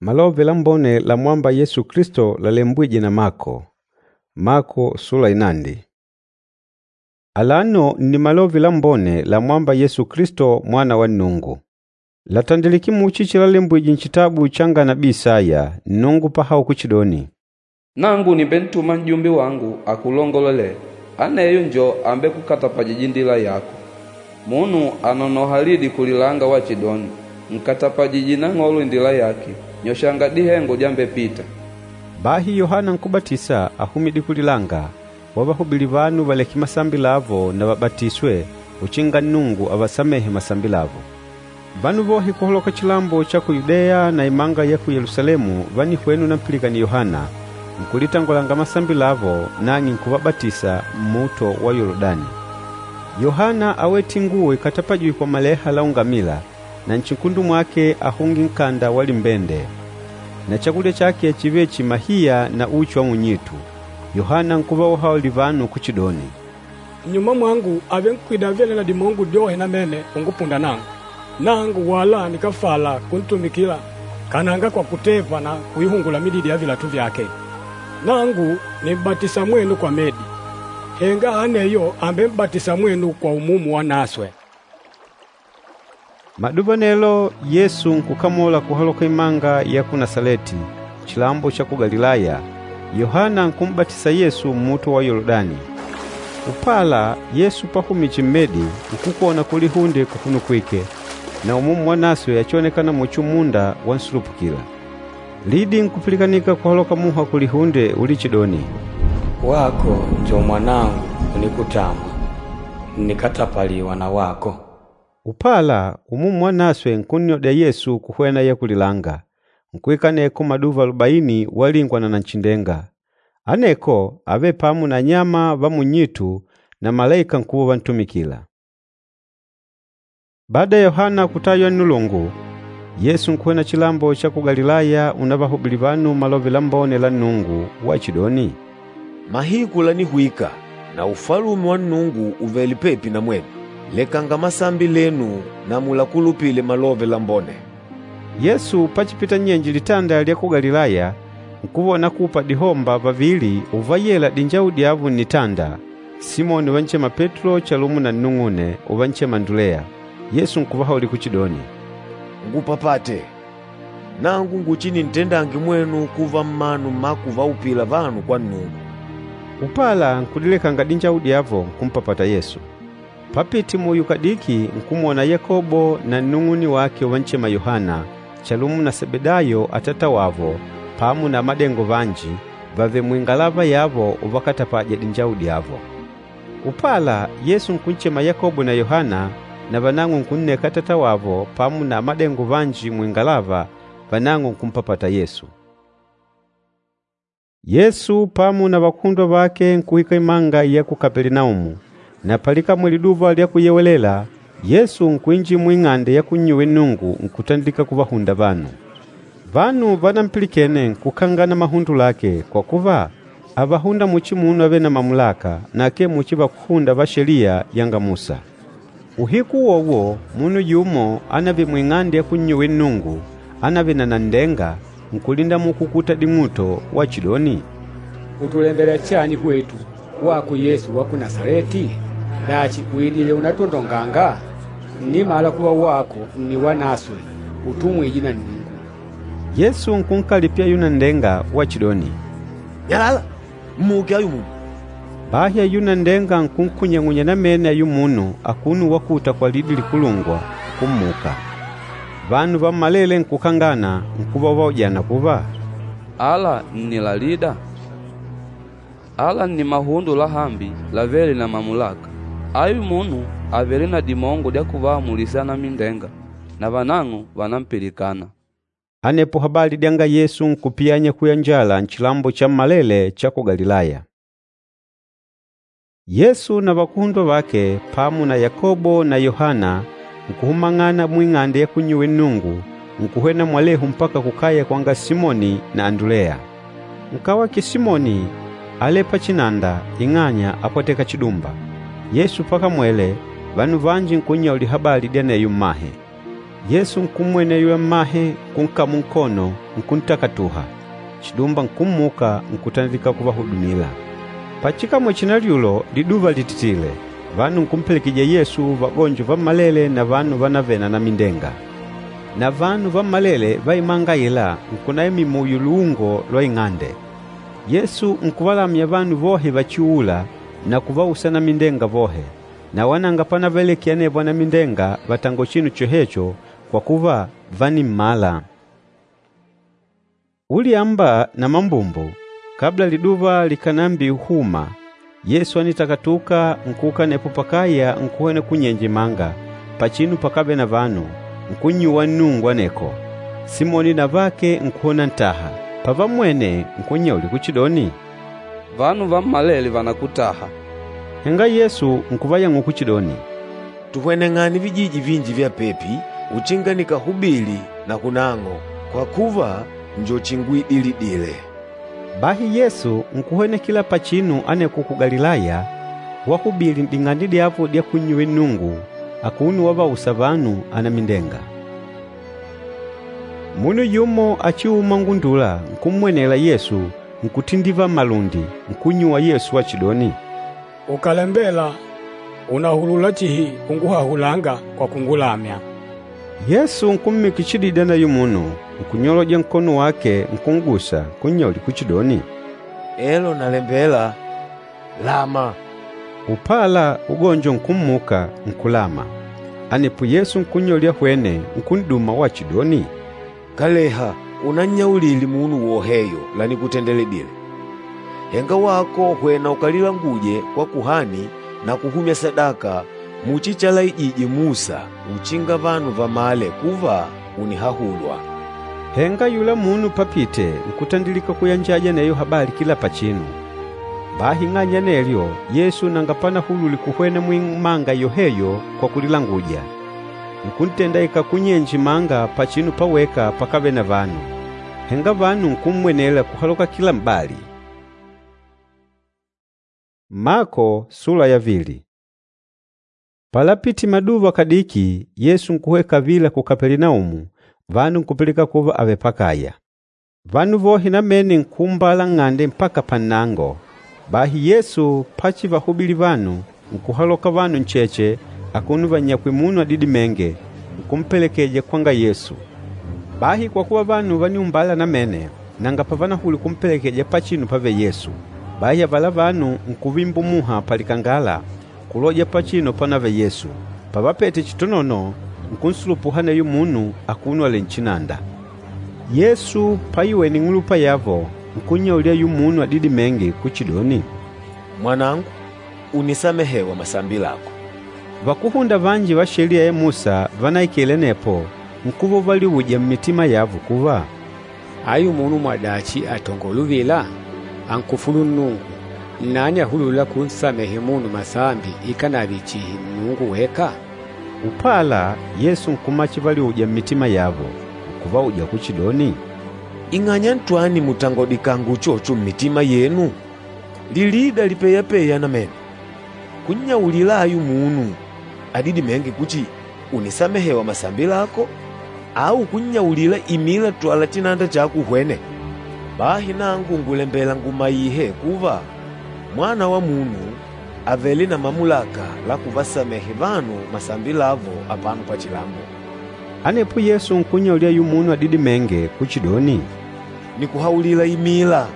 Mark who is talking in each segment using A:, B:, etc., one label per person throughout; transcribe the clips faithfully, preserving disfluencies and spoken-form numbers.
A: Malove Lambone lamwâmba Yesu Kilisto lalembwîje na Mako. Mako sula ya inandi. Alano nni Malove Lambone lamwâmba Yesu Kilisto, Mwana wa Nnungu. Làtandilike muchi chilalembwije nchitabu changa nabii Isaya, Nnungu pahaula kuchidoni,
B: “Nangu nìmbentuma n'jumbe wangu akulongolelêle, aneyo njo ambekukatapajîja indila yako.” Munu ànonoha lidi kulilanga wachidoni, ‘Nkatapajije Nang'olo indila yake, nyoshanga dihengo dyambepita.’” Bahi Yohana Nkúbatisa áhumidile kulilanga, wavahubili vanu valeke masambi lavo na vabatiswe uchinga Nnungu avasamehe masambi lavo. Vanu vohe kuhaloka chilambo cha ku Yudeya na imanga ya ku Yelusalemu vánihwena unampilikana Yohana, nkulitangolanga masambi lavo, nang'e nkuvabatisa mmuto wa Yoludani. Yohana áwete inguwo ikatapajîjwe kwa maleha la ungamila, na nchinkundu mwake áhungile nkanda wa limbende. Na chakulya chake chívele chihi mahiya na uchi wa munyitu. Yohana nkuva wahaulila vanu kuchidoni,
C: “Nnyuma mwangu àvenkwida avêle na dimongo dyohe namene ungupunda nangu. Nangu wala nikáfala kuntumikila kananga kwa kutepa na kuihungula mididi ya vilatu vyake. Nangu nìm'batisa mwenu kwa medi, henga aneyo àmbem'batisa mwenu kwa Umumu Wanaswe.”
A: Maduva anelo, Yesu nkukamola kuhaloka imanga ya ku Nasaleti, chilambo cha ku Galilaya, Yohana nkum'batisa Yesu mmuto wa Yoludani. Upala, Yesu pahumije mmedi, nkukwona kulihunde kufunukwike, na Umumu Wanaswe achionekâna muchi umunda wansulupukila. Lidi nkupilikanika kuhaloka muha kulihunde ulichidoni,
D: “Wako njo Mwanangu unikutamwa, ǹnikatapaliwa na wako.”
A: Upala, Umumu Wanaswe nkunnyodya Yesu kuhwena ya kulilanga. Nkuikala aneko maduva alubaini walingwa na Nanchindenga. Aneko ávele pamo na anyama va munnyitu na malaika nkuva uvantumikila. Bada ya Yohana kutaywa nnulungu, Yesu nkuhwena chilambo cha ku Galilaya unavahubili vanu Malove Lambone la Nnungu wachidoni,
E: “Mahiku lànihwika na Ufalume wa Nnungu ùvele pepi na mwenu. Lekanga masambi lenu na mulakulupile Malove Lambone.”
A: Yesu pachipita nnyenje litanda lya ku Galilaya, nkuva unakupa dihomba vavili uvayela dinjawu dyavo nnitanda, Simoni uvanchema Petulo chalumo na nnung'une, uvanchema Anduleya. Yesu nkuvahaulila kuchidoni,
E: “Ngupapate, nangu nguchinintendange mwenu kuva mmanu mma kuvaupila vanu kwa Nnungu.”
A: Upala nkudilekanga dinjawu dyavo, nkumpapata Yesu. Papite muyo kadiki nkumwona Yakobo na nnung'une wake uvanchema Yohana, chalumo na Sebedayo atata wavo pamo na amadengo vanji, vàvele muingalava yavo uvakatapaja dinjawu dyavo. Upala, Yesu nkunchema Yakobo na Yohana, na vanang'o nkunneka atata wavo pamo na amadengo vanji muingalava, vanang'o nkumpapata Yesu. Yesu pamo na vakuhundwa vake nkuhwika imanga ya ku Kapelinaumu. Na palikamwele Liduva lya Kuyewelela, Yesu nkuinjila muing'ande ya kunnyuwila Nnungu nkutandilika kuvahunda vanu. Vanu vanampilikene nkukangana mahundo lake, kwa kuva, ávahunda muchi munu avêle na mamulaka na akee muchi vakúhunda va Sheliya yanga Musa. Uhiku uwowo munu yumo ánavele muing'ande ya kunnyuwila Nnungu, ánavele na nanndenga, nkulindamuka ukuta ding'uto wachidoni,
D: “Ùtulembela chani hwetu, wako Yesu wa ku Nasaleti? Dachi, ùidile unatwondonganga? Ǹnimala kuva wako nni Wanaswe, utumwîje na Nnungu.”
A: Yesu nkunkalipila ayula nanndenga wachidoni,
E: “Nyalala! Mmuke ayu munu!”
A: Bahi ayula nanndenga nkunkunyang'unya namene ayula munu akuno wakuta kwa lidi likulungwa, nkummuka. Vanu vammalele nkukangana, nkuva uvaujana kuva,
B: “Ala nni lalida? Ala nni mahundo lahambi lavêle na mamulaka! Ayu munu àvele na dimongo dya kuvaamulisa anamindenga, na vanang'o vànampilikana.”
A: Anepo habali dyanga Yesu nkupiyanya kuyanjala nchilambo chammalele cha ku Galilaya. Yesu na vakuhundwa vake pamo na Yakobo na Yohana nkuhumang'ana muing'ande ya kunnyuwila Nnungu, nkuhwena mwalehu mpaka kukaya kwanga Simoni na Anduleya. Nkawake Simoni álele pachinanda ing'anya ápwateka chidumba. Yesu pakamwele, vanu vanji nkunnyaulila habali dya aneyo mmahe. Yesu nkummwene ayula mmahe, nkunkamula nkono, nkuntakatuha. Chidumba nkummuka, nkutandilika kuvahudumila. Pachikamwele chinalyulo, liduva lìtitile, vanu nkumpelekejija Yesu vagonjo vammalele na vanu vanavele na anamindenga. Na vanu vammalele va imanga aila nkunaimila muyo luungo lwa ing'ande. Yesu nkuvalamya vanu vohe vachiuûla na kuvausa anamindenga vohe. Na wala nanga panavalekile anevo anamindenga vatangole chinu chohecho kwa kuva, vánimmala. Ulyamba na mambumbu, kabla liduva likànambihuma, Yesu ánitakatuka nkuuka anepo pakaya nkuhwena kunyenje imanga, pachinu pakávele na vanu, nkunnyuwa Nnungu aneko. Simoni na avake nkuhwena unantaha. Pavammwene, nkunnyaulila kuchidoni,
B: “Vanu vammalele vànakutaha.”
A: Henga Yesu nkuvayang'ula kuchidoni,
E: “Tuhweneng'ane vijiji vinji vya pepi, uchinga nikahubili na kunang'o, kwa kuva, njo chinguidilidile.”
A: Bahi Yesu nkuhwenekila pachinu aneko ku Galilaya, wahubili n'ding'ande dyavo dya kunnyuwila Nnungu, akuno wavausa vanu anamindenga. Munu yumo achiûma ngundula nkummwenela Yesu, nkutindivala malundi, nkunnyuwa Yesu wachidoni,
C: Ukàlembela, ùnahulula chihi kunguhahulanga kwa kungulamya.
A: Yesu nkummikila chididi aneyo munu, nkunyoloja nkono wake nkun'gusa, nkunnyaulila kuchidoni,
E: “Elo nalembela, lama!”
A: Upala ugonjo nkummuka, nkulama. Anepo Yesu nkunnyaulila ahwene, nkun'duma wachidoni,
E: “Kaleha unannyaulile munu woheyo lanikutendeledile. Henga wako hwena ukalilanguje kwa kuhani na kuhumya sadaka muchi chalaijije Musa uchinga vanu vamale kuva ùnihahulwa.”
A: Henga ayula munu papite nkutandilika kuyanjaja aneyo habali kila pachinu. Bahi ing'anya ya anelyo, Yesu nanga panahulwile kuhwena muimanga yoheyo kwa kulilanguja. Nkuntendaika kunyenje imanga pachinu paweka pakávele na vanu. Henga vanu nkummwenela kuhaloka kila m'bali. Mako sula ya vili. Palapite maduva kadiki, Yesu nkuhwena kavila ku Kapelinaumu, vanu nkupilika kuva àvele pakaya. Vanu vohe namene nkuumbala nng'ande mpaka pannango. Bahi Yesu pachivahubili vanu, nkuhaloka vanu ncheche akuno vannyakwìlè munu adidimênge, nkumpelekeja kwanga Yesu. Bahi kwa kuva vanu vániumbala namene, nanga pavanahulwile kumpelekeja pachinu pavele Yesu. Bahi avala vanu nkuvimbumuha palikangala kuloja pachinu panavele Yesu. Pavapete chitonono, nkunsulupuha aneyo munu akuno alèlè nchinanda. Yesu paiwene ing'ulupa yavo, nkunnyaulila ayula munu adidimênge kuchidoni,
E: “Mwanangu, ùnisamehewa masambi lako.”
A: Vakúhunda vanji va Sheliya ya Musa vanaikele anepo, nkuva uvaliuja mmitima yavo kuva,
D: “Ayu munu mwadachi àtongola uvila? Ànkufulu Nnungu! Nnani ahulûla kunsamehe munu masambi ikànave chihi Nnungu weka?”
A: Upala, Yesu nkumala chivaliuja mmitima yavo, nkuvauja kuchidoni,
E: “Ing'anya ntwani mùtangodikanga uchocho mmitima yenu? Lilida lipeyapeya namene, kunnyaulila ayu munu adidimênge kuchi, ‘Ùnisamehewa masambi lako,’ au kunnyaulila, ‘Imila twala chinanda chako uhwene’? Bahi nangu ngùlembela ngumaihe kuva, Mwana wa Munu àvele na mamulaka la kuvasamehe vanu masambi lavo apano pachilambo.”
A: Anepo Yesu nkunnyaulila ayula munu adidimênge kuchidoni,
E: Nìkuhaulila imila,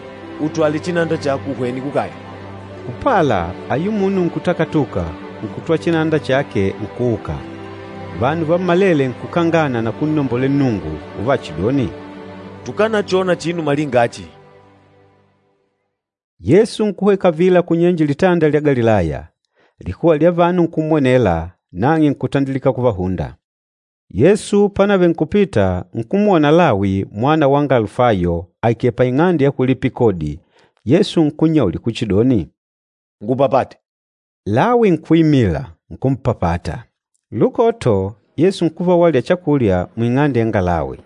E: utwale chinanda chako uhwene kukaya.
A: Upala, ayula munu nkutakatuka, nkutwala chinanda chake, nkuuka. Vanu vammalele nkukangana na kunnombolela Nnungu uvachidoni,
E: “Tukanachona chinu malinga achi!”
A: Yesu nkuhwena kavila kunyenje Litanda lya Galilaya. Likuwa lya vanu nkummwenela, nang'e nkutandilika kuvahunda. Yesu panavele nkupita, nkumwona Lawi mwana wanga Alufayo aikèlè paing'ande ya kulipila kodi. Yesu nkunnyaulila kuchidoni,
E: “Ngupapate.”
A: Lawi nkuimila, nkumpapata. Lukoto, Yesu nkuva walya chakulya muing'ande yanga Lawi.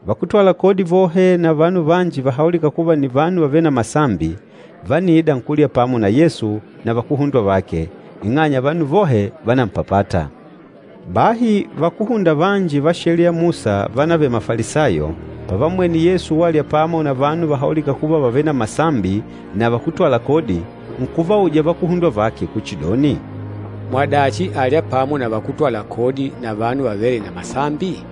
A: Vakútwala kodi vohe na vanu vanji vahaulîka kuva nni vanu vavêle na masambi, vániida nkulya pamo na Yesu na vakuhundwa vake, ing'anya vanu vohe vánampapata. Bahi vakúhunda vanji va Sheliya ya Musa vanavele Mafalisayo, pavammwene Yesu walya pamo na vanu vahaulîka kuva vàvele na masambi na vakútwala kodi, nkuvauja vakuhundwa vake kuchidoni,
D: “Mwadachi àlya pamo na vakútwala kodi na vanu vavêle na masambi?”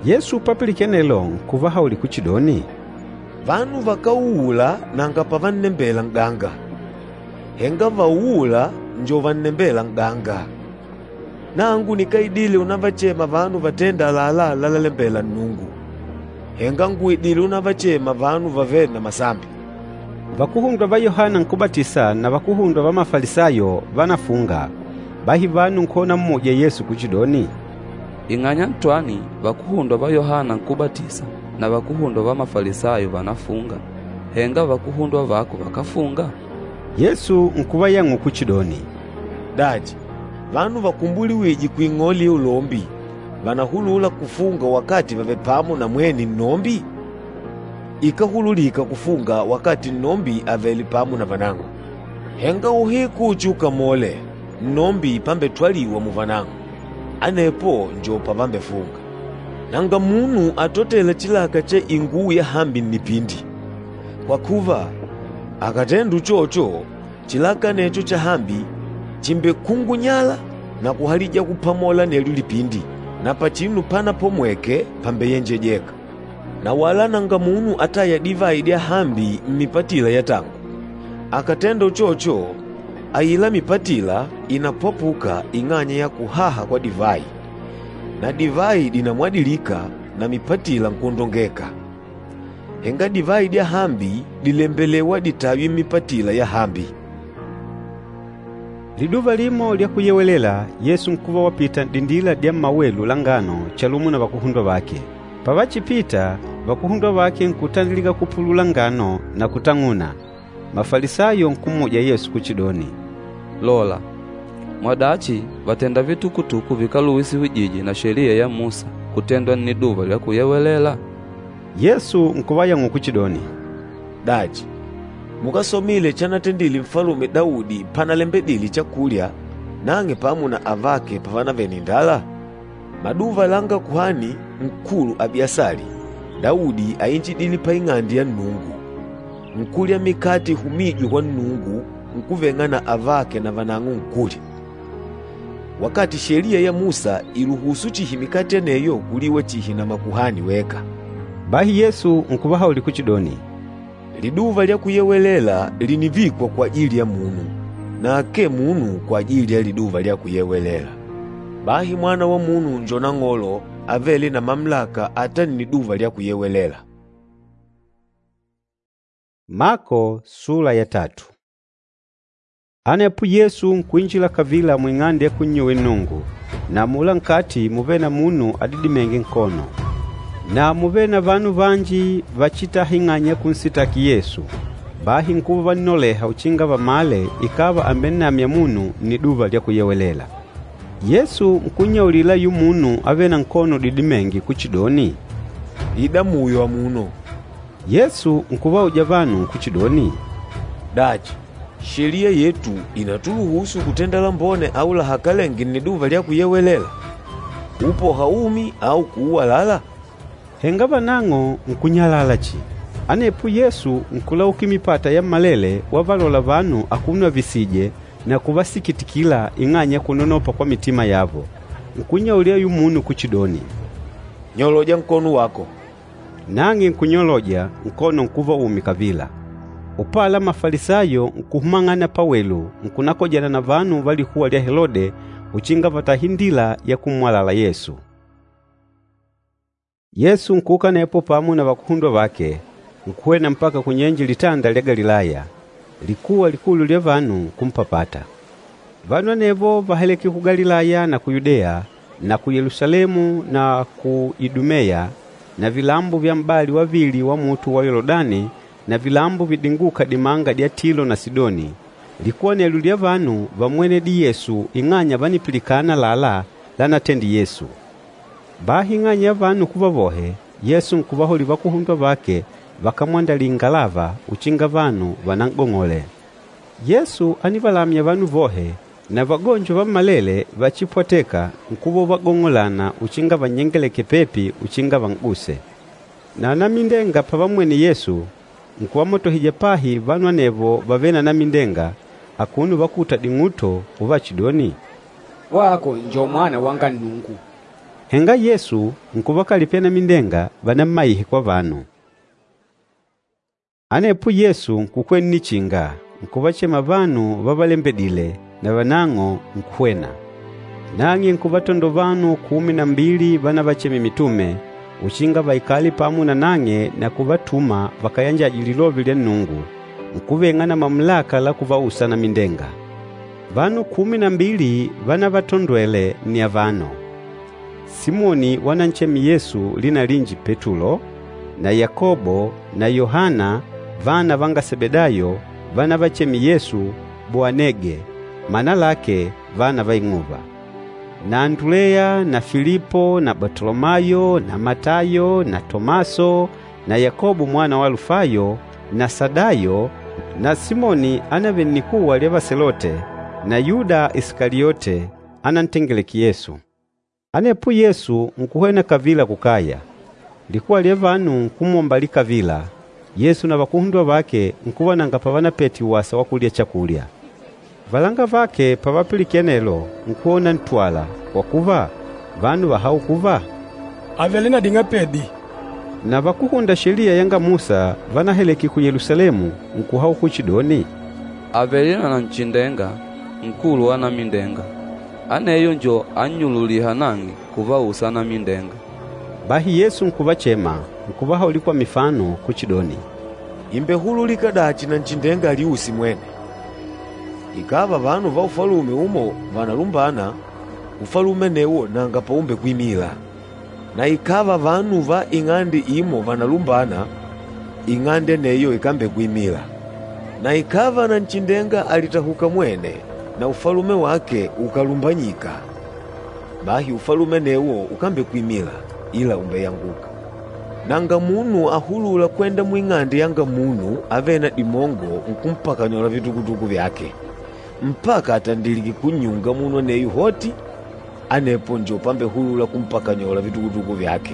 A: Yesu papilikene anelo nkuvahaulila kuchidoni,
E: “Vanu vakáuula nanga pavannembela n'ganga, henga vauûla njo vannembêla n'ganga. Nangu nikáidile unavachema vanu vatênda àlalá lalalembela Nnungu, henga ngùidile unavachema vanu vavêle na masambi.”
A: Vakuhundwa va Yohana Nkúbatisa na vakuhundwa va Mafalisayo vánafunga. Bahi vanu nkuhwena unammuja Yesu kuchidoni,
B: “Ing'anya ntwani vakuhundwa va Yohana Nkúbatisa na vakuhundwa va Mafalisayo vànafunga, henga vakuhundwa vako vakáfunga?”
A: Yesu nkuvayang'ula kuchidoni,
E: “Dachi, vanu vakumbuliwîje kuing'ole ya ulombi vànahulula kufunga wakati vàvele pamo na mwene nnombi? Ikáhululika kufunga wakati nnombi àvele pamo na vanang'o. Henga uhiku uchiukamole, nnombi pambetwaliwa muvanang'o, anepo njo pavambefunga. Nanga munu atotêla chilaka cha inguwo yahambi nnipindi. Kwa kuva, akàtenda uchocho, chilaka anecho chahambi chìmbekungunyala na kuhalija kupamola anelyo lipindi, na pachinu panapomweke pàmbeyenjejeka. Na wala nanga munu atâya divayi dyahambi mmipatila ya tangu. Akàtenda uchocho, aila mipatila ìnapwapuka ing'anya ya kuhaha kwa divayi, na divayi dìnamwadilika na mipatila nkwondongeka. Henga divayi dyahambi dìlembelewa ditaywe mmipatila yahambi.”
A: Liduva limo lya Kuyewelela, Yesu nkuva wapita n'dindila dya mmawelu la ngano chalumo na vakuhundwa vake. Pavachipita, vakuhundwa vake nkutandilika kupulula ngano na kutang'una. Mafalisayo nkummuja Yesu kuchidoni,
B: “Lola, mwadachi vàtenda vitukutuku vikáluhusiwije na Sheliya ya Musa kutendwa Nniduva lya Kuyewelela?”
A: Yesu nkuvayang'ula kuchidoni,
E: “Dachi, mukásomile chanatendile Nfalume Daudi panalembedile chakulya, nang'e pamo na avake pavanavele na indala? Maduva langa Kuhani Nkulu Abiasali, Daudi áinjidile paing'ande ya Nnungu, nkulya mikate ihumîjwe kwa Nnungu nkuveng'a na avake na vanang'o nkulya, wakati Sheliya ya Musa ìluhusu chihi mikate aneyo kuliwa chihi na makuhani weka.”
A: Bahi Yesu nkuvahaulila kuchidoni,
E: “Liduva lya Kuyewelela lìnivikwa kwajili ya munu, na akee munu kwajili ya Liduva lya Kuyewelela. Bahi Mwana wa Munu njo Nang'olo avêle na mamulaka ata Nniduva lya Kuyewelela.”
A: Mako sula ya tatu. Anepo Yesu nkuinjila kavila muing'ande ya kunnyuwila Nnungu, na amula nkati múvele na munu adidimênge nkono. Na múvele na vanu vanji vachitaha ing'anya ya kunsitaki Yesu. Bahi nkuva uvannoleha uchinga vamale ikàva àmbennamya munu Nniduva lya Kuyewelela. Yesu nkunnyaulila ayula munu avêle na nkono udidimênge kuchidoni,
E: “Ida muyo amuno.”
A: Yesu nkuvauja vanu kuchidoni,
E: “Dachi, sheliya yetu ìnatuluhusu kutenda lambone au lahakalenge Nniduva lya Kuyewelela, kuupoha umi au kuuwalala?”
A: Henga vanang'o nkunyalala chihi. Anepo Yesu nkulaukila mipata yammalele wavalola vanu akuno avisije na kuvasikitikila ing'anya ya kunonopa kwa mitima yavo. Nkunnyaulila ayula munu kuchidoni,
E: “Nyoloja nkono wako.”
A: Nang'e nkunyoloja, nkono nkuva umi kavila. Upala Mafalisayo nkuhumang'ana pawelu nkunakojana na vanu va likuwa lya Helode uchinga vatahe indila ya kummwalala Yesu. Yesu nkuuka anepo pamo na vakuhundwa vake, nkuhwena mpaka kunyenje litanda lya Galilaya. Likuwa likulu lya vanu nkumpapata. Vanu anevo váhaleke ku Galilaya na ku Yudeya na ku Yelusalemu na ku Idumeya na vilambo vya m'bali wa vili wa luhunde lwa Yoludani na vilambo vidingûka dimanga dya Tilo na Sidoni. Likuwa anelyo lya vanu vámmwenedile Yesu ing'anya vánipilikana àlalá lanatendile Yesu. Bahi ing'anya ya vanu kuva vohe, Yesu nkuvahaulila vakuhundwa vake vakamwandalile ingalava uchinga vanu vanan'gong'ole. Yesu ánivalamya vanu vohe, Na vagonjo vammalele vachipwatêka nkuva uvagong'olana uchinga vannyengeleke pepi uchinga van'guse. Na anamindenga pavammwene Yesu, nkuvamotohija pahi vanu anevo vavêle na anamindenga, akuno uvakuta ding'uto uvachidoni,
D: “Wako njo Mwana wanga Nnungu!”
A: Henga Yesu nkuvakalipila anamindenga vanammaihe kwa vanu. Anepo Yesu nkukwela nnichinga, nkuvachema vanu vavalembedile, na vanang'o nkuhwena. Nang'e nkuvatandola vanu kumi na mbili vanavachemile mitume, uchinga vaikale pamo na nang'e na kuvatuma vakayanjaje Lilove lya Nnungu, nkuveng'a na mamulaka la kuvausa anamindenga. Vanu kumi na mbili vanavatondwele nni avano: Simoni wananchema Yesu lina linji Petulo, na Yakobo na Yohana vana vanga Sebedayo vanavachemile Yesu Boanege, mana lake vana va ing'uva, na Anduleya na Filipo na Batolomayo na Matayo na Tomaso na Yakobo mwana wa Alufayo na Sadayo na Simoni ánavele nnikuwa lya Vaselote na Yuda Isikaliote anantengeleke Yesu. Anepo Yesu nkuhwena kavila kukaya. Likuwa lya vanu nkumwombalila kavila, Yesu na vakuhundwa vake nkuva nanga pavanapete wasa wa kulya chakulya. Valanga vake pavapilikene anelo nkuva unantwala, kwa kuva, vanu váhaula kuva,
C: “Àvele na ding'apedi.”
A: Na vakúhunda Sheliya yanga Musa vanaheleke ku Yelusalemu nkuhaula kuchidoni,
B: “Àvele na nanchindenga, nkulu wa anamindenga. Aneyo njo annyululîha nang'e kuvausa anamindenga.”
A: Bahi Yesu nkuvachema, nkuvahaulila kwa mifano kuchidoni,
E: Ìmbehululika dachi nanchindenga aliuse mwene? Ikàva vanu va ufalume umo vànalumbana, ufalume anewo nanga paumbekwimila. Na ikàva vanu va ing'ande imo vànalumbana, ing'ande aneyo ikambekwimila. Na ikàva nanchindenga àlitahuka mwene na ufalume wake ukàlumbanyika, bahi ufalume anewo ukambekwimila, ila ùmbeyanguka. Nanga munu ahulûla kwenda muing'ande yanga munu avêle na dimongo nkumpakanyola vitukutuku vyake, mpaka atandilike kunnyunga munu aneyo hoti, anepo njo pambehulula kumpakanyola vitukutuku vyake.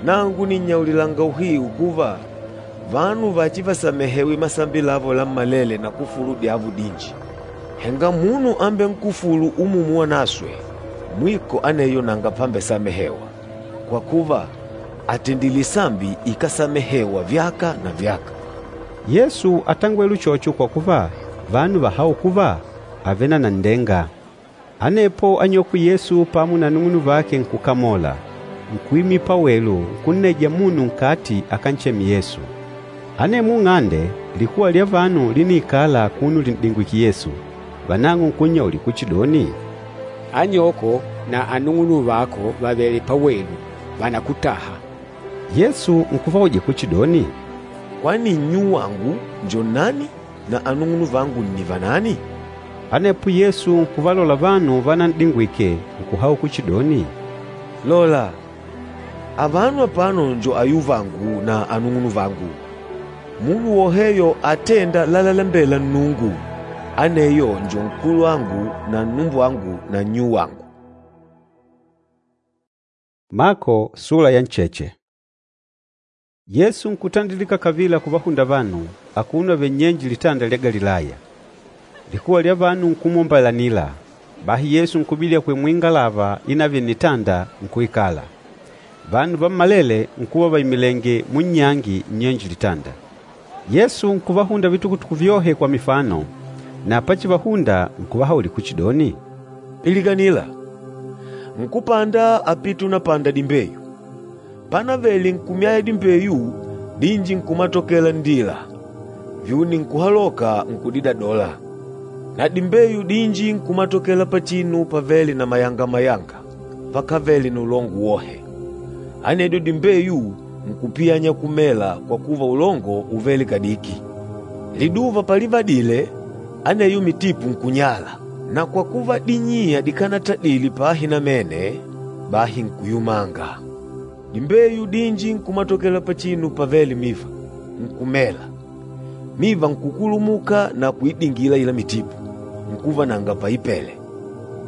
E: Nangu nìnnyaulilanga uhiu kuva, vanu vachivasamehewe masambi lavo lammalele na kufulu dyavo dinji. Henga munu ambenkufûlu Umumu Wanaswe, mwiko aneyo nanga pambesamehewa, kwa kuva, àtendile isambi ikásamehewa vyaka na vyaka.”
A: Yesu átangwele uchocho kwa kuva, vanu váhaula kuva, àvele na nanndenga. Anepo anyokwe Yesu pamo na anung'unuvake nkukamola, nkuimila pawelu nkunneja munu nkati akancheme Yesu. Anemwo nng'ande, likuwa lya vanu líniikala akuno lin'dingwìkè Yesu. Vanang'o nkunnyaulila kuchidoni,
D: “Anyoko na anung'unuvako vàvele pawelu, vànakutaha.”
A: Yesu nkuvauja kuchidoni,
E: “Kwani nnyuwangu njo nnani na anung'unuvangu nni vanani?”
A: Anepo Yesu nkuvalola vanu vanan'dingwike, nkuhaula kuchidoni,
E: “Lola, avano apano njo ayuvangu na anung'unuvangu! Munu woheyo atênda lalalembela Nnungu, aneyo njo nkulwangu na nnumbwangu na nnyuwangu.”
A: Mako sula ya ncheche. Yesu nkutandilika kavila kuvahunda vanu, akuno avèlè nnyenje litanda lya Galilaya. Likuwa lya vanu nkumwombalanila. Bahi Yesu nkubidila kuhwena muingalava inavele nnitanda, nkuikala. Vanu vammalele nkuva vaimilenge munnyangi nnyenje litanda. Yesu nkuvahunda vitukutuku vyohe kwa mifano, na pachivahunda nkuvahaulila kuchidoni,
E: “Pilikanila! Nkúpanda ápite unapanda dimbeyu. Panavele nkumyaya dimbeyu, dinji nkumatokela nndila, vyuni nkuhaloka nkudidadola. Na dimbeyu dinji nkumatokela pachinu pavêle na mayanga-mayanga, pakávele na ulongo wohe. Anedyo dimbeyu nkupiyanya kumela kwa kuva ulongo úvele kadiki. Liduva palivadile, aneyo mitipu nkunyala, na kwa kuva dinyiya dikanatadile pahi namene, bahi nkuyumanga. Dimbeyu dinji nkumatokela pachinu pavêle miva, nkumela. Miva nkukulumuka na kuidingila aila mitipu, nkuva nanga paipele.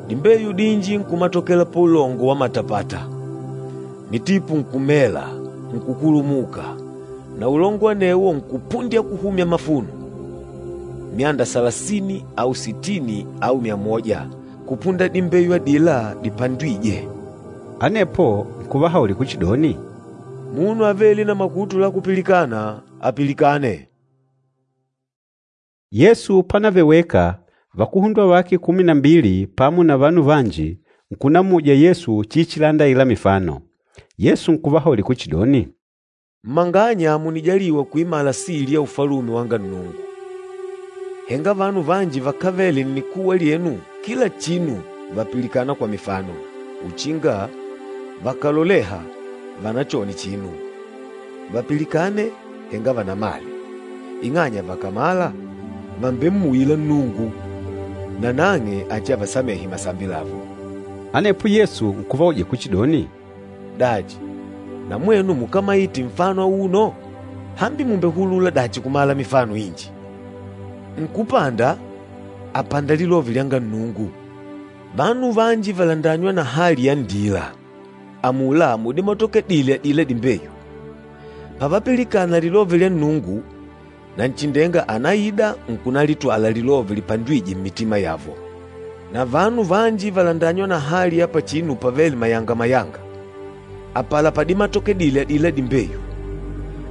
E: Dimbeyu dinji nkumatokela paulongo wa matapata. Mitipu nkumela, nkukulumuka, na ulongo anewo nkupundya kuhumya mafuno, myanda salasini au sitini au myamoja kupunda dimbeyu adila dipandwîje.”
A: Anepo nkuvahaulila kuchidoni,
E: “Munu avêle na makutu la kupilikana, apilikane.”
A: Yesu pánavele weka, vakuhundwa vake kumi na mbili pamo na vanu vanji nkunamuja Yesu chiichilanda aila mifano. Yesu nkuvahaulila kuchidoni,
E: “Mmanganya mùnijaliwa kuimala sili ya Ufalume wanga Nnungu. Henga vanu vanji vakávele nnikuwa lyenu kila chinu vàpilikana kwa mifano, uchinga vakàloleha vanachone chinu, vapilikane henga vanamale, ing'anya vakàmala, vàmbemmuwila Nnungu, nanang'e achiavasamehe masambi lavo.”
A: Anepo Yesu nkuvauja kuchidoni,
E: “Dachi, na mwenu mukámaite nfano auno? Hambi mùmbehulula dachi kumala mifano inji? Nkúpanda, àpanda lilove lyanga Nnungu. Vanu vanji vàlandanywa na hali ya nndila, amula mudimatokedile adila dimbeyu. Pavapilikana lilove lya Nnungu, Nanchindenga ànaida nkunalitwala lilove lipandwîje mmitima yavo. Na vanu vanji vàlandanywa na hali ya pachinu pavêle mayanga-mayanga, apala padimatokedile adila dimbeyu.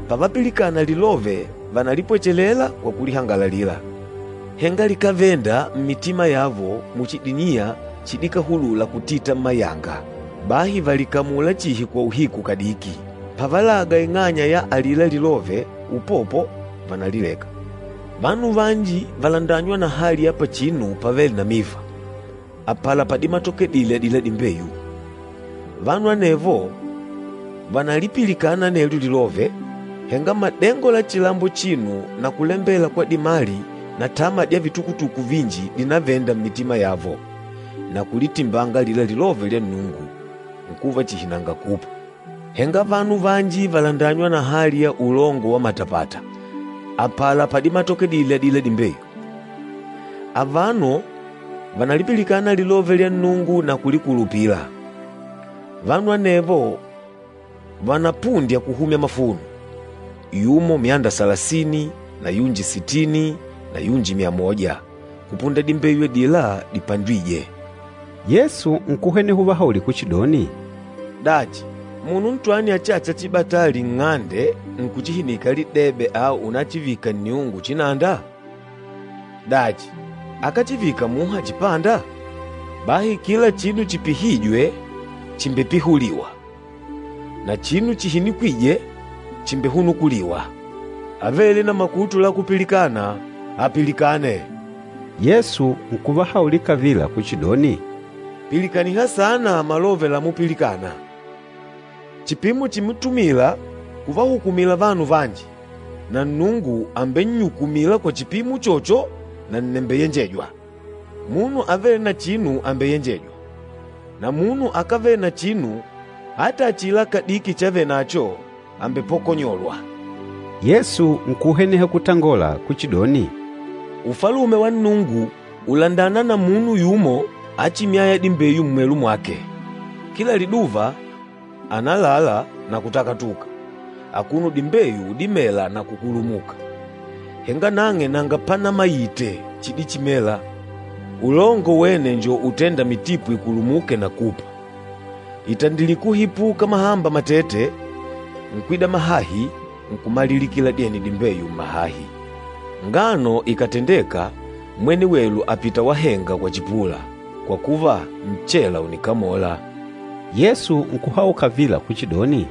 E: Pavapilikana lilove vànalipwechelela kwa kulihangalalila. Henga likávenda mmitima yavo muchi diniya chidikahulula kutita mmayanga, bahi vàlikamula chihi kwa uhiku kadiki. Pavalaga ing'anya ya alila lilove, upopo vànalileka. Vanu vanji vàlandanywa na hali ya pachinu pavêle na miva, apala padimatokedile adila dimbeyu. Vanu anevo vànalipilikana anelyo lilove, henga madengo la chilambo chino na kulembela kwa dimali na tama dya vitukutuku vinji dìnavenda mmitima yavo, na kulitimbanga alila lilove lya Nnungu, nkuva chihi nanga kupa. Henga vanu vanji vàlandanywa na hali ya ulongo wa matapata, apala padimatokedile adila dimbeyu. Avano vànalipilikana lilove lya Nnungu na kulikulupila. Vanu anevo vànapundya kuhumya mafuno, yumo myanda salasini na yunji sitini na yunji myamoja, kupunda dimbeyu adila dipandwîje.”
A: Yesu nkuhweneha uvahaulila kuchidoni,
E: “Dachi, munu ntwani achâcha chibatali nng'ande nkuchihinika lidebe au unachivika nniungu chinanda? Dachi, akáchivika muha chipanda? Bahi kila chinu chipihîjwe chìmbepihuliwa, na chinu chihinikwîje chìmbehunukuliwa. Avêle na makutu la kupilikana, apilikane.”
A: Yesu nkuvahaulila kavila kuchidoni,
E: “Pilikaniha saana malove lamupilikana. Chipimo chimutumila kuvahukumila vanu vanji, na Nnungu àmbennyukumila kwa chipimo uchocho na nnembeyenjejwa. Munu avêle na chinu àmbeyenjejwa, na munu akávele na chinu, ata achila kadiki chavenacho àmbepokonyolwa.”
A: Yesu nkuhweneha kutangola kuchidoni,
E: “Ufalume wa Nnungu ùlandana na munu yumo achimyâya dimbeyu mmwelu mwake. Kila liduva ànalala na kutakatuka, akuno dimbeyu dimela na kukulumuka, henga nang'e nanga panamaite chidichimela. Ulongo wene njo utênda mitipu ikulumuke na kupa. Ìtandilike kuhipuka mahamba matete, nkwida mahahi nkumalilikila dyene dimbeyu mmahahi. Ngano ikàtendeka, mwene welu àpita wahenga kwa chipula, kwa kuva nchela ùnikamola.”
A: Yesu nkuhaula kavila kuchidoni,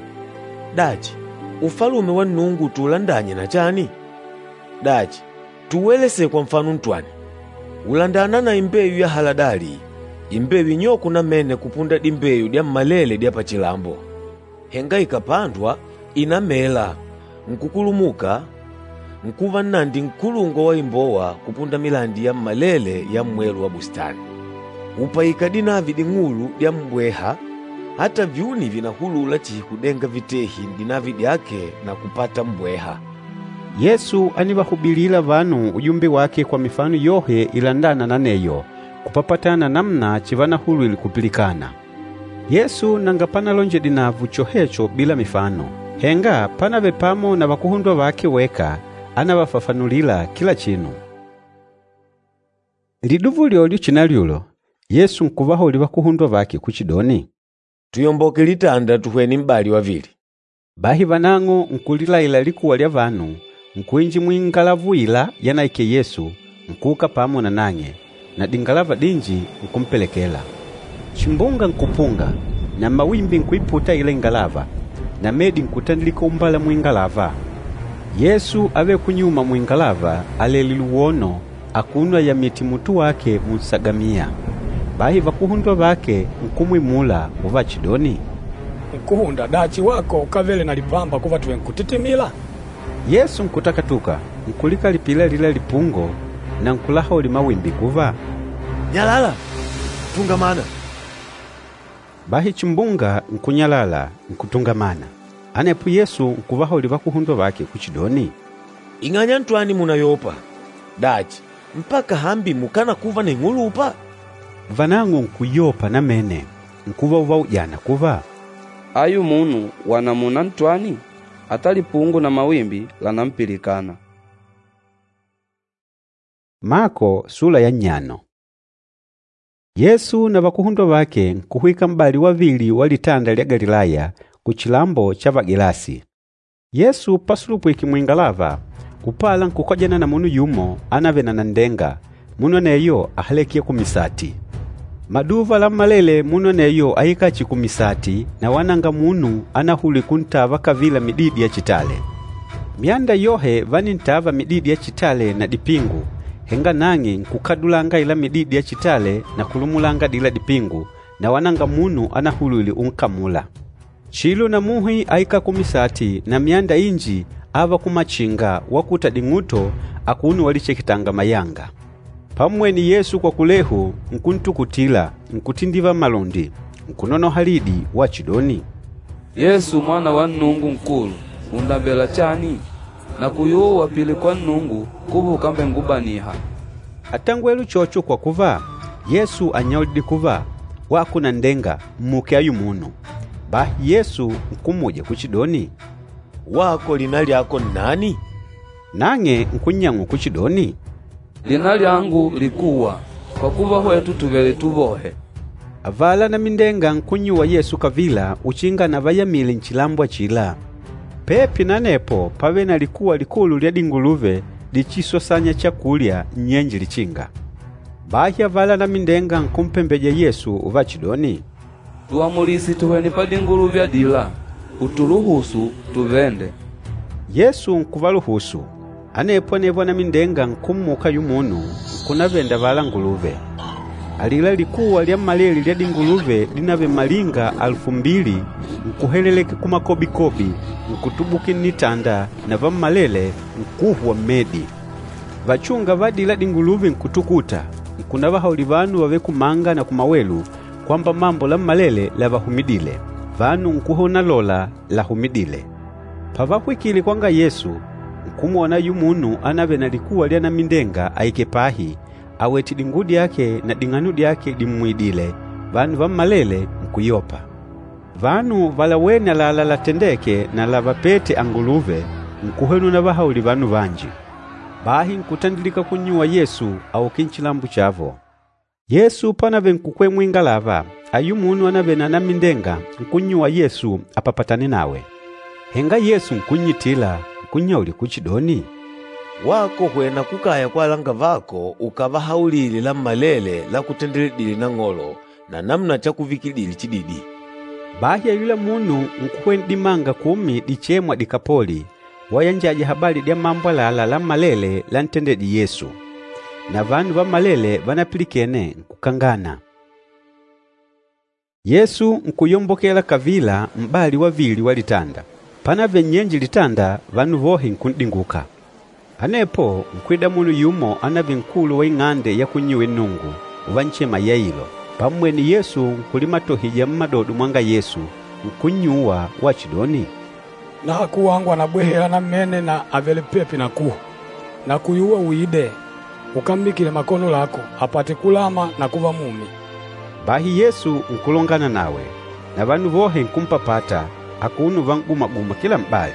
E: “Dachi, Ufalume wa Nnungu tuulandanye na chani? Dachi, tuuelese kwa nfano ntwani? Ùlandana na imbeyu ya haladali, imbeyu inyoko namene kupunda dimbeyu dyammalele dya pachilambo. Henga ikàpandwa, ìnamela, nkukulumuka, nkuva nnandi nkulungwa wa imbowa kupunda milandi yammalele ya mmwelu wa bustani. Ùpaika dinavi ding'ulu dya mmbweha, ata vyuni vìnahulula chihi kudenga vitehi n'dinavi dyake na kupata mmbweha.”
A: Yesu ánivahubilila vanu ujumbe wake kwa mifano yohe ilandâna na aneyo, kupapatana na namuna chivanahulwile kupilikana. Yesu nanga panalonjedile navo chohecho bila mifano, henga pánavele pamo na vakuhundwa vake weka, ánavafafanulila kila chinu. Liduva ulyolyo chinalyulo, Yesu nkuvahaulila vakuhundwa vake kuchidoni,
E: “Tuyomboke litanda tuhwene m'bali wavili.”
A: Bahi vanang'o nkulilaila likuwa lya vanu, nkuinjila muingalava uila yanaikele Yesu, nkuuka pamo na nang'e, na dingalava dinji nkumpelekela. Chimbunga nkupunga, na mawimbi nkuiputa aila ingalava, na medi nkutandilika umbala muingalava. Yesu ávele kunyuma muingalava alèlè luwono akuno ayamìtè mutu wake munsagamiya. Bahi vakuhundwa vake nkumwimula uvachidoni,
C: Nkúhunda, dachi wako ukávele na lipamba kuva tùvenkutitimila?
A: Yesu nkutakatuka, nkulikalipila alila lipungo na nkulahaulila mawimbi kuva,
E: “Nyalala! Tungamana!”
A: Bahi chimbunga nkunyalala, nkutungamana. Anepo Yesu nkuvahaulila vakuhundwa vake kuchidoni,
E: “Ing'anya ntwani mùnayopa? Dachi, mpaka hambi mukanakuva na ing'ulupa?”
A: Vanang'o nkuyopa namene, nkuva uvaujana kuva,
B: Ayu munu wa namuna ntwani? Ata lipungo na mawimbi lànampilikana.
A: Mako sula ya nnyano. Yesu na vakuhundwa vake nkuhwika m'bali wavili wa litanda lya Galilaya kuchilambo cha Vagelasi. Yesu pasulupwike muingalava, upala nkukojana na munu yumo anavele na nanndenga, munu aneyo áhaleke kumisati. Maduva lammalele munu aneyo áikala chihi kumisati na wala nanga munu anahulwile kuntava kavila mididi ya chitale. Myanda yohe vánintava mididi ya chitale na dipingu, henga nang'e nkukadulanga aila mididi ya chitale na kulumulanga adila dipingu, na wala nanga munu anahulwile unkamula. Chilo na muhi áikala kumisati na myanda inji áva kumachinga wakuta ding'uto akuno walicheketanga mayanga. Pammwene Yesu kwa kulehu, nkuntukutila, nkutindiva malundi, nkunonoha lidi wachidoni,
B: Yesu Mwana wa Nnungu Nkulu, ùndambela chani? Nakuyuwa pili kwa Nnungu kuva ukambengubaniha.
A: Átangwele uchocho kwa kuva, Yesu ánnyaulidile kuva, wako nanndenga, mmuke ayu munu. Bahi Yesu nkummuja kuchidoni,
E: “Wako lina lyako nnani?”
A: Nang'e nkunnyang'ula kuchidoni,
B: Lina lyangu likuwa, kwa kuva hwetu tùvele tuvohe.
A: Avala anamindenga nkunnyuwa Yesu kavila uchinga anavayamile nchilambo achila. Pepi na anepo pávele na likuwa likulu lya dinguluve dichisosanya chakulya nnyenje lichinga. Bahi avala anamindenga nkumpembeja Yesu uvachidoni,
B: Tuamulise tuhwene padinguluve adila, utuluhusu tuvende.
A: Yesu nkuvaluhusu. Anepo anevo anamindenga nkummuka ayula munu, nkunavenda avala nguluve. Alila likuwa lyammalele lya dinguluve dinavele malinga alufu mbili nkuheleleka kumakobikobi, nkutubukila nnitanda na vammalele nkuhwa mmedi. Vachúnga va adila dinguluve nkutukuta, nkunavahaulila vanu vavêle kumanga na kumawelu kwamba mambo lammalele lavahumidîle. Vanu nkuhwena unalola lahumidîle. Pavahwikile kwanga Yesu, nkumwona ayula munu anavele na likuwa lya anamindenga aikèlè pahi, awètè dinguwo dyake na ding'ano dyake dimmwidìlè, vanu vammalele nkuyopa. Vanu valawêne àlalá latendêke na lavapête anguluve, nkuhwena unavahaulila vanu vanji. Bahi nkutandilika kunnyuwa Yesu auke nchilambo chavo. Yesu panavele nkukwela muingalava, ayula munu anavele na anamindenga nkunnyuwa Yesu apapatane nawe. Henga Yesu nkunnyitila, nkunnyaulila kuchidoni,
E: “Wako hwena kukaya kwa alangavako ukavahaulile lammalele lakutendeledîle Nang'olo na namuna chakuvikidile chididi.”
A: Bahi ayula munu nkuhwena dimanga kumi dichêmwa Dikapoli, wayanjaja habali dya mambo àlalá lammalele lantendedîje Yesu. Na vanu vammalele vanapilikene nkukangana. Yesu nkuyombokela kavila m'bali wavili wa litanda. Panavele nnyenje litanda, vanu vohe nkun'dinguka. Anepo nkwida munu yumo ánavele nkulu wa ing'ande ya kunnyuwila Nnungu, uvanchema Yailo. Pammwene Yesu nkulimatohija mmadodo mwanga Yesu, nkunnyuwa wachidoni,
C: Nahaku wangu ànabwehela namene na àvele pepi na kuhwa. Nakuyuwa uide, ukammikile makono lako, apate kulama na kuva mumi.”
A: Bahi Yesu nkulongana nawe, na vanu vohe nkumpapata, akuno uvan'guma-guma kila m'bali.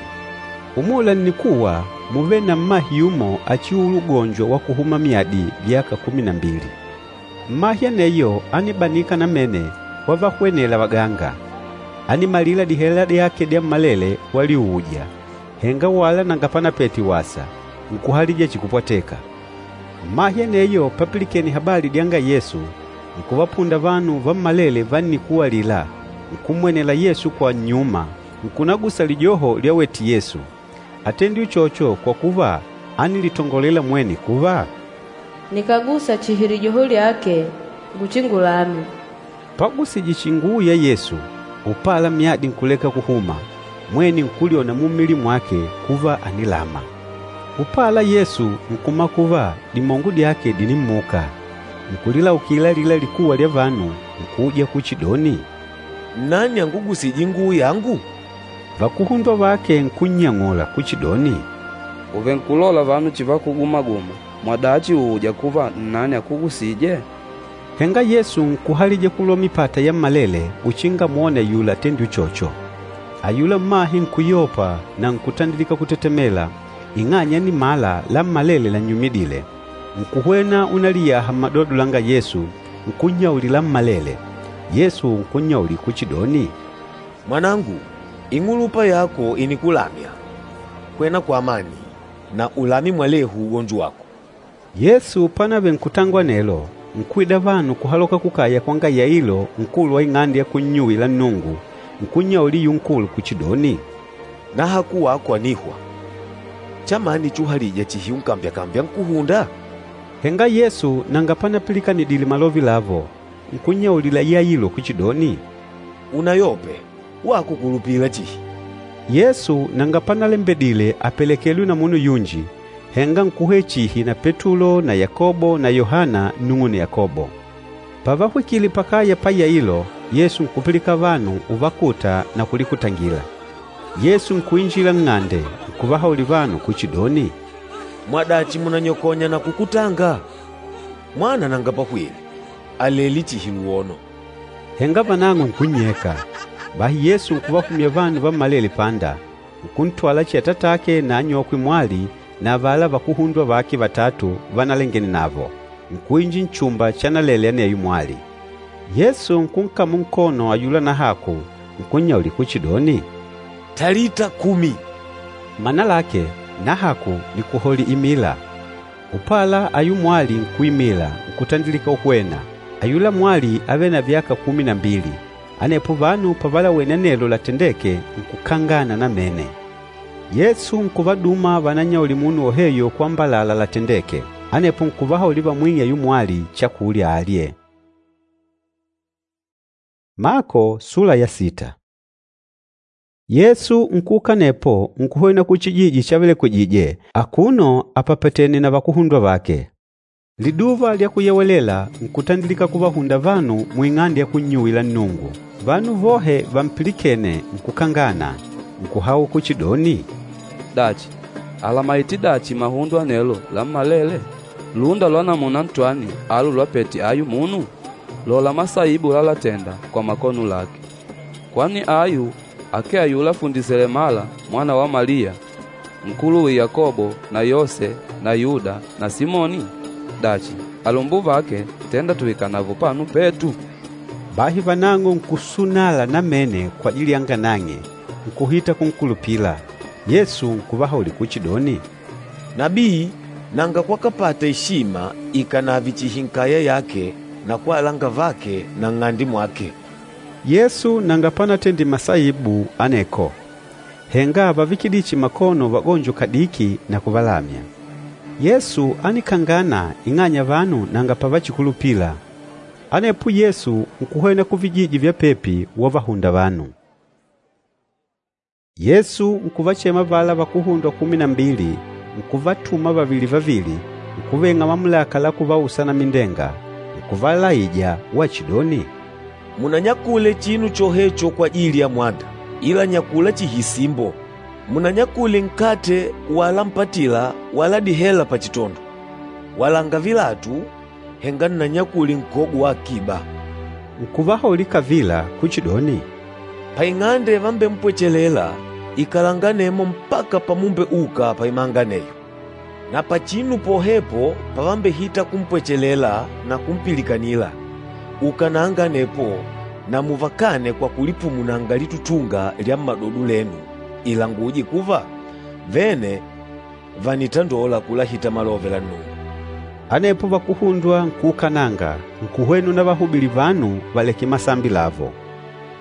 A: Umula nnikuwa múvele na mmahe yumo achiuûla ugonjo wa kuhuma myadi vyaka kumi na mbili. Mmahe aneyo ánibanika namene wavahwenela vaganga. Ánimalila dihela dyake dyammalele waliuuja, henga wala nanga panapete wasa, nkuhalija chihi kupwateka. Mmahe aneyo papilikene habali dyanga Yesu, nkuvapunda vanu vammalele va nnikuwa alila, nkummwenela Yesu kwa nnyuma, nkunagusa lijoho lyawete Yesu. Átendile uchocho kwa kuva ánilitongolela mwene kuva,
F: Nikàgusa chihi lijoho lyake, nguchingulame.
A: Pagusije chihi inguwo ya Yesu, upala myadi nkuleka kuhuma, mwene nkulyona mummili mwake kuva ànilama. Upala Yesu nkumala kuva dimongo dyake dìnimmuka. Nkulilaukila alila likuwa lya vanu, nkuuja kuchidoni,
E: Nnani angugusîje inguwo yangu?
A: Vakuhundwa vake nkunnyang'ula kuchidoni,
B: Ùvenkulola vanu chivakuguma-guma, mwadachi ùuja kuva nnani akugusîje?
A: Henga Yesu nkuhalija kulwa mipata yammalele uchinga amwone ayula atendîle uchocho. Ayula mmahe nkuyopa na nkutandilika kutetemela, ing'anya ánimala lammalele lannyumidîle. Nkuhwena unaliyaha mmadodo langa Yesu, nkunnyaulila lammalele. Yesu nkunnyaulila kuchidoni,
E: Mwanangu, ing'ulupa yako ìnikulamya. Hwena kwa amani na ulame mwalehu ugonjo wako.
A: Yesu panavele nkutangola anelo, nkuida vanu kuhaloka kukaya kwanga Yailo nkulu wa ing'ande ya kunnyuwila Nnungu, nkunnyaulila ayula nkulu kuchidoni,
E: Nahaku wako ànihwa. Chamani chuhalija chihi unkambyakambya nkúhunda?
A: Henga Yesu nanga panapilikanidile malove lavo, nkunnyaulila Yailo kuchidoni,
E: Unayope, wako kulupila chihi.
A: Yesu nanga panalembedile apelekelwe na munu yunji, henga nkuhwena chihi na Petulo na Yakobo na Yohana nnung'une Yakobo. Pavahwikile pakaya pa Yailo, Yesu nkupilika vanu uvakuta na kulikutangila. Yesu nkuinjila nng'ande, nkuvahaulila vanu kuchidoni,
E: Mwadachi mùnanyokonya na kukutanga? Mwana nanga pahwile, àlele chihi luwono.
A: Henga vanang'o nkunnyeka. Bahi Yesu nkuvahumya vanu vammalele panda, nkuntwala chihi atatake na anyokwe mwali na avala vakuhundwa vake vatatu vanalengene navo, nkuinjila nchumba chanalele aneyo mwali. Yesu nkunkamula nkono ayula nahaku, nkunnyaulila kuchidoni,
E: Talita kumi!
A: Mana lake, nahaku nikuholi imila. Upala ayula mwali nkuimila, nkutandilika uhwena. Ayula mwali ávele na vyaka kumi na mbili. Anepo vanu pavalawene anelo latendêke, nkukangana namene. Yesu nkuvaduma vanannyaulile munu woheyo kwambalala latendêke. Anepo nkuvahaulila vamwing'e ayula mwali chakulya alye. Mako sula ya sita. Yesu nkuuka anepo nkuhwena kuchijiji chavelekwijije akuno apapatene na vakuhundwa vake. Liduva lya Kuyewelela nkutandilika kuvahunda vanu muing'ande ya kunnyuwila Nnungu. Vanu vohe vampilikêne nkukangana, nkuhaula kuchidoni,
B: Dachi, àlamaite dachi mahundo anelo lammalele? Lúnda lwa namuna ntwani alu lwapete ayu munu? Lola masaibu lalatenda kwa makono lake! Kwani ayu akee ayula fundi selemala mwana wa Maliya, nkuluwe Yakobo na Yose na Yuda na Simoni? Dachi, alumbuvake tenda tuikanavo pano petu?
A: Bahi vanang'o nkusunala namene kwa ajili yanga nang'e, nkuhita kunkulupila. Yesu nkuvahaulila kuchidoni,
E: Nabii nanga kwakapata eshima ikànave chihi nkaya yake na kwa alangavake na nng'ande mwake.
A: Yesu nanga panatendile masaibu aneko, henga ávavikidile chihi makono vagonjo kadiki na kuvalamya. Yesu ánikangana ing'anya vanu nanga pavachikulupila. Anepo Yesu nkuhwena kuvijiji vya pepi wavahunda vanu. Yesu nkuvachema avala vakuhundwa kumi na mbili, nkuvatuma vavili vavili, nkuveng'a mamulaka la kuvausa anamindenga, nkuvalaija wachidoni,
E: Munanyakule chinu chohecho kwa ajili ya mwanda, ila nyakula chihi isimbo. Munanyakule nkate wala mpatila wala dihela pachitondo. Walanga vilatu, henga nnanyakule nkogo wa akiba.”
A: Nkuvahaulila kavila kuchidoni,
E: “Paing'ande yavambempwechelela, ikalanga anemo mpaka pamumbeuka paimanga aneyo. Na pachinu pohepo pavambehita kumpwechelela na kumpilikanila, ukananga anepo na muvakane kwa kulipumunanga litutunga lya mmadodo lenu ilanguje kuva, vene vànitandola kulahita malove la Nnungu.”
A: Anepo vakuhundwa nkuukananga, nkuhwena unavahubili vanu valeke masambi lavo.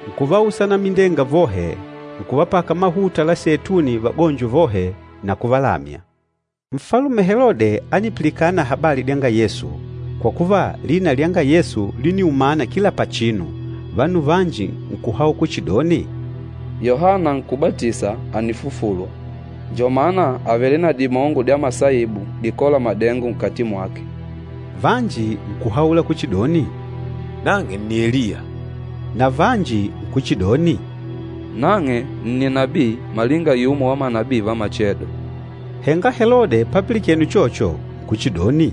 A: Nkuvausa anamindenga vohe, nkuvapaka mahuta la seituni vagonjo vohe na kuvalamya. Nfalume Helode ánipilikana habali dyanga Yesu, kwa kuva lina lyanga Yesu líniumana kila pachinu. Vanu vanji nkuhaula kuchidoni,
B: Yohana Nkúbatisa ànifufulwa. Njo mana àvele na dimongo dya masaibu dikôla madengo nkati mwake.
A: Vanji nkuhaula kuchidoni,
E: “Nang'e nni Eliya.”
A: Na vanji nkuchidoni,
B: “Nang'e nni nabii malinga yumo wa manabii va machedo.”
A: Henga Helode papilikene uchocho, nkuchidoni,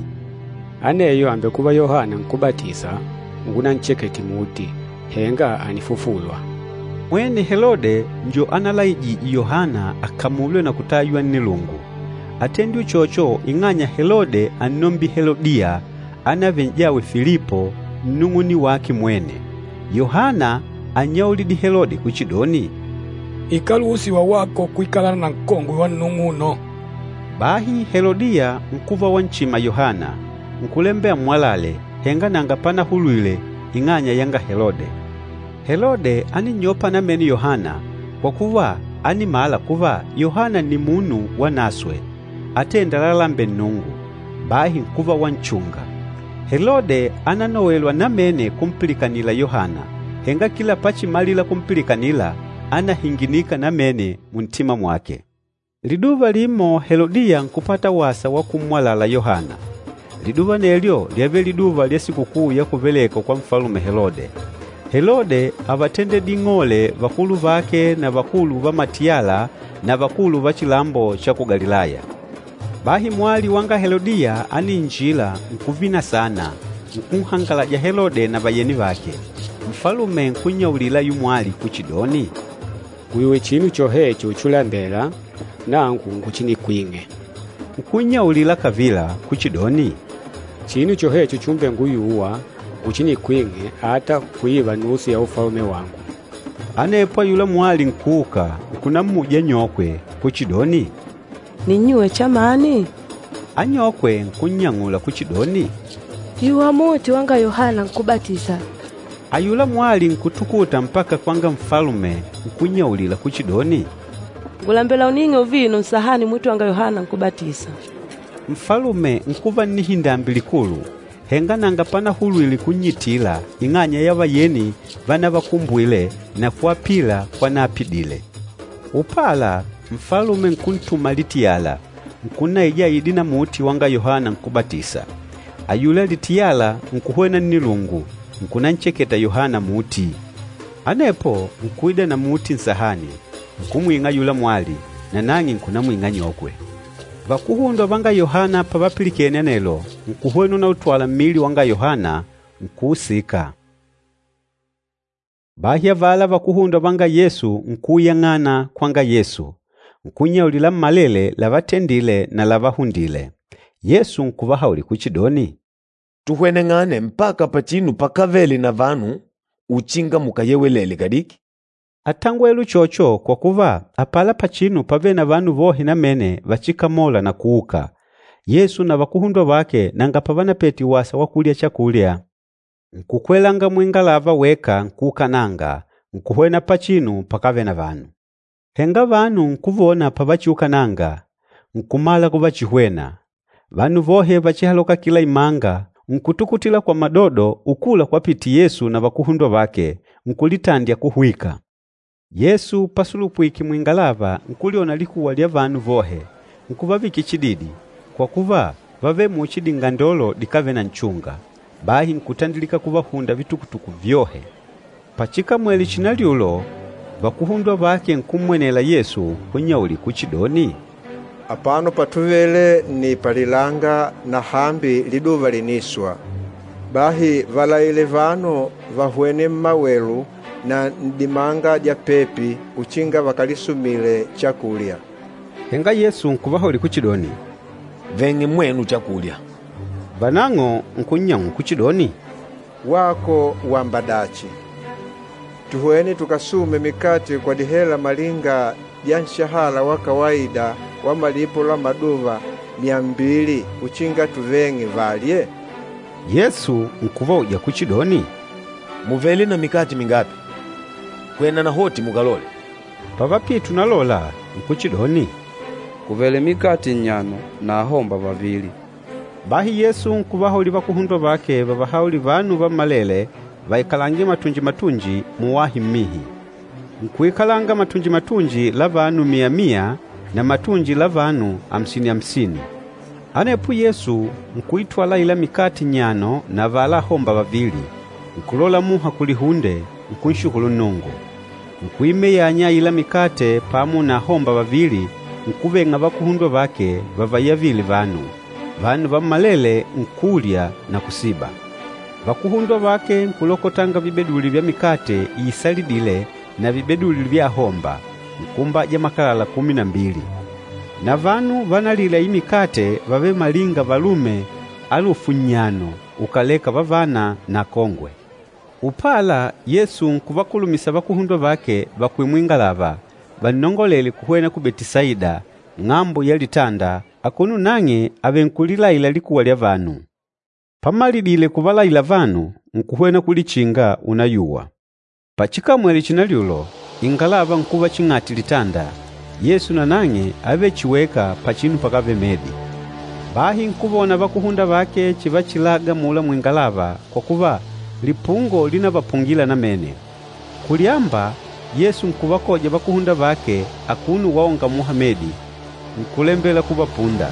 D: “Aneyo àmbekuva Yohana Nkúbatisa ngunanchekete muti, henga ànifufulwa.”
A: Mwene Helode njo analaijije Yohana akamulwe na kutaywa nnilungu. Átendile uchocho ing'anya Helode ánnombile Helodiya, ánavele n'jawe Filipo, nnung'une wake mwene. Yohana ánnyaulidile Helode kuchidoni,
C: Ikáluhusiwa wako kuikalana na nkongwe wa nnung'uno.
A: Bahi Helodiya nkuva wanchima Yohana, nkulembela ammwalale, henga nanga panahulwile ing'anya yanga Helode. Helode áninnyopa namene Yohana kwa kuva ánimala kuva Yohana nni munu wanaswe, atênda lalalembela Nnungu, bahi nkuva wanchunga. Helode ánanowelwa namene kumpilikanila Yohana, henga kila pachimalila kumpilikanila, ánahinginika namene muntima mwake. Liduva limo Helodiya nkupata wasa wa kummwalala Yohana. Liduva anelyo lyávele liduva lya sikukuu ya kuvelekwa kwa Nfalume Helode. Helode ávatendedile ing'ole vakulu vake na vakulu va matiyala na vakulu va chilambo cha ku Galilaya. Bahi mwali wanga Helodiya ániinjila nkuvina saana, nkunhangalaja Helode na vayeni vake. Nfalume nkunnyaulila ayula mwali kuchidoni,
D: “Nguyuwe chinu chohecho uchilambela, nangu nguchinikwing'e.”
A: Nkunnyaulila kavila kuchidoni,
D: “Chinu chohecho chumbenguyuwa, nguchinikwing'e ata kuiva nusu ya ufalume wangu.”
A: Anepo ayula mwali nkuuka, nkunammuja anyokwe kuchidoni,
F: Ninnyuwe chamani?
A: Anyokwe nkunnyang'ula kuchidoni,
F: Yuwa muti wanga Yohana Nkúbatisa.
A: Ayula mwali nkutukuta mpaka kwanga nfalume nkunnyaulila kuchidoni,
F: Ngùlembela uning'e uvino nsahani muti wanga Yohana Nkúbatisa.
A: Nfalume nkuva nnihindambi likulu, henga nanga panahulwile kunnyitila ing'anya ya vayeni vanavakumbwile na kuapila kwanaapidile. Upala, nfalume nkuntuma litiyala, nkunnaija aide na muti wanga Yohana Nkúbatisa. Ayula litiyala nkuhwena nnilungu, nkunancheketa Yohana muti. Anepo nkuida na muti nsahani, nkumwing'a ayula mwali, nanang'e nkunamwing'a anyokwe. Vakuhundwa vanga Yohana pavapilikene anelo, nkuhwena unautwala mmili wanga Yohana, nkuusika. Bahi avala vakuhundwa vanga Yesu nkuuyang'ana kwanga Yesu, nkunnyaulila lammalele lavatendile na lavahundile. Yesu nkuvahaulila kuchidoni,
E: “Tuhweneng'ane mpaka pachinu pakávele na vanu uchinga mukayewelele kadiki.”
A: Átangwele uchocho kwa kuva apala pachinu pávele na vanu vohe namene vachikamola na kuuka. Yesu na vakuhundwa vake nanga pavanapete wasa wa kulya chakulya. Nkukwelanga muingalava weka nkuukananga, nkuhwena pachinu pakávele na vanu. Henga vanu nkuvona pavachiukananga, nkumala kuvachihwena. Vanu vohe vachihaloka kila imanga, nkutukutila kwa madodo ukula kwapite Yesu na vakuhundwa vake, nkulitandya kuhwika. Yesu pasulupwike muingalava nkulyona likuwa lya vanu vohe, nkuvavikila chididi, kwa kuva vávele muchi dingandolo dikávele na nchunga. Bahi nkutandilika kuvahunda vitukutuku vyohe. Pachikamwele chinalyulo, Vakuhundwa vake nkummwenela Yesu nkunnyaulila kuchidoni,
G: “Apano patuvele nni palilanga na hambi liduva lìniswa. Bahi valaile vanu vahwene mmawelu na n'dimanga dya pepi uchinga vakalisumile chakulya.” Henga Yesu nkuvahaulila kuchidoni,
E: “Veng'e mwenu chakulya.”
A: Vanang'o nkunnyang'ula kuchidoni,
G: “Wako wàmba dachi? Tuhwene tukasume mikate kwa dihela malinga dya nshahala wa kawaida wa malipo la maduva myambili uchinga tuveng'e valye?”
A: Yesu nkuvauja kuchidoni,
E: “Mùvele na mikate mingapi? Hwena nahoti mukalole.”
A: Pavapite unalola, nkuchidoni,
B: “Kùvele mikate nnyano na ahomba vavili.”
A: Bahi Yesu nkuvahaulila vakuhundwa vake vavahaulile vanu vammalele vaikalange matunji-matunji muwahi mmihi. Nkuikalanga matunji-matunji la vanu miya-miya na matunji la vanu amsini-amsini. Anepo Yesu nkuitwala aila mikate nnyano na avala ahomba vavili, nkulola muha kulihunde, nkunshukulu Nnungu. Nkuimeyanya aila mikate pamo na ahomba vavili, nkuveng'a vakuhundwa vake vavayavile vanu. Vanu vammalele nkulya na kusiba. Vakuhundwa vake nkulokotanga vibeduli vya mikate isalidîle na vibeduli vya ahomba, nkuumbaja makalala kumi na mbili. Na vanu vanalile aila mikate vávele malinga valume alufu nnyano ukàleka vavana na akongwe. Upala, Yesu nkuvakulumisa vakuhundwa vake vakwele muingalava, vannongolele kuhwena ku Betisaida, ng'ambo ya litanda, akuno nang'e avènkulilaila likuwa lya vanu. Pamalidile kuvalaila vanu, nkuhwena kulichinga unayuwa. Pachikamwele chinalyulo, ingalava nkuva ching'ati litanda, Yesu nanang'e ávele chihi weka pachinu pakávele medi. Bahi nkuvona vakuhundwa vake chivachilaga amula muingalava kwa kuva, lipungo línavapungila namene. Kulyamba, Yesu nkuvakoja vakuhundwa vake akuno waonga muha medi, nkulembela kuvapunda.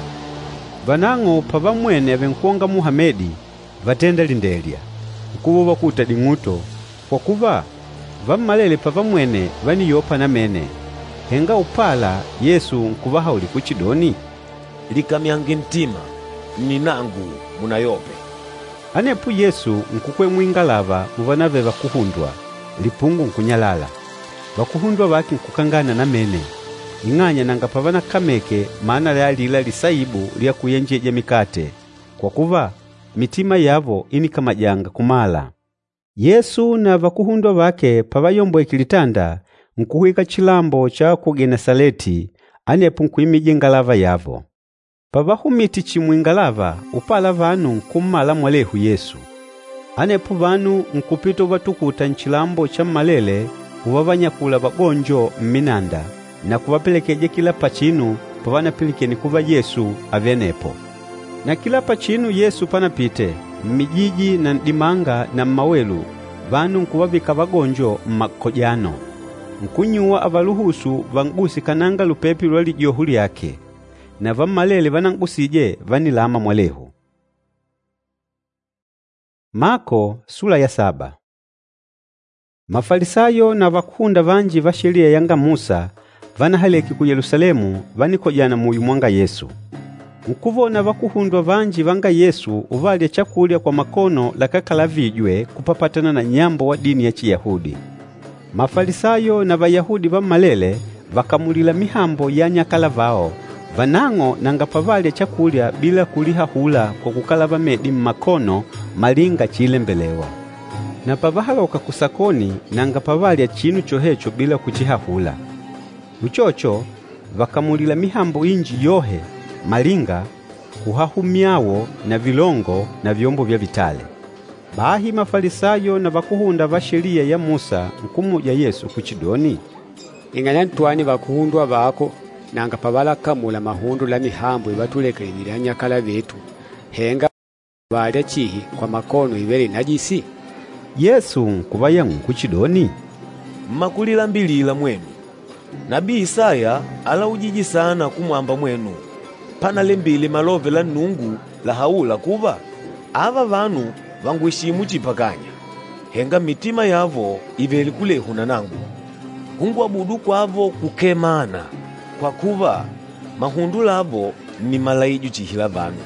A: Vanang'o pavammwene avènkwonga muha medi, vátenda lindelya, nkuva uvakuta ding'uto, kwa kuva, vammalele pavammwene vániyopa namene. Henga upala Yesu nkuvahaulila kuchidoni,
E: “Likamyange ntima, nni nangu, munayope.”
A: Anepo Yesu nkukwela muingalava muvanavele vakuhundwa, lipungo nkunyalala. Vakuhundwa vake nkukangana namene, ing'anya nanga pavanakameke mana ya alila lisaibu lya kuyenjeja mikate, kwa kuva, mitima yavo ínikamajanga kumala. Yesu na vakuhundwa vake pavayombweke litanda, nkuhwika chilambo cha ku Genesaleti, anepo nkuimija ingalava yavo. Pavahumite chihi muingalava, upala vanu nkummala mwalehu Yesu. Anepo vanu nkupita uvatukuta nchilambo chammalele uvavanyakula vagonjo mminanda na kuvapelekeja kila pachinu pavanapilikene kuva Yesu àvele anepo. Na kila pachinu Yesu panapite, mmijiji na n'dimanga na mmawelu, vanu nkuvavika vagonjo mmakojano. Nkunnyuwa avaluhusu van'guse kananga lupepe lwa lijoho lyake. Na vammalele vanan'gusije vánilama mwalehu. Mako sula ya saba. Mafalisayo na vakúhunda vanji va Sheliya yanga Musa vanahaleke ku Yelusalemu vánikojana muyo mwanga Yesu. Nkuvona vakuhundwa vanji vanga Yesu uvalya chakulya kwa makono lakákalavijwe kupapatana na nyambo wa dini ya Chiyahudi. Mafalisayo na Vayahudi vammalele vakamulîla mihambo ya anyakala vao, vanang'o nanga pavalya chakulya bila kulihahula kwa kukalava medi mmakono malinga chiilembelewa. Na pavahaloka kusakoni nanga pavalya chinu chohecho bila kuchihahula. Uchocho, vakamulila mihambo inji yohe malinga kuhahu myawo na vilongo na vyombo vya vitale. Bahi Mafalisayo na vakuhunda va Sheliya ya Musa nkummuja Yesu kuchidoni,
D: Ing'anya ntwani vakuhundwa vako nanga pavalakamula mahundo la mihambo ivatulekelelile anyakala vetu, henga valya chihi kwa makono ivêle najisi?
A: Yesu nkuvayang'ula kuchidoni,
E: Mmakulilambilila mwenu! Nabii Isaya álaujije saana kumwamba mwenu, panalembile malove la Nnungu lahaûla kuva, ‘Ava vanu vàngweshimu chihi pakanya, henga mitima yavo ìvele kulehu na nangu. Kungwabudu kwavo kukee mana, kwa kuva, mahundo lavo nni malaijo chihi la vanu.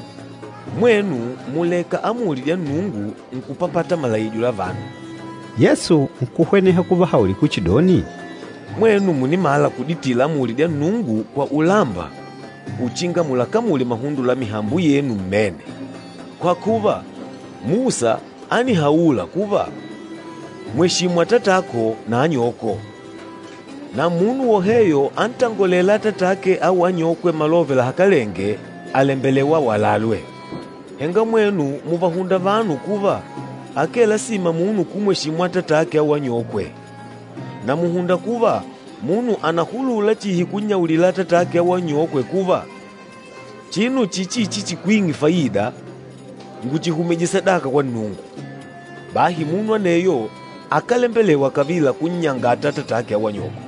E: Mwenu mùleka amuli dya Nnungu nkupapata malaijo la vanu.”
A: Yesu nkuhweneha kuvahaulila kuchidoni,
E: “Mwenu mùnimala kuditila amuli dya Nnungu kwa ulamba uchinga mulakamule mahundo la mihambo yenu mmene. Kwa kuva, Musa ánihaula kuva, ‘Mweshimu atatako na anyoko,’ na ‘Munu woheyo antangolêla atatake au anyokwe malove lahakalenge, àlembelewa awalalwe.’ Henga mwenu mùvahunda vanu kuva akee lasima munu kumweshimu atatake au anyokwe. Na mùhunda kuva munu ànahulula chihi kunnyaulila atatake au anyokwe kuva, ‘Chinu chichichi chikwing'e faida, nguchihumije sadaka kwa Nnungu.’ Bahi munu aneyo akálembelewa kavila kunnyangata atatake au anyokwe.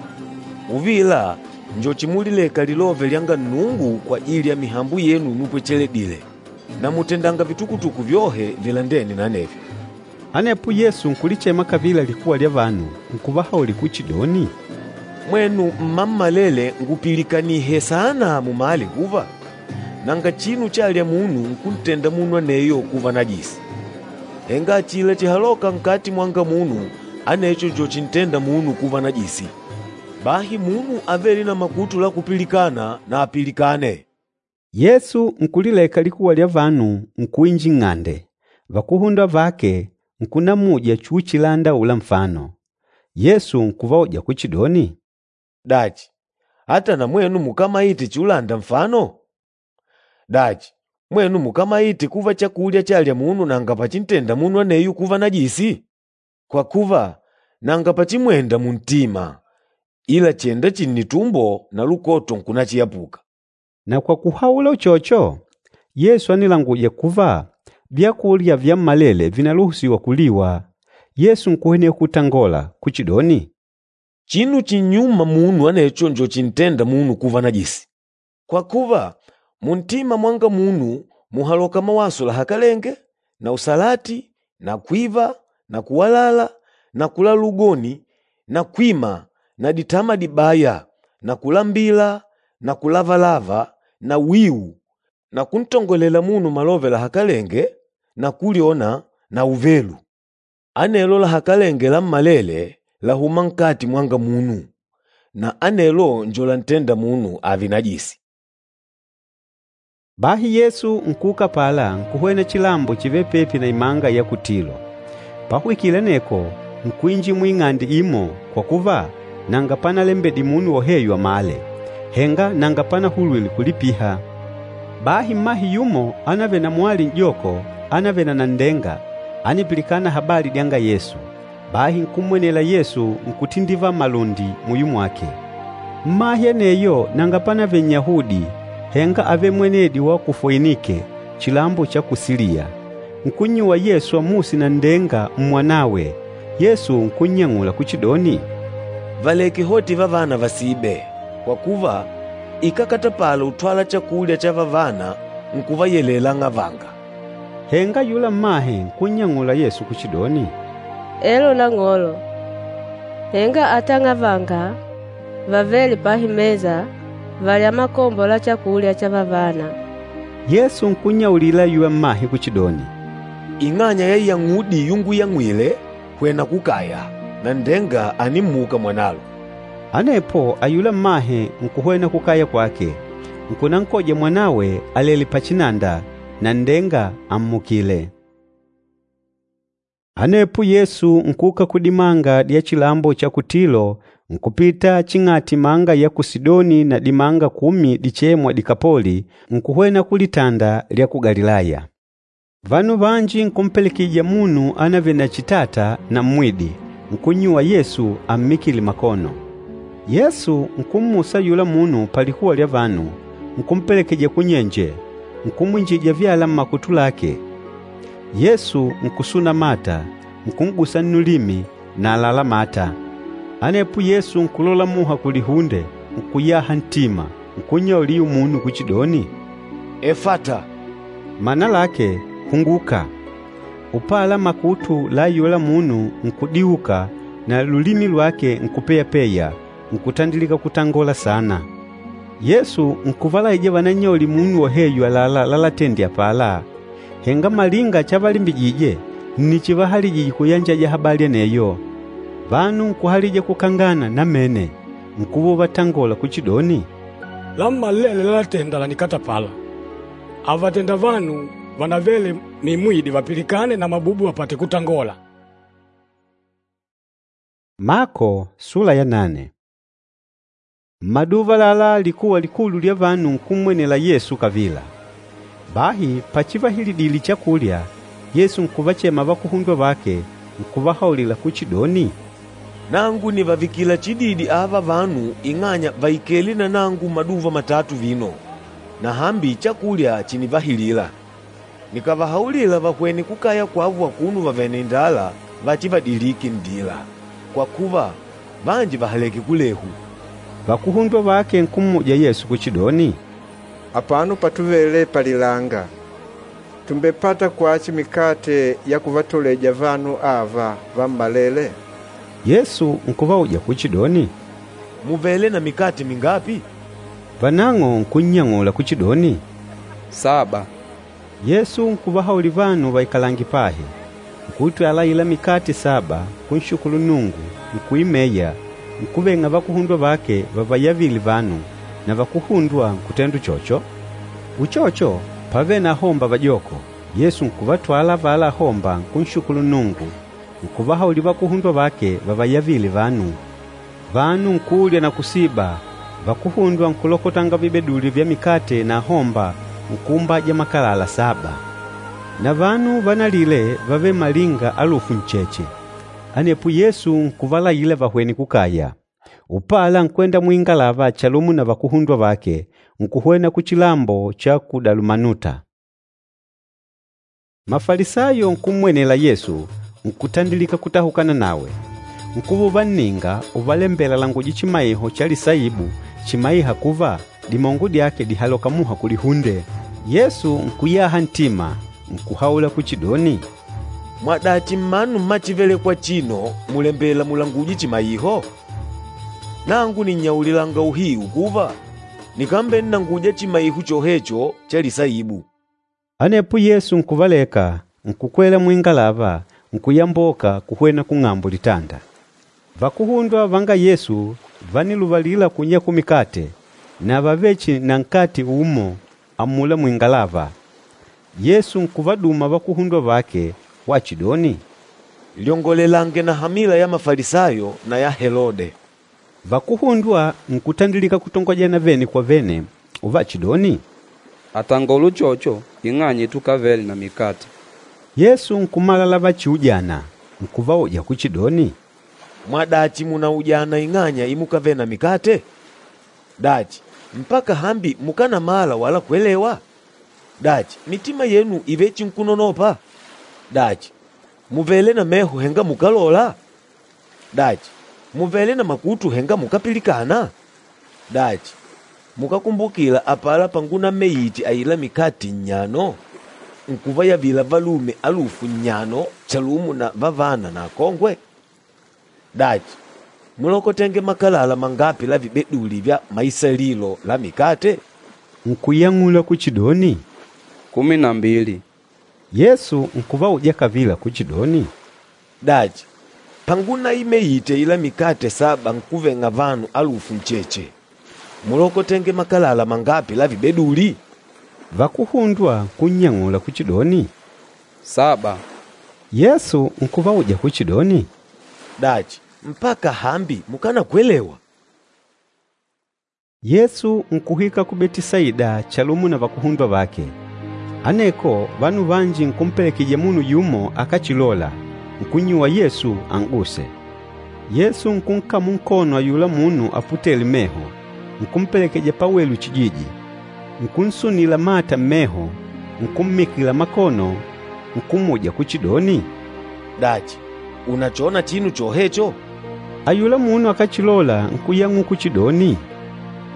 E: Uvila njo chimulileka lilove lyanga Nnungu kwajili ya mihambo yenu imupwecheledile. Na mùtendanga vitukutuku vyohe vilandêne na anevyo.”
A: Anepo Yesu nkulichema kavila likuwa lya vanu, nkuvahaulila kuchidoni,
E: “Mwenu mmammalele ngupilikanihe saana mumale kuva, nanga chinu chalya munu nkuntenda munu aneyo kuva najisi. Henga achila chihalôka nkati mwanga munu, anecho njo chintênda munu kuva najisi. Bahi munu avêle na makutu la kupilikana, na apilikane.”
A: Yesu nkulileka likuwa lya vanu, nkuinjila nng'ande. Vakuhundwa vake nkunamuja chiuchilanda aula nfano. Yesu nkuvaoja kuchidoni,
E: “Dachi, ata na mwenu mukámaite chiulanda nfano? Dachi, mwenu mukámaite kuva chakulya chalya munu nanga pachintenda munu aneyo kuva najisi? Kwa kuva, nanga pachimwenda muntima, ila chènda chihi nnitumbo na lukoto nkunachiyapuka.”
A: Na kwa kuhaula uchocho, Yesu ánilanguja kuva vyakulya vyammalele vìnaluhusiwa kuliwa. Yesu nkuhweneha kutangola kuchidoni,
E: “Chinu chinnyûma munu anecho njo chintênda munu kuva najisi. Kwa kuva, muntima mwanga munu mùhaloka mawaso lahakalenge na usalati na kwiva na kuwalala na kulala ugoni na kwima na ditama dibaya na kulambila na kulavalava na wiu na kuntongolela munu malove lahakalenge na kulyona na uvelu. Anelo lahakalenge lammalele làhuma nkati mwanga munu, na anelo njo lantênda munu ààve najisi.”
A: Bahi Yesu nkuuka apala nkuhwena chilambo chivêle pepi na imanga ya ku Tilo. Pahwikile aneko, nkuinjila muing'ande imo kwa kuva nanga panalembedile munu woheyo amale, henga nanga panahulwile kulipiha. Bahi mmahe yumo ánavele na mwali n'joko ánavele na nanndenga, ánipilikana habali dyanga Yesu. Bahi nkummwenela Yesu nkutindivala malundi muyo mwake. Mmahe aneyo nanga panavele Nnyahudi, henga ávele mwenedi wa ku Foinike, chilambo cha ku Siliya. Nkunnyuwa Yesu ammuse nanndenga mmwanawe. Yesu nkunnyang'ula kuchidoni,
E: “Valeke hoti vavana vasibe, kwa kuva, ikákatapala utwala chakulya cha vavana nkuvayelela ang'avanga.”
A: Henga ayula mmahe nkunnyang'ula Yesu kuchidoni,
F: Elo Nang'olo, henga ata ang'avanga vavêle pahi mesa vàlya makombo la chakulya cha vavana.
A: Yesu nkunnyaulila ayula mmahe kuchidoni,
E: “Ing'anya ya iyang'udi yunguyang'wile, hwena kukaya, nanndenga ànimmuka mwanalo.”
A: Anepo ayula mmahe nkuhwena kukaya kwake, nkunankoja mwanawe alèlè pachinanda, nanndenga ammukìlè. Anepo Yesu nkuuka kudimanga dya chilambo cha ku Tilo nkupita ching'ati imanga ya ku Sidoni na dimanga kumi dichêmwa Dikapoli, nkuhwena kulitanda lya ku Galilaya. Vanu vanji nkumpelekejija munu ánavele na chitata na mmwidi, nkunnyuwa Yesu ammikile makono. Yesu nkummusa ayula munu palikuwa lya vanu, nkumpelekeja kunyenje, nkumwinjija vyala mmakutu lake. Yesu nkusuna mata, nkun'gusa nnulimi na àlalá mata. Anepo Yesu nkulola muha kulihunde, nkuyaha ntima, nkunnyaulila munu kuchidoni,
E: “Efata,”
A: mana lake, “Hunguka!” Upala makutu la ayula munu nkudiuka na lulimi lwake nkupeyapeya, nkutandilika kutangola saana. Yesu nkuvalaija vanannyaulile munu woheyo àlalá lalatendile apala, henga malinga chavalimbijije nni chivahalijije kuyanjaja habali aneyo. Vanu nkuhalija kukangana namene, nkuva uvatangola kuchidoni,
C: “Lammalele lalatenda lànikatapala. Àvatenda vanu vanavele mimwidi vapilikane na mabubu vapate kutangola.”
A: Mako sula ya nane. Mmaduva alala likuwa likulu lya vanu nkummwenela Yesu kavila. Bahi pachivahilidile chakulya, Yesu nkuvachema vakuhundwa vake, nkuvahaulila kuchidoni,
E: “Nangu nìvavikila chididi ava vanu ing'anya vàikele na nangu maduva matatu vino, na hambi chakulya chìnivahilila. Nikàvahaulila vahwene kukaya kwavo akuno vavèlè na indala, vachivadilike nndila, kwa kuva, vanji vàhaleke kulehu.”
A: Vakuhundwa vake nkummuja Yesu kuchidoni,
G: “Apano patuvele palilanga. Tùmbepata kwachi mikate ya kuvatoleja vanu ava vammalele?”
A: Yesu nkuvauja kuchidoni,
E: “Mùvele na mikate mingapi?”
A: Vanang'o nkunnyang'ula kuchidoni,
B: “Saba.”
A: Yesu nkuvahaulila vanu vaikalange pahi. Nkuitwala aila mikate saba, nkunshukulu Nnungu, nkuimeya, nkuveng'a vakuhundwa vake vavayavile vanu, na vakuhundwa nkutenda uchocho. Uchocho, pávele na ahomba vajoko. Yesu nkuvatwala avala ahomba nkunshukulu Nnungu, nkuvahaulila vakuhundwa vake vavayavile vanu. Vanu nkulya na kusiba, vakuhundwa nkulokotanga vibeduli vya mikate na ahomba nkuumbaja makalala saba. Na vanu vanalile vávele malinga alufu ncheche. Anepo Yesu nkuvalaila vahwene kukaya. Upala nkwenda muingalava chalumo na vakuhundwa vake, nkuhwena kuchilambo cha ku Dalumanuta. Mafalisayo nkummwenela Yesu, nkutandilika kutahukana nawe. Nkuva uvanninga uvalembela alanguje chimaiho cha lisaibu chimaîha kuva dimongo dyake dìhaloka muha kulihunde. Yesu nkuyaha ntima, nkuhaula kuchidoni,
E: “Mwadachi mmanu mma chívelèkwà achino mùlembela mulanguje chimaiho? Nangu nìnnyaulilanga uhiu kuva, nikambennanguja chimaiho chohecho cha lisaibu.”
A: Anepo Yesu nkuvaleka, nkukwela muingalava, nkuyamboka kuhwena kung'ambo litanda. Vakuhundwa vanga Yesu vániluvalila kunyakula mikate, na vávele chihi na nkate umo amula muingalava. Yesu nkuvaduma vakuhundwa vake wachidoni,
E: “Lyongolelange na hamila ya Mafalisayo na ya Helode.”
A: Vakuhundwa nkutandilika kutongojana vene kwa vene uvachidoni,
B: Àtangola uchocho ing'anya itukavele na mikate.
A: Yesu nkumala lavachiujana, nkuvauja kuchidoni,
E: “Mwadachi mùnaujana ing'anya imukavele na mikate? Dachi, mpaka hambi mukánamala wala kwelewa? Dachi, mitima yenu ìvechinkunonopa? Dachi, mùvele na meho henga mukálola? Dachi, mùvele na makutu henga mukápilikana? Dachi, mukákumbukila apala pangunameyite aila mikate nnyano, nkuvayavila valume alufu nnyano chalumo na vavana na akongwe? Dachi, múlokotenge makalala mangapi la vibeduli vya maisalilo la mikate?”
A: Nkuyang'ula kuchidoni,
B: “Kumi na mbili.”
A: Yesu nkuvauja kavila kuchidoni,
E: “Dachi, pangunaimeyite aila mikate saba nkuveng'a vanu alufu ncheche, múlokotenge makalala mangapi la vibeduli?”
A: Vakuhundwa nkunnyang'ula kuchidoni,
B: “Saba.”
A: Yesu nkuvauja kuchidoni,
E: “Dachi, mpaka hambi mukanakwelewa?”
A: Yesu nkuhwika ku Betisaida chalumo na vakuhundwa vake. Aneko vanu vanji nkumpelekejija munu yumo akáchilola, nkunnyuwa Yesu an'guse. Yesu nkunkamula nkono ayula munu aputêle meho, nkumpelekeja pawelu chijiji. Nkunsunila mata mmeho, nkummikila makono, nkummuja kuchidoni,
E: “Dachi, ùnachona chinu chohecho?”
A: Ayula munu akáchilola nkuyang'ula kuchidoni,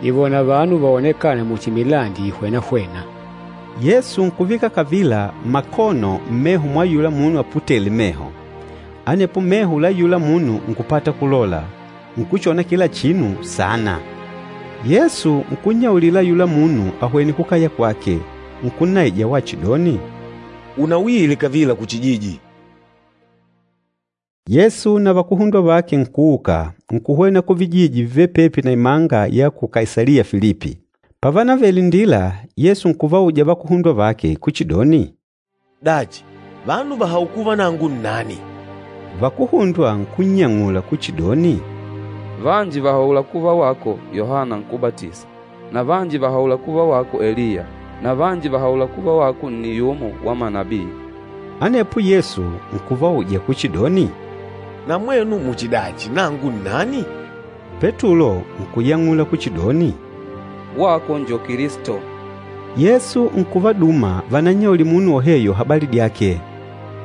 D: Nìwona vanu vaonekâna muchi milandi ìhwena-hwena.
A: Yesu nkuvika kavila makono mmeho mwa ayula munu aputêle meho. Anepo meho la ayula munu nkupata kulola, nkuchona kila chinu saana. Yesu nkunnyaulila ayula munu ahwene kukaya kwake, nkunnaija wachidoni,
E: “Unauyile kavila kuchijiji.”
A: Yesu na vakuhundwa vake nkuuka, nkuhwena kuvijiji vivêle pepi na imanga ya ku Kaisaliya Filipi. Pavanavele nndila, Yesu nkuvauja vakuhundwa vake kuchidoni,
E: “Dachi, vanu vàhaula kuva nangu nnani?”
A: Vakuhundwa nkunnyang'ula kuchidoni,
B: “Vanji vàhaula kuva wako Yohana Nkúbatisa, na vanji vàhaula kuva wako Eliya, na vanji vàhaula kuva wako nni yumo wa manabii.”
A: Anepo Yesu nkuvauja kuchidoni,
E: “Na mwenu muchidachi, nangu nnani?”
A: Petulo nkuyang'ula kuchidoni,
B: “Wako njo Kilisto.”
A: Yesu nkuvaduma vanannyaulile munu woheyo habali dyake.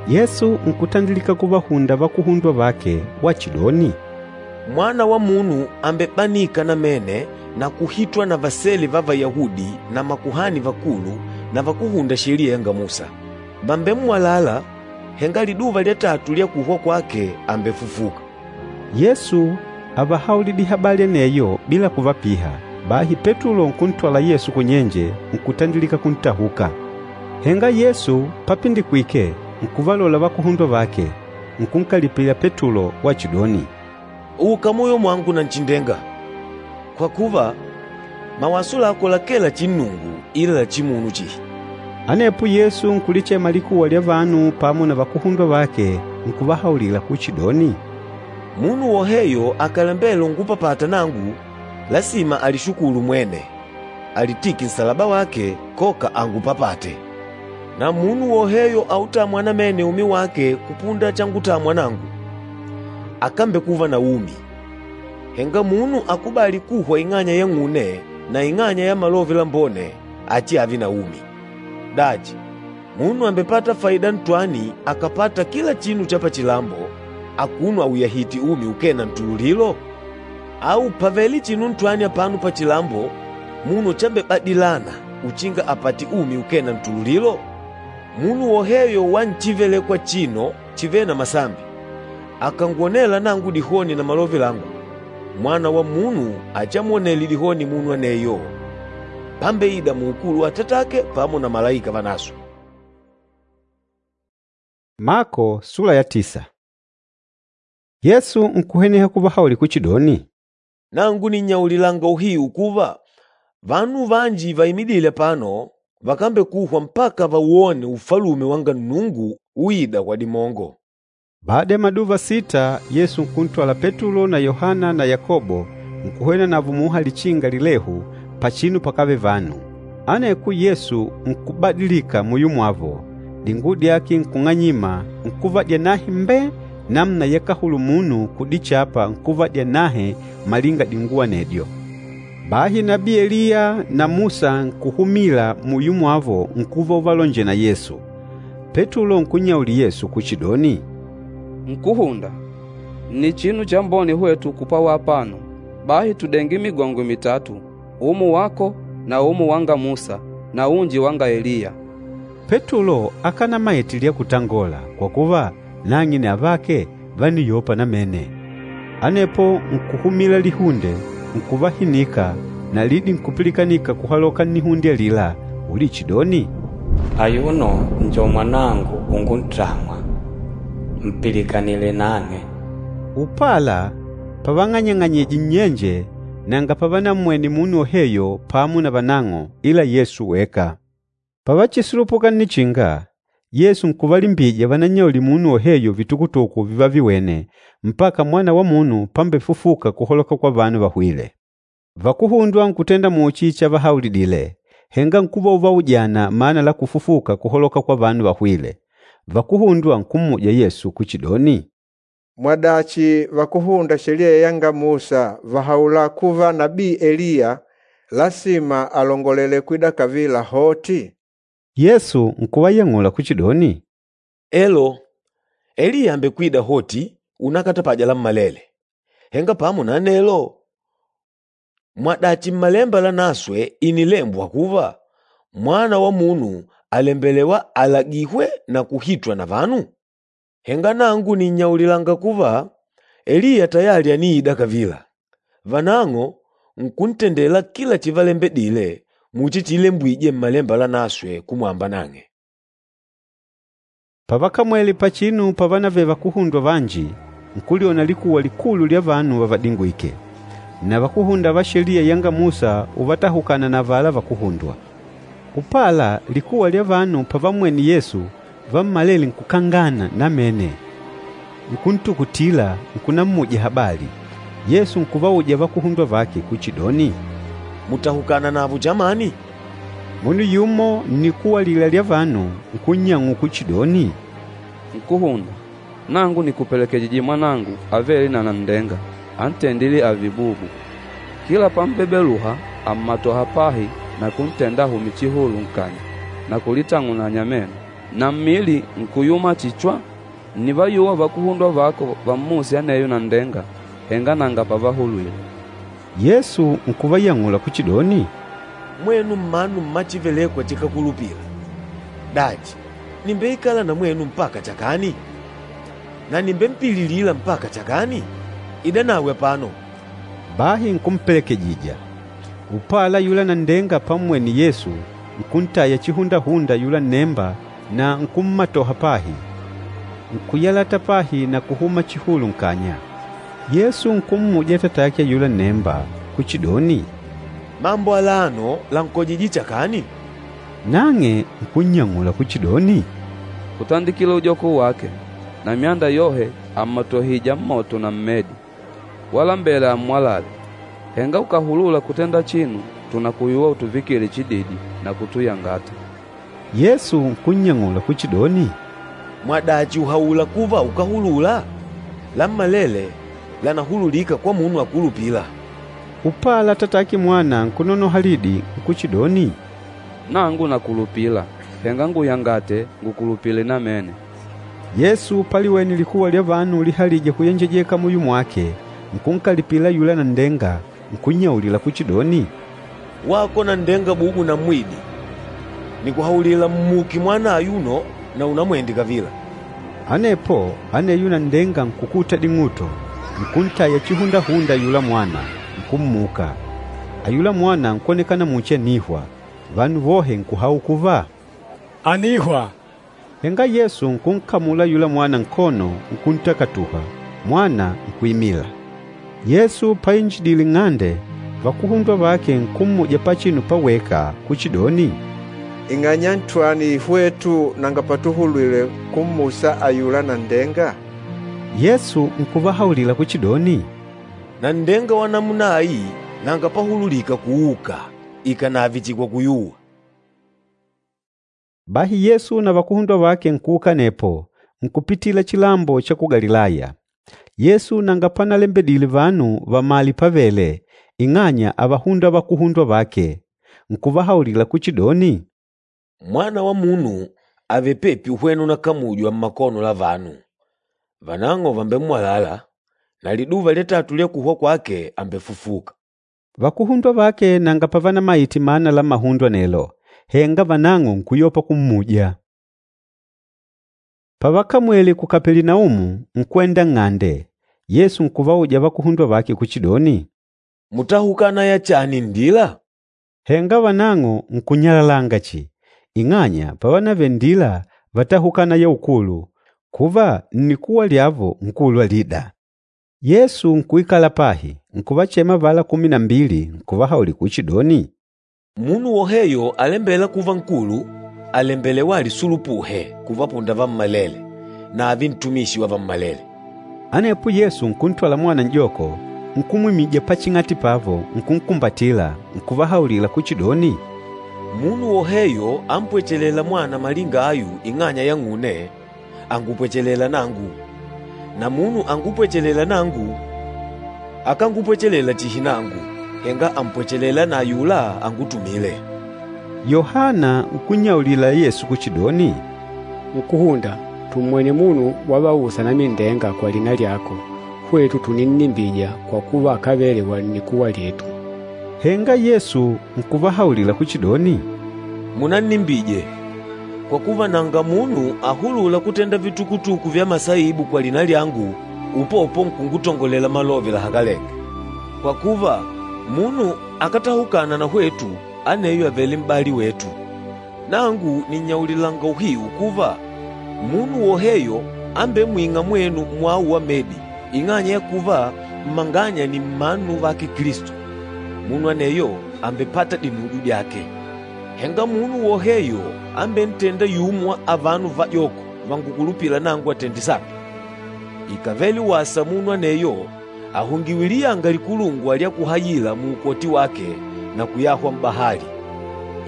A: Yesu nkutandilika kuvahunda vakuhundwa vake wachidoni,
E: “Mwana wa Munu àmbebanika namene na kuhitwa na vasele va Vayahudi na makuhani vakulu na vakúhunda Sheliya yanga Musa. Vàmbemmwalala, henga liduva lya tatu lya kuhwa kwake àmbefufuka.”
A: Yesu ávahaulidile habali aneyo bila kuvapiha. Bahi Petulo nkuntwala Yesu kunyenje, nkutandilika kuntahuka. Henga Yesu papindikwike, nkuvalola vakuhundwa vake, nkunkalipila Petulo wachidoni,
E: “Uka muyo mwangu Nanchindenga! Kwa kuva, mawaso lako lakee la chinnungu ila la chimunu chihi.”
A: Anepo Yesu nkulichema likuwa lya vanu pamo na vakuhundwa vake, nkuvahaulila kuchidoni,
E: “Munu woheyo akàlembela ungupapata nangu, lasima alishukulu mwene, alitike nsalaba wake koka angupapate. Na munu woheyo autâmwa namene umi wake kupunda changutamwa nangu, akambekuva na umi. Henga munu akubâli kuhwa ing'anya yang'une na ing'anya ya Malove Lambone, achiave na umi. Dachi, munu àmbepata faida ntwani akàpata kila chinu cha pachilambo, akuno auyahìtè umi ukee na ntululilo? Au pàvele chinu ntwani apano pachilambo munu chambebadilana uchinga apate umi ukee na ntululilo? Munu woheyo wa nchivelekwa achino chivêle na masambi, akàngwonela nangu dihoni na malove langu, Mwana wa Munu achiamwonele dihoni munu aneyo, pambeida muukulu wa Atatake pamo na malaika vanaswe.”
A: Mako sula ya tisa. Yesu nkuhweneha kuvahaulila kuchidoni,
E: “Nangu nìnnyaulilanga uhiu kuva, vanu vanji vaimidîle apano vakambekuhwa mpaka vawone Ufalume wanga Nnungu uîda kwa dimongo.”
A: Bada ya maduva sita, Yesu nkuntwala Petulo na Yohana na Yakobo nkuhwena navo muha lichinga lilehu pachinu pakávele vanu. Aneko Yesu nkubadilika muyo mwavo, dinguwo dyake nkung'anyima, nkuva dyanahe mbe namuna yakahulula munu kudichapa nkuva dyanahe malinga dinguwo anedyo. Bahi nabii Eliya na Musa nkuhumila muyo mwavo nkuva uvalonjela na Yesu. Petulo nkunnyaulila Yesu kuchidoni,
B: Nkúhunda, nni chinu chambone hwetu kupwawa apano. Bahi tudenge migongo mitatu, umo wako na umo wanga Musa na unji wanga Eliya.
A: Petulo akanamaite lya kutangola, kwa kuva, nang'e na avake vániyopa namene. Anepo nkuhumila lihunde, nkuvahinika na lidi nkupilikanika kuhaloka nnihunde alila ulichidoni,
H: “Ayuno njo Mwanangu unguntamwa, mpilikanile nang'e.”
A: Upala pavang'anyang'anyije nnyenje nanga pavanammwene munu woheyo pamo na vanang'o ila Yesu weka. Pavachisulupuka nnichinga, Yesu nkuvalimbija vanannyaulile munu woheyo vitukutuku vivaviwene mpaka Mwana wa Munu pambefufuka kuhaloka kwa vanu vahwîle. Vakuhundwa nkutenda muchi chavahaulidile, henga nkuva uvaujana mana la kufufuka kuhaloka kwa vanu vahwîle. Vakuhundwa nkummuja Yesu kuchidoni,
G: Mwadachi vakuhunda Sheliya yanga Musa vahaula kuva nabii Eliya lasima alongolele kwida kavila hoti?
A: Yesu nkuvayang'ula kuchidoni,
E: Elo, Eliya àmbekwida hoti unakatapaja lammalele. Henga pamo na anelo, mwadachi Mmalemba Lanaswe ìnilembwa kuva, Mwana wa Munu àlembelewa alagihwe na kuhitwa na vanu? Henga nangu nìnnyaulilanga kuva, Eliya tayali àniida kavila, vanang'o nkuntendela kila chivalembedile muchi chiilembwije Mmalemba Lanaswe kumwamba nang'e.”
A: Pavakamwele pachinu pavanavele vakuhundwa vanji, nkulyona likuwa likulu lya vanu vavadingwìkè, na vakúhunda va Sheliya yanga Musa uvatahukana na avala vakuhundwa. Upala, likuwa lya vanu pavammwene Yesu, vammalele nkukangana namene, nkuntukutila, nkunammuja habali. Yesu nkuvauja vakuhundwa vake kuchidoni,
E: “Mùtahukana navo chamani?”
A: Munu yumo nnikuwa alila lya vanu nkunnyang'ula kuchidoni,
B: Nkúhunda, nangu nìkupelekejije mwanangu avêle na nanndenga, antendîle ààve bubu. Kila pambebeluha, àmmatoha pahi na kuntenda ahume chihulu nkanya na kulitang'unanya meno, na mmili nkuyuma chihi chwa. Ǹnivayuwa vakuhundwa vako vammuse aneyo nanndenga, henga nanga pavahulwile.
A: Yesu nkuvayang'ula kuchidoni,
E: “Mwenu mmanu mma chívelèkwà chikákulupila! Dachi, nìmbeikala na mwenu mpaka chakani? Na nìmbempililila mpaka chakani? Idanawe apano!”
A: Bahi nkumpelekejija. Upala ayula nanndenga pammwene Yesu, nkuntaya chihundahunda ayula nnemba na nkummatoha pahi. Nkuyalata pahi na kuhuma chihulu nkanya. Yesu nkummuja atatake ayula nnemba kuchidoni,
E: “Mambo alano lànkojije chakani?”
A: Nang'e nkunnyang'ula kuchidoni,
B: Kutandikila ujoko wake, na myanda yohe àmmatohija mmoto na mmedi, walambela ammwalale. Henga ukàhulula kutenda chinu, tùnakuyuwa utuvikile chididi na kutuyangata.
A: Yesu nkunnyang'ula kuchidoni,
E: “Mwadachi ùhaula kuva ukáhulula? Lammalele lànahululika kwa munu akulupîla.”
A: Upala atatake mwana nkunonoha lidi nkuchidoni,
B: Nangu nakulupila, henga nguyangate ngukulupile namene.
A: Yesu paliwene likuwa lya vanu lihalije kuyenjejeka muyo mwake, nkunkalipila ayula nanndenga, nkunnyaulila kuchidoni,
E: “Wako nanndenga bubu na mwidi, nìkuhaulila mmuke mwana ayuno na unamwende kavila.”
A: Anepo aneyo nanndenga nkukuta ding'uto, nkuntaya chihundahunda ayula mwana, nkummuka. Ayula mwana nkwonekana muchi ànihwa. Vanu vohe nkuhaula kuva,
C: Ànihwa.
A: Henga Yesu nkunkamula ayula mwana nkono, nkuntakatuha, mwana nkuimila. Yesu painjidile nng'ande, vakuhundwa vake nkummuja pachinu paweka kuchidoni,
G: Ing'anya ntwani hwetu nanga patuhulwile kummusa ayula nanndenga?
A: Yesu nkuvahaulila kuchidoni,
E: Nanndenga wa namuna ayi nanga pahululika kuuka, ikànave chihi kwa kuyuwa.”
A: Bahi Yesu na vakuhundwa vake nkuuka anepo, nkupitila chilambo cha ku Galilaya. Yesu nanga panalembedile vanu vamale pavele, ing'anya ávahunda vakuhundwa vake. Nkuvahaulila kuchidoni,
E: “Mwana wa Munu àvele pepi uhwena unakamujwa mmakono la vanu. Vanang'o vàmbemmwalala, na liduva lya tatu lya kuhwa kwake àmbefufuka.”
A: Vakuhundwa vake nanga pavanamaite mana la mahundo anelo, henga vanang'o nkuyopa kummuja. Pavakamwele ku Kapelinaumu, nkwenda nng'ande. Yesu nkuvauja vakuhundwa vake kuchidoni,
E: “Mútahukana ya chani nndila?”
A: Henga vanang'o nkunyalalanga chihi, ing'anya pavanavele nndila vátahukana ya ukulu, kuva nnikuwa lyavo nkulu alida. Yesu nkuikala pahi, nkuvachema avala kumi na mbili, nkuvahaulila kuchidoni,
E: “Munu woheyo alembêla kuva nkulu, àlembelewa alisulupuhe kuvapunda vammalele na ààve ntumishi wa vammalele.”
A: Anepo Yesu nkuntwala mwana n'joko, nkumwimija paching'ati pavo, nkunkumbatila, nkuvahaulila kuchidoni,
E: Munu woheyo ampwechelêla mwana malinga ayu ing'anya yang'une, àngupwechelela nangu. Na munu angupwechelêla nangu, akángupwechelela chihi nangu, henga àmpwechelela na ayula angutumîle.
A: Yohana nkunnyaulila Yesu kuchidoni,
D: Nkúhunda, tùmmwene munu wavausa anamindenga kwa lina lyako, hwetu tùninnimbija kwa kuva akávele wa nnikuwa lyetu.
A: Henga Yesu nkuvahaulila kuchidoni,
E: Munannimbije, kwa kuva nanga munu ahulûla kutenda vitukutuku vya masaibu kwa lina lyangu Upopo nkungutongolela malove lahakalenge. Kwa kuva, munu akátahukana na hwetu, aneyo àvele m'bali wetu. Nangu nìnnyaulilanga uhiu kuva, munu woheyo ambemwîng'a mwenu mwau wa medi ing'anya ya kuva mmanganya nni mmanu vake Kilisto, munu aneyo àmbepata dinujo dyake. Henga munu woheyo ambentênda yumo wa avano vajoko vangukulupîla nangu atende sambi, ikávele wasa munu aneyo ahungiwe liyanga likulungwa lya kuhayila muukoti wake na kuyahwa m'bahali.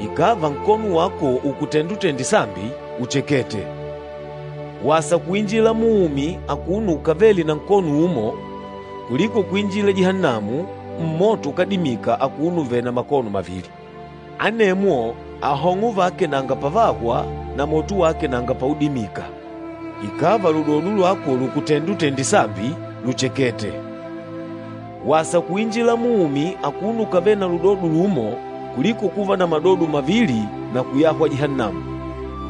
E: Ikàva nkono wako ùkutenda utende sambi, uchekete. Wasa kuinjila muumi akuno ukavele na nkono umo, kuliko kuinjila Jihannamu, mmoto ukádimika akuno uvèlè na makono mavili. Anemwo ahong'o vake nanga pavahwa na moto wake nanga paudimika. Ikàva ludodo lwako lùkutenda utende sambi, luchekete. Wasa kuinjila muumi akuno ukavele na ludodo lumo kuliko kuva na madodo mavili na kuyahwa Jihannamu.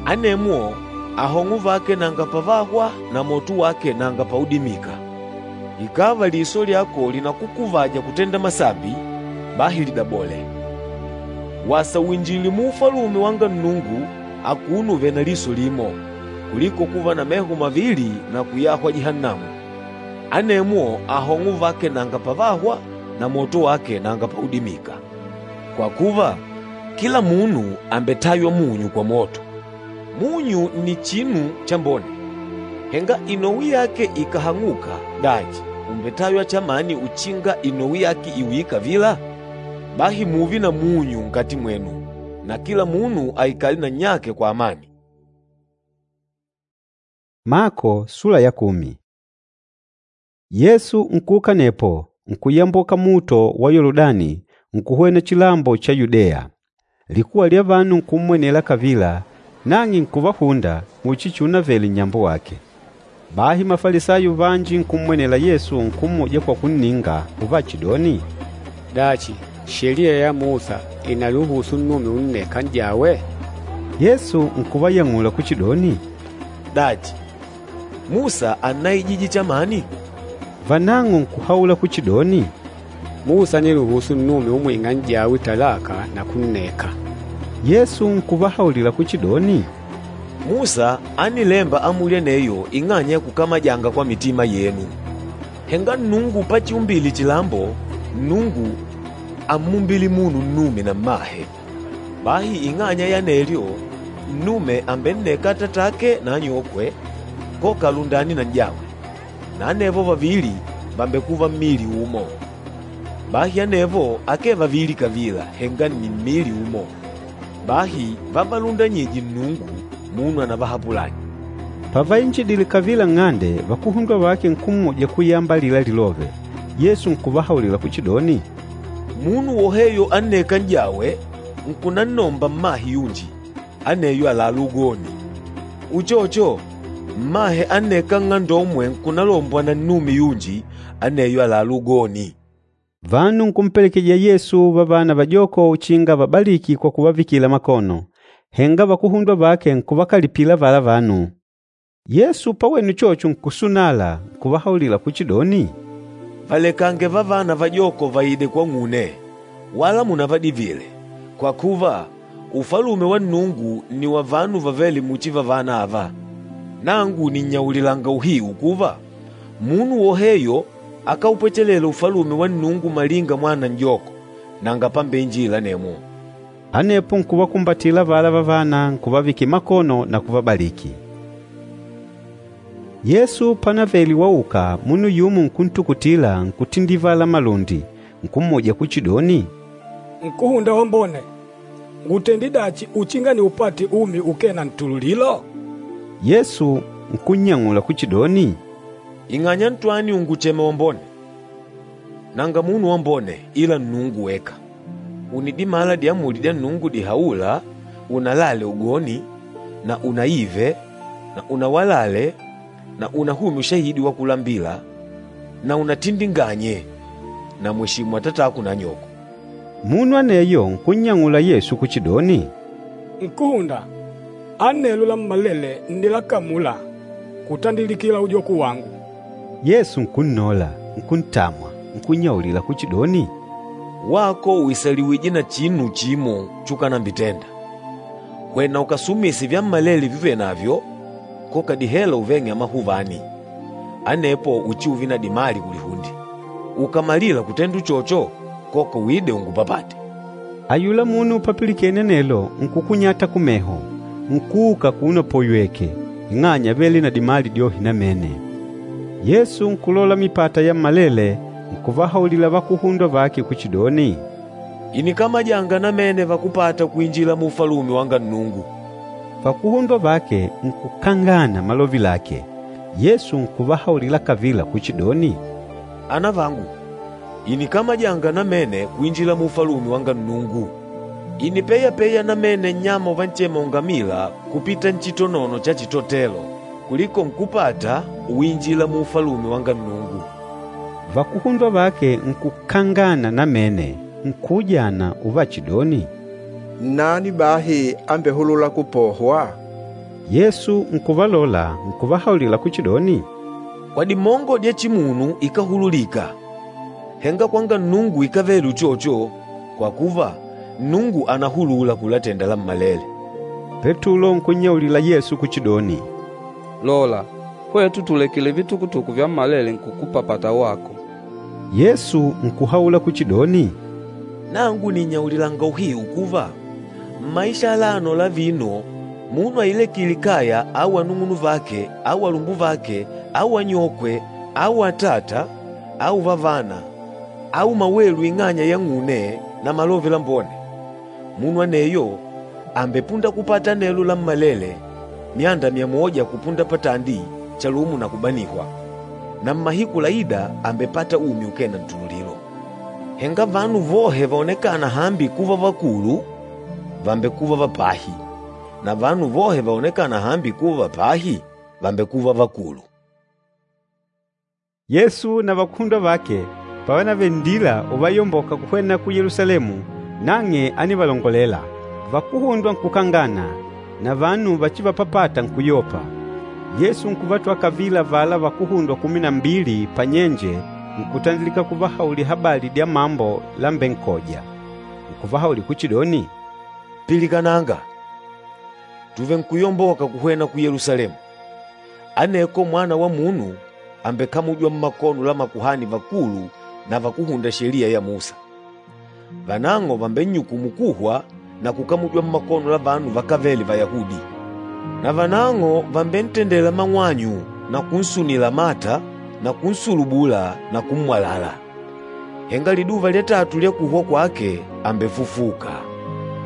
E: Anemwo ahong'o vake nanga pavahwa na moto wake nanga paudimika. Ikàva liso lyako lìnakukuvaja kutenda masambi, bahi lidabole. Wasa uinjile muufalume wanga Nnungu akuno uvèlè na liso limo, kuliko kuva na meho mavili na kuyahwa Jihannamu. Anemwo ahong'o vake nanga pavahwa na moto wake nanga paudimika. Kwa kuva, kila munu àmbetaywa munyu kwa moto. Munyu nni chinu chambone, henga inowi yake ikàhang'uka, dachi ùmbetaywa chamani uchinga inowi yake iuye kavila? Bahi mùùve na munyu nkati mwenu, na kila munu aikale na nnyake kwa amani.
A: Mako sula ya kumi. Yesu nkuuka nepo nkuyamboka muto wa Yoludani nkuhwena chilambo cha Yudeya. Likuwa lya vanu nkummwenela kavila, nang'e nkuvahunda muchi chiunavele nnyambo wake. Bahi Mafalisayo vanji nkummwenela Yesu nkummuja kwa kunninga uvachidoni,
D: Dachi, Sheliya ya Musa ìnaluhusu nnume unneka n'jawe?
A: Yesu nkuvayang'ula kuchidoni,
E: Dachi, Musa ánnaijije chamani?
A: Vanang'o nkuhaula kuchidoni,
D: Musa ániluhusu nnume umwing'a n'jawe talaka na kunneka.
A: Yesu nkuvahaulila kuchidoni,
E: Musa ánilemba amuli aneyo ing'anya ya kukamajanga kwa mitima yenu. Henga Nnungu pachiumbile chilambo, Nnungu ámmumbile munu nnume na mmahe. Bahi ing'anya ya anelyo, nnume àmbenneka atatake na anyokwe, koka alundane na n'jawe, na anevo vavili vàmbekuva mmili umo. Bahi anevo akee vavili kavila, henga nni mmili umo. Bahi vavalundanyîje Nnungu, munu anavahapulanye.
A: Pavainjidile kavila nng'ande, vakuhundwa vake nkummuja kuyamba alila lilove. Yesu nkuvahaulila kuchidoni,
E: Munu woheyo annêka n'jawe, nkunannomba mmahe yunji, aneyo àlalá ugoni. Uchocho, mmahe annêka nng'andomwe nkunalombwa na nnume yunji, aneyo àlalá ugoni.
A: Vanu nkumpelekeja Yesu vavana vajoko uchinga avabaliki kwa kuvavikila makono. Henga vakuhundwa vake nkuvakalipila avala vanu. Yesu pawene uchocho nkusunala, nkuvahaulila kuchidoni,
E: Valekange vavana vajoko vaide kwang'une, wala munavadivile, kwa kuva Ufalume wa Nnungu nni wa vanu vavêle muchi vavana ava. Nangu nìnnyaulilanga uhiu kuva, munu woheyo akáupwechelela Ufalume wa Nnungu malinga mwana n'joko, nanga pambeinjila anemwo.
A: Anepo nkuvakumbatila avala vavana nkuvavikila makono na kuvabaliki. Yesu panavele wauka, munu yumo nkuntukutila nkutindivala malundi, nkummuja kuchidoni,
C: Nkuhunda wambone, ngutende dachi uchinga niupate umi ukee na ntululilo?
A: Yesu nkunnyang'ula kuchidoni,
E: Ing'anya ntwani ùnguchema wambone? Nanga munu wambone ila Nnungu weka. Ùnidimala diamuli dya Nnungu dihaûla, unalale ugoni na unaive na unawalale na unahumye ushahidi wa kulambila na unatindinganye na mweshimu atatako na anyoko.
A: Munu aneyo nkunnyang'ula Yesu kuchidoni,
C: Nkuhunda, anelo lammalele nnilakamula kutandilikila ujoku wangu.
A: Yesu nkunnola, nkuntamwa, nkunnyaulila kuchidoni,
E: “Wako ùisaliwije na chinu chimo chukanambitenda. Hwena ukasumise vyammalele vyuvenavyo, koka dihela uveng'e amahuvani, anepo uchiuve na dimali kulihunde. Ukàmalila kutenda uchocho, koka uide ungupapate.” Ayula munu papilikene anelo nkukunyata kumeho, nkuuka akuno apoywèkè, ing'anya ávele na dimali dyohe namene. Yesu nkulola mipata yammalele, nkuvahaulila vakuhundwa vake kuchidoni, “Ìnikamajanga namene vakúpata kuinjila mu Ufalume wanga Nnungu!”
A: Vakuhundwa vake nkukangana malove lake. Yesu nkuvahaulila kavila kuchidoni,
E: “Anavangu, ìnikamajanga namene kuinjila mu Ufalume wanga Nnungu! Ìnipeyapeya namene nnyama uvanchema ungamila kupita nchitonono cha chitotelo kuliko nkúpata uinjila mu Ufalume wanga Nnungu.”
A: Vakuhundwa vake nkukangana namene, nkuujana uvachidoni,
G: Nnani bahi ambehulûla kupohwa?
A: Yesu nkuvalola, nkuvahaulila kuchidoni,
E: “Kwa dimongo dya chimunu ikáhululika, henga kwanga Nnungu ikávele uchocho, kwa kuva, Nnungu ànahulula kulatenda lammalele.”
A: Petulo nkunnyaulila Yesu kuchidoni,
B: “Lola, hwetu tùlekile vitukutuku vyammalele nkukupapata wako.”
A: Yesu nkuhaula kuchidoni,
E: “Nangu nìnnyaulilanga uhiu kuva, mmaisha alano la vino, munu ailekîle kaya au anung'unuvake au alumbuvake au anyokwe au atata au vavana au mawelu ing'anya yang'une na Malove Lambone, munu aneyo àmbepunda kupata anelo lammalele myanda myamoja kupunda patandi chalumo na kubanihwa, na mmahiku laîda àmbepata umi ukee na ntululilo. Henga vanu vohe vaonekâna hambi kuva vakulu, vàmbekuva vapahi, na vanu vohe vaonekâna hambi kuva vapahi, vàmbekuva vakulu.”
A: Yesu na vakuhundwa vake pavanavele nndila uvayomboka kuhwena ku Yelusalemu, nang'e ánivalongolela. Vakuhundwa nkukangana, na vanu vachivapapata nkuyopa. Yesu nkuvatwala kavila avala vakuhundwa kumi na mbili panyenje nkutandilika kuvahaulila habali dya mambo lambenkoja. Nkuvahaulila kuchidoni,
E: “Pilikananga! Tùvenkuyomboka kuhwena ku Yelusalemu. Aneko Mwana wa Munu àmbekamujwa mmakono la makuhani vakulu na vakúhunda Sheliya ya Musa. Vanang'o vàmbennyukumu kuhwa na kukamujwa mmakono la vanu vakávele Vayahudi. Na vanang'o vàmbentendela mang'wanyu na kunsunila mata na kunsulubula na kummwalala. Henga liduva lya tatu lya kuhwa kwake àmbefufuka.”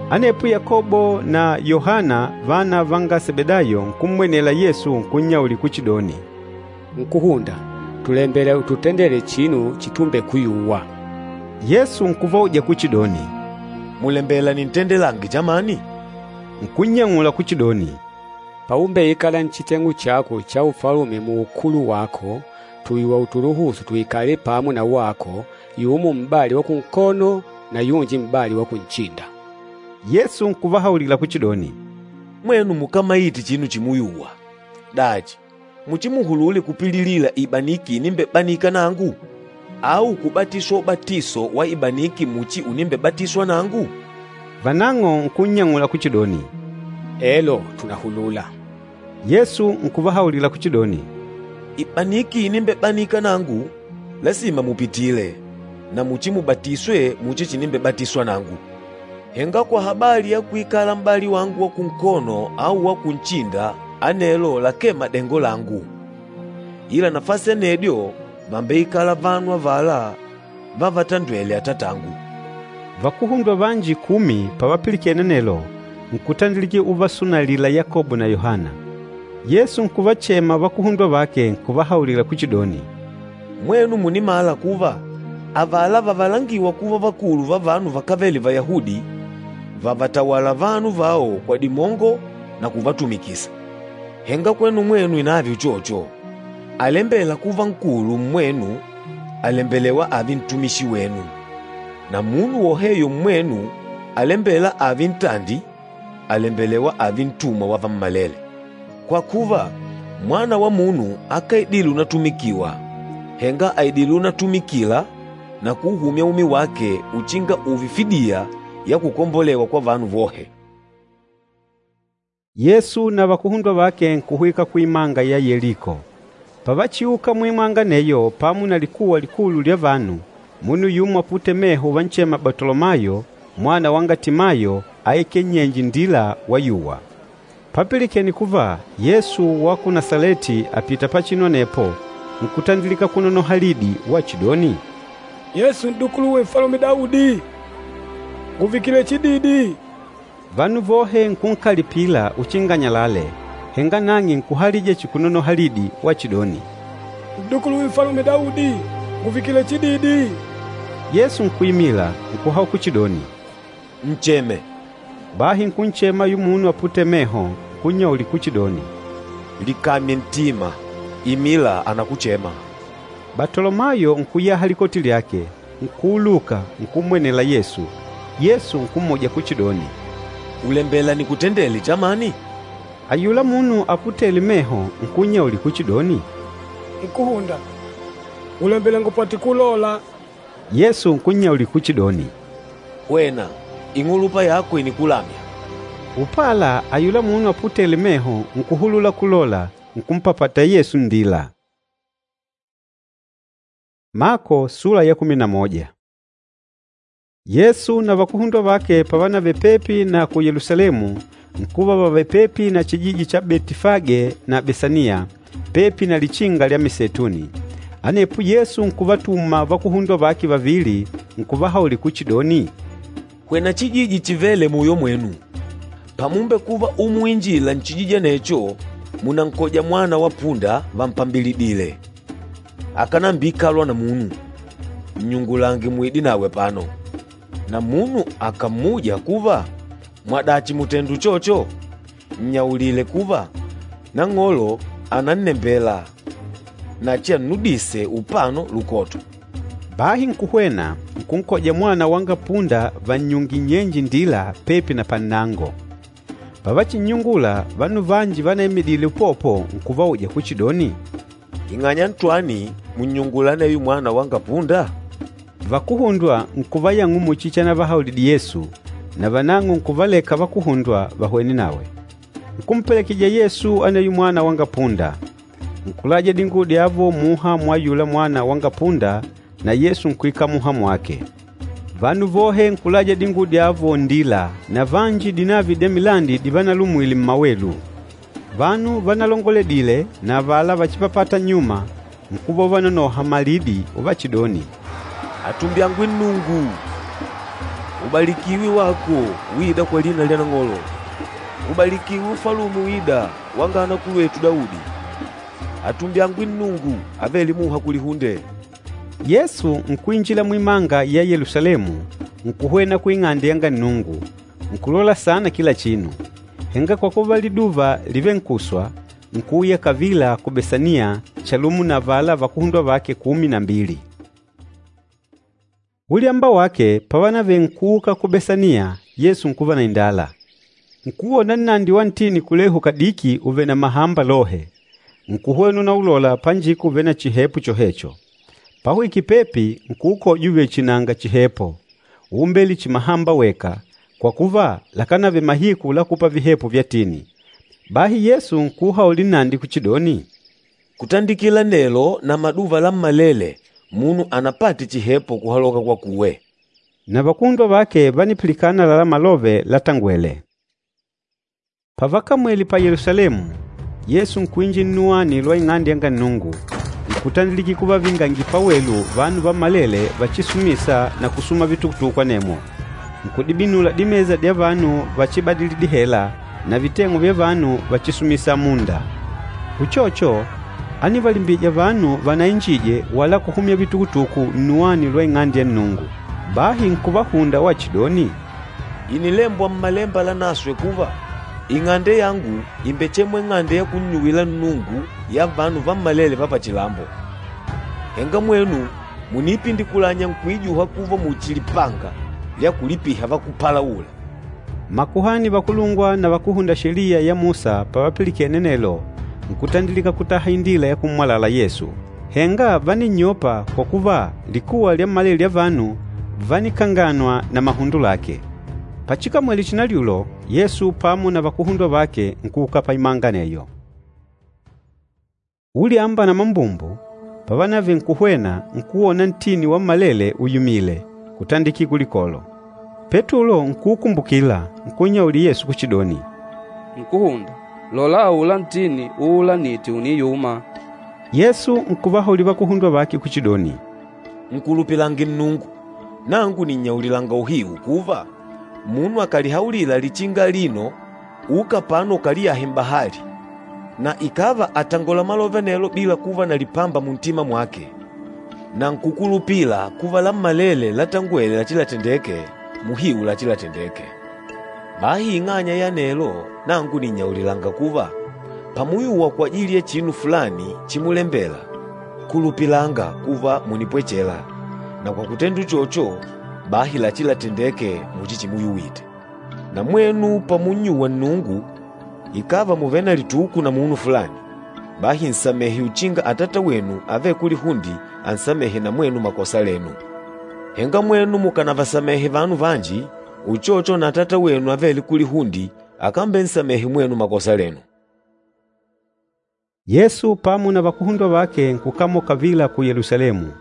A: Anepo Yakobo na Yohana vana vanga Sebedayo nkummwenela Yesu nkunnyaulila kuchidoni,
D: Nkúhunda, tùlembela ututendele chinu chitumbekuyuwa.
A: Yesu nkuvauja kuchidoni,
E: “Mùlembela nintendelange chamani?”
A: Nkunnyang'ula kuchidoni,
D: Paumbeikala nchiteng'u chako cha ufalume muukulu wako, tùyuwa utuluhusu tuikale pamo na wako, yumo m'bali wa kunkono na yunji m'bali wa kunchinda.
A: Yesu nkuvahaulila kuchidoni,
E: “Mwenu mukámaite chinu chimuyuwa. Dachi, muchimuhulule kupililila ibaniki inimbebanika nangu? Au kubatiswa ubatiso wa ibaniki muchi unimbebatiswa nangu?”
A: Vanang'o nkunnyang'ula kuchidoni,
D: Elo, tùnahulula.
A: Yesu nkuvahaulila kuchidoni,
E: “Ibaniki inimbebanika nangu, lasima mupitile, na muchimubatiswe muchi chinimbebatiswa nangu. Henga kwa habali ya kuikala m'bali wangu wa kunkono au wa kunchinda, anelo lakee madengo langu. Ila nafasi anedyo vàmbeikala vanu avala vavatandwêle Atatangu.”
A: Vakuhundwa vanji kumi pavapilikene anelo, nkutandilika uvasunalila Yakobo na Yohana. Yesu nkuvachema vakuhundwa vake nkuvahaulila kuchidoni,
E: “Mwenu mùnimala kuva avala vavalangîwa kuva vakulu va vanu vakávele Vayahudi, vàvatawala vanu vao kwa dimongo na kuvatumikisa. Henga kwenu mwenu inààve uchocho. Alembêla kuva nkulu mmwenu, àlembelewa ààve ntumishi wenu. Na munu woheyo mmwenu alembêla ààve ntandi, àlembelewa ààve ntumwa wa vammalele. Kwa kuva, Mwana wa Munu akáidile unatumikiwa, henga àidile unatumikila na kuuhumya umi wake uchinga ùùve fidiya ya kukombolewa kwa vanu vohe.”
A: Yesu na vakuhundwa vake nkuhwika kuimanga ya Yeliko. Pavachiuka muimanga aneyo pamo na likuwa likulu lya vanu, munu yumo aputêle meho uvanchema Batolomayo mwana wanga Timayo aikêle nnyenje nndila wayuwa. Papilikene kuva Yesu wa ku Nasaleti àpita pachinu anepo, nkutandilika kunonoha lidi wachidoni,
C: “Yesu N'dukuluwe Nfalume Daudi, nguvikile chididi!”
A: Vanu vohe nkunkalipila uchinga anyalale, henga nang'e nkuhalija chihi kunonoha lidi wachidoni,
C: N'dukuluwe Nfalume Daudi, nguvikile chididi!
A: Yesu nkuimila, nkuhaula kuchidoni,
E: “Ncheme.”
A: Bahi nkunchema ayula munu aputêle meho, nkunnyaulila kuchidoni,
E: “Likamye ntima, imila ànakuchema.”
A: Batolomayo nkuyaha likoti lyake, nkuuluka, nkummwenela Yesu. Yesu nkummuja kuchidoni,
E: “Ùlembela nikutendele chamani?”
A: Ayula munu aputêle meho nkunnyaulila kuchidoni,
C: “Nkúhunda, ngùlembela ngupate kulola.”
A: Yesu nkunnyaulila kuchidoni,
E: “Hwena, ing'ulupa yako ìnikulamya.”
A: Upala ayula munu aputêle meho nkuhulula kulola, nkumpapata Yesu nndila. Mako sula ya kumi na moja. Yesu na vakuhundwa vake pavanavele pepi na ku Yelusalemu, nkuva vavèlè pepi na chijiji cha Betifage na Besaniya, pepi na Lichinga lya Miseituni. Anepo Yesu nkuvatuma vakuhundwa vake vavili, nkuvahaulila kuchidoni,
E: “Hwena chijiji chivêle muyo mwenu. Pamumbekuva umuinjila nchijiji anecho, mùnankoja mwana wa punda vampambilidìlè, akánambiikalwa na munu. Nnyungulange muide nawe apano. Na munu akàmmuja kuva, ‘Mwadachi mùtenda uchocho?’ Nnyaulile kuva, ‘Nang'olo ànannembela na achiannudise upano lukoto.’”
A: Bahi nkuhwena, nkunkoja mwana wanga punda vannyungîle nnyenje nndila pepi na pannango. Pavachinnyungula, vanu vanji vanaimidile upopo nkuvauja kuchidoni,
E: “Ing'anya ntwani mùnnyungula aneyo mwana wanga punda?”
A: Vakuhundwa nkuvayang'ula muchi chanavahaulidile Yesu, na vanang'o nkuvaleka vakuhundwa vahwene nawe. Nkumpelekejija Yesu aneyo mwana wanga punda. Nkulaja dinguwo dyavo muha mwa ayula mwana wanga punda na Yesu nkuikala muha mwake. Vanu vohe nkulaja dinguwo dyavo nndila na vanji dinavi dya milandi divanalumwile mmawelu. Vanu vanalongoledile na avala vachipapâta nnyuma, nkuva uvanonoha malidi uvachidoni,
E: “Atumbyangwe Nnungu! Ubalikiwe wako uîda kwa lina lya Nang'olo! Ubalikiwe Ufalume uîda wanga anakulwetu Daudi! Atumbyangwe Nnungu avêle muha kulihunde!”
A: Yesu nkuinjila muimanga ya Yelusalemu, nkuhwena kuing'ande yanga Nnungu, nkulola saana kila chinu. Henga kwa kuva liduva lìvenkuswa, nkuuya kavila ku Besaniya chalumo na avala vakuhundwa vake kumi na mbili. Ulyamba wake pavanavele nkuuka ku Besaniya, Yesu nkuva na indala. Nkuwona nnandi wa ntini kulehu kadiki uvèlè na mahamba lohe. Nkuhwena unaulola panjika uvêle na chihepo chohecho. Pahwikile pepi, nkuukoja uvèlè chihi nanga chihepo, úmbele chihi mahamba weka, kwa kuva lakánavele mahiku la kupa vihepo vya tini. Bahi Yesu nkuuhaulila nnandi kuchidoni,
E: “Kutandikila nelo na maduva lammalele munu anapate chihepo kuhaloka kwakuwe.”
A: Na vakuhundwa vake vánipilikana àlalá malove latangwele. Pavakamwele pa Yelusalemu, Yesu nkuinjila nnuwani lwa Ing'ande yanga Nnungu, nkutandilika kuvavingangila pawelu vanu vammalele vachisumîsa na kusuma vitukutuku anemwo. Nkudibinula dimesa dya vanu vachibadili dihela na viteng'u vya vanu vachisumisa amunda. Uchocho, ánivalimbija vanu vanainjije wala kuhumya vitukutuku nnuwani lwa Ing'ande ya Nnungu. Bahi nkuvahunda wachidoni,
E: “Ìnilembwa Mmalemba Lanaswe kuva, ‘Ing'ande yangu ìmbechemwa ing'ande ya kunnyuwila Nnungu ya vanu vammalele va pachilambo.’ Henga mwenu mùniipindikulanya nkuijuha kuva muchi lipanga lya kulipiha vakúpalaula.”
A: Makuhani vakulungwa na vakúhunda Sheliya ya Musa pavapilikene anelo, nkutandilika kutaha indila ya kummwalala Yesu, Henga váninnyopa kwa kuva likuwa lyammalele lya vanu vánikanganwa na mahundo lake. Pachikamwele chinalyulo, Yesu pamo na vakuhundwa vake nkuuka paimanga aneyo. Ulyamba na mambumbu, pavanavele nkuhwena, nkuwona ntini wammalele uyumìlè, kutandikila kulikolo. Petulo nkuukumbukila, nkunnyaulila Yesu kuchidoni,
B: Nkúhunda, lola aula ntini uulanîte ùniyuma.
A: Yesu nkuvahaulila vakuhundwa vake kuchidoni,
E: Nkulupilange Nnungu. Nangu nìnnyaulilanga uhiu kuva, munu akàlihaulila lichinga alino, ‘Uka apano ukaliyahe m'bahali,’ na ikàva àtangola malove anelo bila kuva na lipamba muntima mwake, na nkukulupila kuva lammalele latangwele lachilatendeke, muhiu lachilatendeke. Bahi ing'anya ya anelo, nangu nìnnyaulilanga kuva, pamuyuwa kwajili ya chinu fulani chimulembela, kulupilanga kuva mùnipwechela, na kwa kutenda uchocho, bahi lachilatendeke muchi chimuyuwite. Na mwenu pamunnyuwa Nnungu, ikàva mùvele na lituku na munu fulani, bahi nsamehe uchinga Atata wenu avêle kulihunde ansamehe na mwenu makosa lenu. Henga mwenu mukànavasamehe vanu vanji, uchocho na Atata wenu avêle kulihunde akambensamehe mwenu makosa lenu.
A: Yesu pamo na vakuhundwa vake nkukamoka kavila ku Yelusalemu.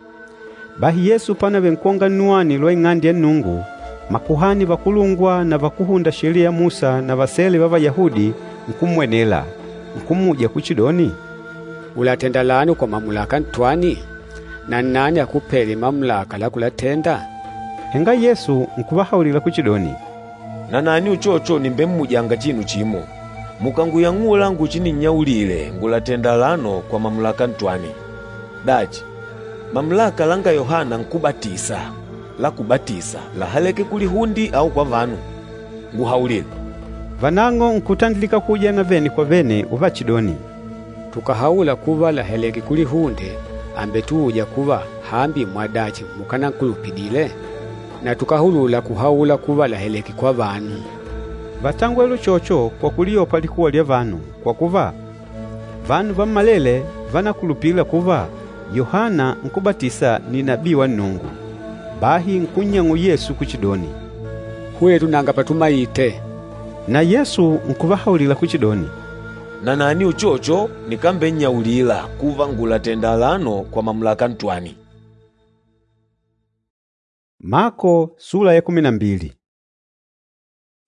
A: Bahi Yesu panavele nkwonga nnuwani lwa Ing'ande ya Nnungu, makuhani vakulungwa na vakúhunda Sheliya ya Musa na vasele va Vayahudi nkummwenela, nkummuja kuchidoni,
D: Ulatenda lano kwa mamulaka ntwani? Na nnani akupêle mamulaka la kulatenda?
A: Henga Yesu nkuvahaulila kuchidoni,
E: Nanani uchocho nìmbemmujanga chinu chimo. Mukanguyang'ula nguchinnyaulile ngùlatenda alano kwa mamulaka ntwani. Dachi, mamulaka langa Yohana Nkúbatisa la kubatisa láhaleke kulihunde au kwa vanu? Nguhaulile.”
A: Vanang'o nkutandilika kuujana vene kwa vene uvachidoni,
D: Tukàhaula kuva làhaleke kulihunde, àmbetuuja kuva hambi mwadachi mukanankulupidile? Na tukahulula kuhaula kuva làhaleke kwa vanu.
A: Vátangwele uchocho kwa kuliyopa likuwa lya vanu, kwa kuva, vanu vammalele vánakulupila kuva Yohana Nkúbatisa ni nabii wa Nnungu. Bahi nkunnyang'ula Yesu kuchidoni,
D: Hwetu nanga patumaite.
A: Na Yesu nkuvahaulila kuchidoni,
E: Nanani uchocho nikambennyaulila kuva ngùlatenda alano kwa mamulaka ntwani.
A: Mako sula ya kumi na mbili.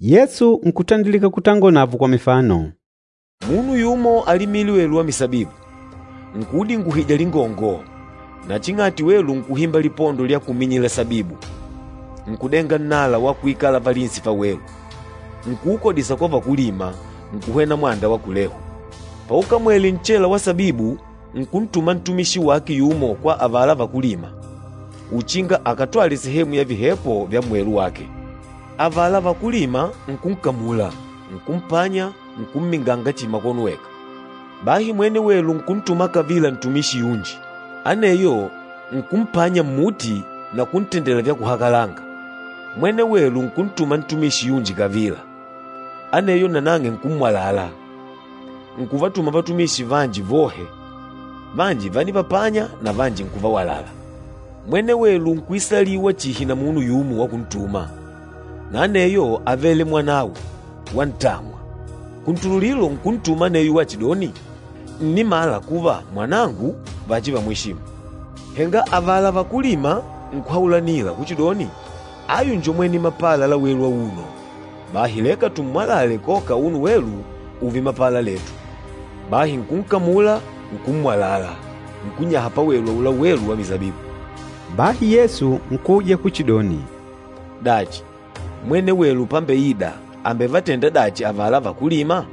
A: Yesu nkutandilika kutangola navo kwa mifano.
E: Munu yumo alimile welu wa misabibu, nkudinguhija lingongo, na ching'ati welu nkuhimba lipondo lya kuminyila sabibu, nkudenga nnala wa kuikala valinsi pa welu, nkuukodisa kwa vakulima, nkuhwena mwanda wa kulehu. Paukamwele nchela wa sabibu, nkuntuma ntumishi wake yumo kwa avala vakulima, uchinga akatwale sehemu ya vihepo vya mwelu wake. Avala vakulima nkunkamula, nkumpanya, nkumminganga chimakono weka. Bahi mwene welu nkuntuma kavila ntumishi yunji, aneyo nkumpanya mmuti na kuntendela vya kuhakalanga. Mwene welu nkuntuma ntumishi yunji kavila, aneyo nanang'e nkummwalala. Nkuvatuma vatumishi vanji vohe, vanji vánivapanya na vanji nkuvawalala. Mwene welu nkwisaliwa chihi na munu yumo wa kuntuma, na aneyo avele mwanawe wa ntamwa. Kuntululilo nkuntuma aneyo wachidoni, nnimala kuva mwanangu vachivamwishimu. Henga avala vakulima nkuhaulanila kuchidoni, ayu njo mwene mapala la welu auno, bahi leka tummwalale koka unu welu uve mapala letu. Bahi nkunkamula, nkummwalala, nkunyaha pawelu aula welu wa misabibu.
A: Bahi Yesu nkuuja kuchidoni,
E: Dachi, mwene welu pambeida ambevatenda dachi avala vakulima?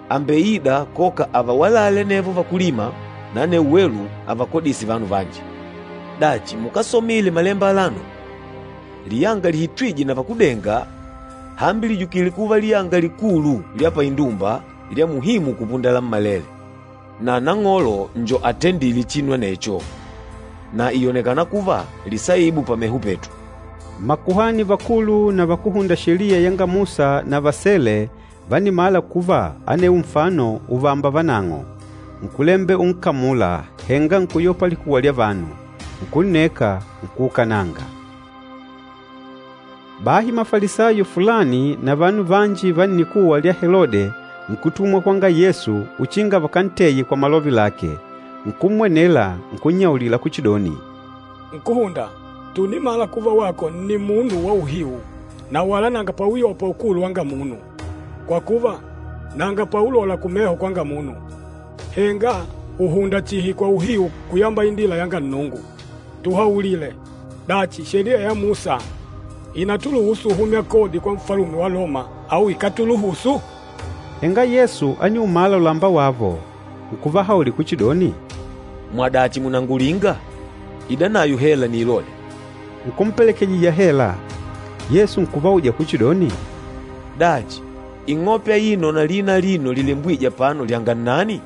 E: Ambeida koka avawalale nevo vakulima na anewo welu avakodise vanu vanji. Dachi mukásomile Malemba alano? Liyanga lihitwîje na vakudenga hambi lijukile kuva liyanga likulu lya paindumba lya muhimu kupunda lammalele. Na Nang'olo njo atendîle chinu anecho, na ìyonekana kuva lisaibu pameho petu.
A: Makuhani vakulu na vakúhunda Sheliya yanga Musa na vasele vánimala kuva anewo nfano uvamba vanang'o. Nkulembela unkamula, henga nkuyopa likuwa lya vanu. Nkunneka, nkuukananga. Bahi Mafalisayo fulani na vanu vanji va nnikuwa lya Helode nkutumwa kwanga Yesu uchinga vakanteye kwa malove lake. Nkummwenela, nkunnyaulila kuchidoni,
C: Nkúhunda, tùnimala kuva wako nni munu wa uhiu na wala nanga pauyopa ukulu wanga munu, kwa kuva, nanga paulola kumeho kwanga munu. Henga ùhunda chihi kwa uhiu kuyamba indila yanga Nnungu. Tuhaulile, dachi Sheliya ya Musa ìnatuluhusu uhumya kodi kwa nfalume wa Loma au ikátuluhusu?
A: Henga Yesu ániumala ulamba wavo, nkuvahaulila kuchidoni,
E: Mwadachi mùnangulinga? Ida nayo hela niilole.
A: Nkumpelekejija hela. Yesu nkuvauja kuchidoni,
E: Dachi, ing'ope aino na lina alino lilembwîje apano lyanga nnani?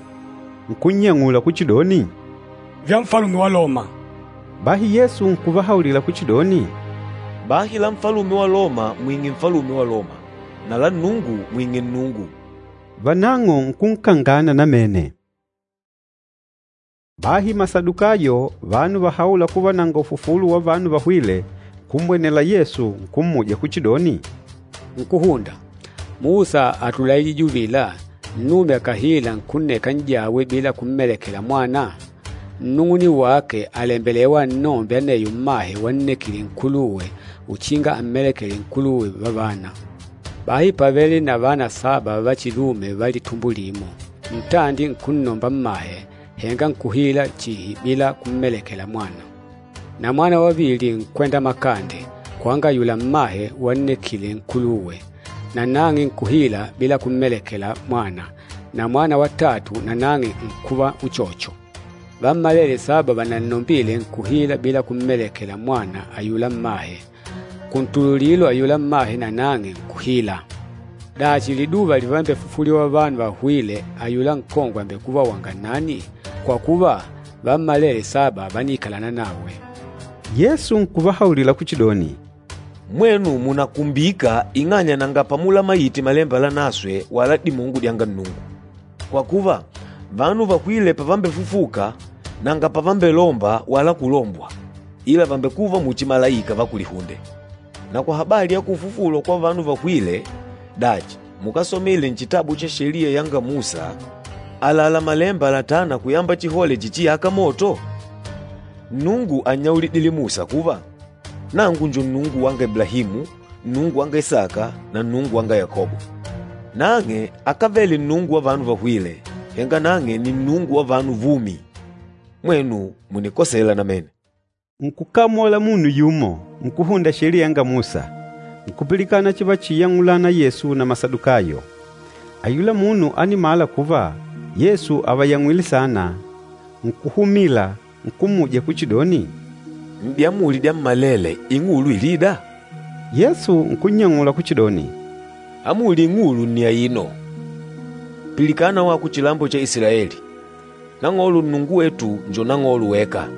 A: Nkunnyang'ula kuchidoni,
C: Vya nfalume wa Loma.
A: Bahi Yesu nkuvahaulila kuchidoni,
E: Bahi la nfalume wa Loma mwing'e nfalume wa Loma, na la Nnungu mwing'e Nnungu.
A: Vanang'o nkunkangana namene. Bahi Masadukayo, vanu vahaûla kuva nanga ufufulo wa vanu vahwîle, nkummwenela Yesu nkummuja kuchidoni,
D: Nkúhunda, Musa átulaijije uvila, nnume akàhila nkunneka n'jawe bila kummelekela mwana, nnung'uni wake àlembelewa annombe aneyo mmahe wannekile nkuluwe uchinga ammelekele nkuluwe vavana. Bahi pávele na vana saba va chilume va litumbo limo. Ntandi nkunnomba mmahe, henga nkuhila chihi bila kummelekela mwana. Na mwana wavili nkwenda makande kwanga ayula mmahe wannekile nkuluwe, na nang'e nkuhila bila kummelekela mwana, na mwana wa tatu na nang'e nkuva uchocho. Vammalele saba vanannombile nkuhila bila kummelekela mwana ayula mmahe. Kuntululilo ayula mmahe na nang'e nkuhila. Dachi liduva livambefufuliwa vanu vahwîle ayula nkongwe àmbekuva wanga nani? Kwa kuva, vammalele saba vániikalana nawe.
A: Yesu nkuvahaulila kuchidoni,
E: Mwenu mùnakumbika ing'anya nanga pamulamaite Malemba Lanaswe wala dimongo dyanga Nnungu. Kwa kuva, vanu vahwîle pavambefufuka, nanga pavambelomba wala kulombwa, ila vàmbekuva muchi malaika va kulihunde. Na kwa habali ya kufufulwa kwa vanu vahwîle, dachi mukásomile nchitabu cha Sheliya yanga Musa, àlalá Malemba latâna kuyamba chihole chichiyâka moto? Nnungu ánnyaulidile Musa kuva, ‘Nangu njo Nnungu wanga Iblahimu, Nnungu wanga Isaka na Nnungu wanga Yakobo.’ Nang'e akávele Nnungu wa vanu vahwîle, henga nang'e nni Nnungu wa vanu vumi. Mwenu mùnikosela namene.”
A: Nkukamola munu yumo, nkúhunda Sheliya yanga Musa, nkupilikana chivachiyang'ulana Yesu na Masadukayo. Ayula munu ánimala kuva Yesu àvayang'wile saana, nkuhumila, nkummuja kuchidoni,
E: N'diamuli dyammalele ing'ulu ilîda?
A: Yesu nkunnyang'ula kuchidoni,
E: Amuli ing'ulu nni aino, ‘Pilikana wako chilambo cha Isilaeli, Nang'olo Nnungu wetu njo Nang'olo weka.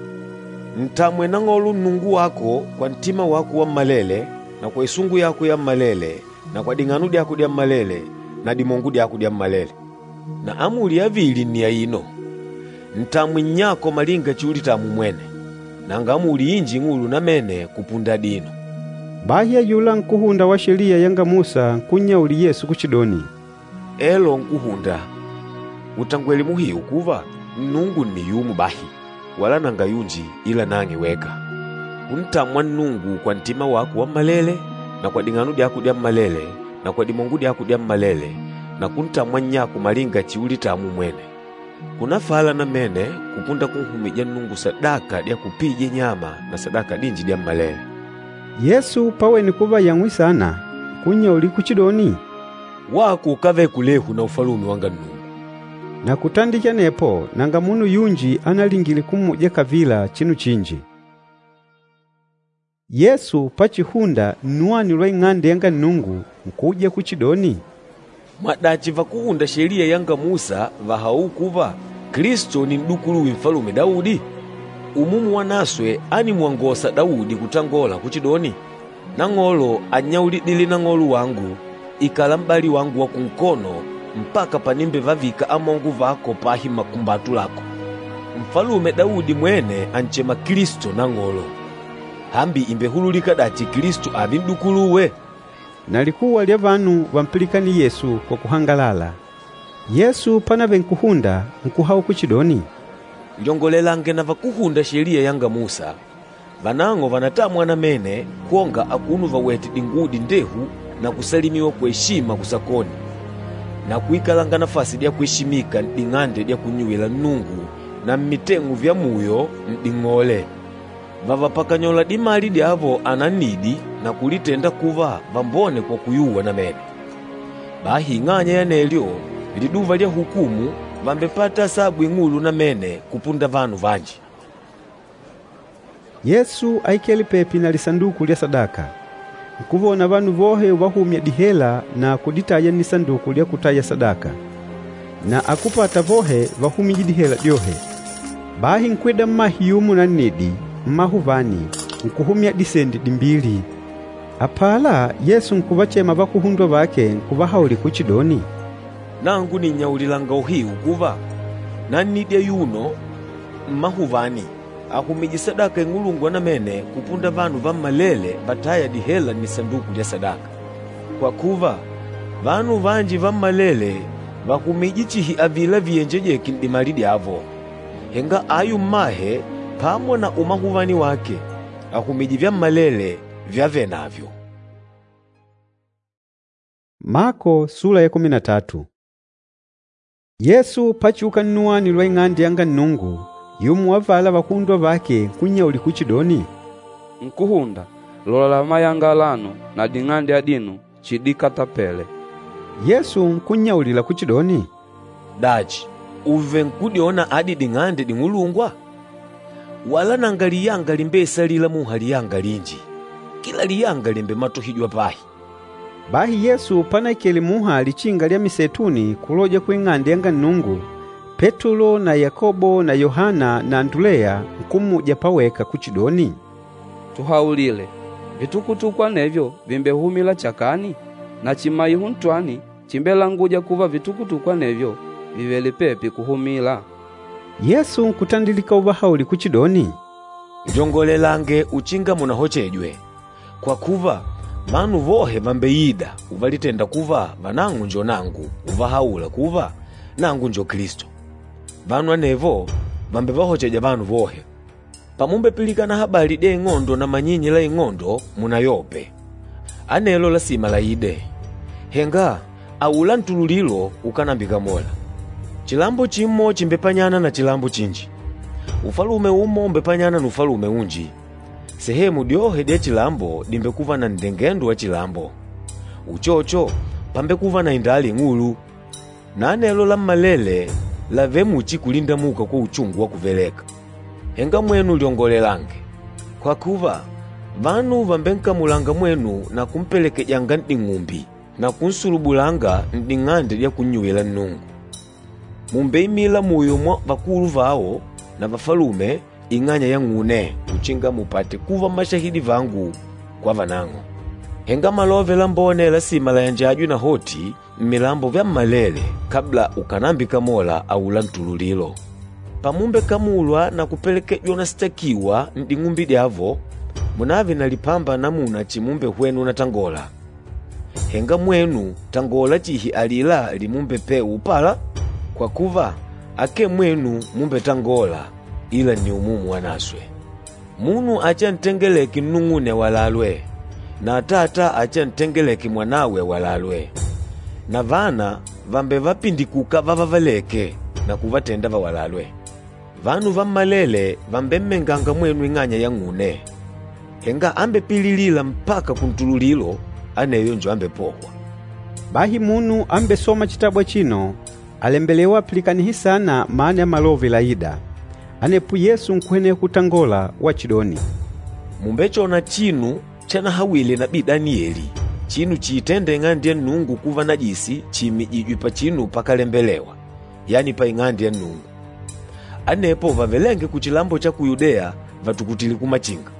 E: Ntamwe Nang'olo Nnungu wako kwa ntima wako wammalele na kwa isungu yako yammalele na kwa ding'ano dyako dyammalele na dimongo dyako dyammalele.’ Na amuli ya vili nni aino, ‘Ntamwe nnyako malinga chiulitamwa umwene.’ Nanga amuli inji ing'ulu namene kupunda adino.”
A: Bahi ayula nkúhunda wa Sheliya yanga Musa nkunnyaulila Yesu kuchidoni,
E: Elo Nkúhunda, ùtangwele muhiu kuva Nnungu nni yumo bahi, wala nanga yunji ila nang'e weka. Kuntamwa Nnungu kwa ntima wako wammalele na kwa ding'ano dyako dyammalele na kwa dimongo dyako dyammalele na kuntamwa nnyako malinga chiulitamwa umwene. Kunafala namene kupunda kunhumija Nnungu sadaka dya kupija nyama na sadaka dinji dyammalele.
A: Yesu pawene kuva yang'wi saana, nkunnyaulila kuchidoni,
E: Wako ukávele kulehu na Ufalume wanga Nnungu.
A: Na kutandikila anepo nanga munu yunji analingile kummuja kavila chinu chinji. Yesu pachihunda nnwani lwa Ing'ande yanga Nnungu nkuuja kuchidoni,
E: Mwadachi vakúhunda Sheliya yanga Musa vàhaula kuva Kilisto ni n'dukuluwe Nfalume Daudi? Umumu Wanaswe ánimwangosa Daudi kutangola kuchidoni, ‘Nang'olo ánnyaulidile Nang'olo wangu, ikala m'bali wangu wa kunkono mpaka panimbevavika amongo vako pahi makumbatu lako.’ Nfalume Daudi mwene ànchema Kilisto, ‘Nang'olo.’ Hambi ìmbehululika dachi Kilisto ààve n'dukuluwe?”
A: Na likuwa lya vanu vampilikanîle Yesu kwa kuhangalala. Yesu pánavele nkuhunda, nkuhaula kuchidoni,
E: “Lyongolelange na vakúhunda Sheliya yanga Musa. Vanang'o vànatamwa namene kwonga akuno vawètè dinguwo dindehu na kusalimiwa kwa eshima kusakoni na kuikalanga nafasi dya kweshimika n'ding'ande dya kunnyuwila Nnungu na mmiteng'u vya muyo n'ding'ole. Vàvapakanyola dimali dyavo anannidi na kulitenda kuva vambone kwa kuyuwa namene. Bahi ing'anya ya anelyo, liduva lya hukumu vàmbepata asabu ing'ulu namene kupunda vanu vanji.”
A: Yesu áikele pepi na lisanduku lya sadaka. Nkuvona vanu vohe uvahumya dihela na kuditaya nnisanduku lya kutaya sadaka. Na akúpata vohe váhumije dihela dyohe. Bahi nkwida mmahe yumo nannidi, mmahuvani, nkuhumya disendi dimbili. Apala Yesu nkuvachema vakuhundwa vake nkuvahaulila kuchidoni,
E: “Nangu nìnnyaulilanga uhiu kuva, nannidi ayuno mmahuvani àhumije sadaka ing'ulungwa namene kupunda vanu vammalele vatâya dihela nnisanduku lya sadaka. Kwa kuva, vanu vanji vammalele vàhumije chihi avila viyenjejêke n'dimali dyavo, henga ayu mmahe pamo na umahuvani wake, àhumije vyammalele vyavenavyo.”
A: Mako sula ya kumi na tatu. Yesu pachiuka nnuwani lwa Ing'ande yanga Nnungu, yumo wa avala vakuhundwa vake nkunnyaulila kuchidoni,
B: Nkúhunda, lola mayanga alano na ding'ande adino chidikatapele.
A: Yesu nkunnyaulila kuchidoni,
E: “Dachi, ùvenkudyona adi ding'ande ding'ulungwa? Wala nanga liyanga limbeisalîla muha liyanga linji, kila liyanga lìmbematohijwa pahi.”
A: Bahi Yesu panaikele muha lichinga lya Miseituni kuloja ku Ing'ande yanga Nnungu, Petulo na Yakobo na Yohana na Anduleya nkummuja paweka kuchidoni,
B: Tuhaulile, vitukutuku anevyo vìmbehumila chakani? Na chimaiho ntwani chimbelanguja kuva vitukutuku anevyo vìvele pepi kuhumila?
A: Yesu nkutandilika uvahaulila kuchidoni,
E: “Lyongolelange uchinga munahochejwe, kwa kuva, vanu vohe vàmbeida uvalitenda kuva vanang'o njo nangu uvahaula kuva, ‘Nangu njo Kilisto.’ Vanu anevo vàmbevahocheja vanu vohe. Pamumbepilikana habali dya ing'ondo na manyinyi la ing'ondo, munayope. Anelo lasima laide, henga aula ntululilo ukánambikamola. Chilambo chimo chìmbepanyana na chilambo chinji, ufalume umo ùmbepanyana na ufalume unji. Sehemu dyohe dya chilambo dìmbekuva na nndengendo wa chilambo. Uchocho, pàmbekuva na indala ing'ulu. Na anelo lammalele làvele muchi kulindamuka kwa uchungu wa kuveleka. Henga mwenu lyongolelange, kwa kuva, vanu vàmbenkamulanga mwenu na kumpelekejanga n'ding'umbi na kunsulubulanga n'ding'ande dya kunnyuwila Nnungu. Mùmbeimila muyo mwa vakulu vao na vafalume ing'anya yang'une uchinga mupate kuva mmashahidi vangu kwa vanang'o. Henga Malove Lambone lasima layanjajwe nahoti mmilambo vyammalele kabla ukànambikamola aula ntululilo. Pamumbekamulwa na kupelekejwa unasitakiwa n'ding'umbi dyavo, munààve na lipamba namuna chimumbehwena unatangola. Henga mwenu tangola chihi alila limumbepewa upala, kwa kuva akee mwenu mumbetangola, ila nni Umumu Wanaswe. Munu achiantengeleke nnung'une awalalwe, na atata achiantengeleke mwanawe awalalwe. Na vana vàmbevapindikuka vavavaleke na kuvatenda vawalalwe. Vanu vammalele vàmbemmenganga mwenu ing'anya yang'une. Henga ambepililîla mpaka kuntululilo, aneyo njo ambepohwa.
A: Bahi munu ambesôma chitabu achino, àlembelewa apilikanihe saana mana ya malove laîda. Anepo Yesu nkuhweneha kutangola wachidoni,
E: “Mùmbechona chinu chanahawile nabii Daniyeli, chinu chiitênda Ing'ande ya Nnungu kuva najisi chiimijîjwe pachinu pakalembelewa, yani pa Ing'ande ya Nnungu. Anepo vavelênge kuchilambo cha ku Yudeya vatukutile kumachinga.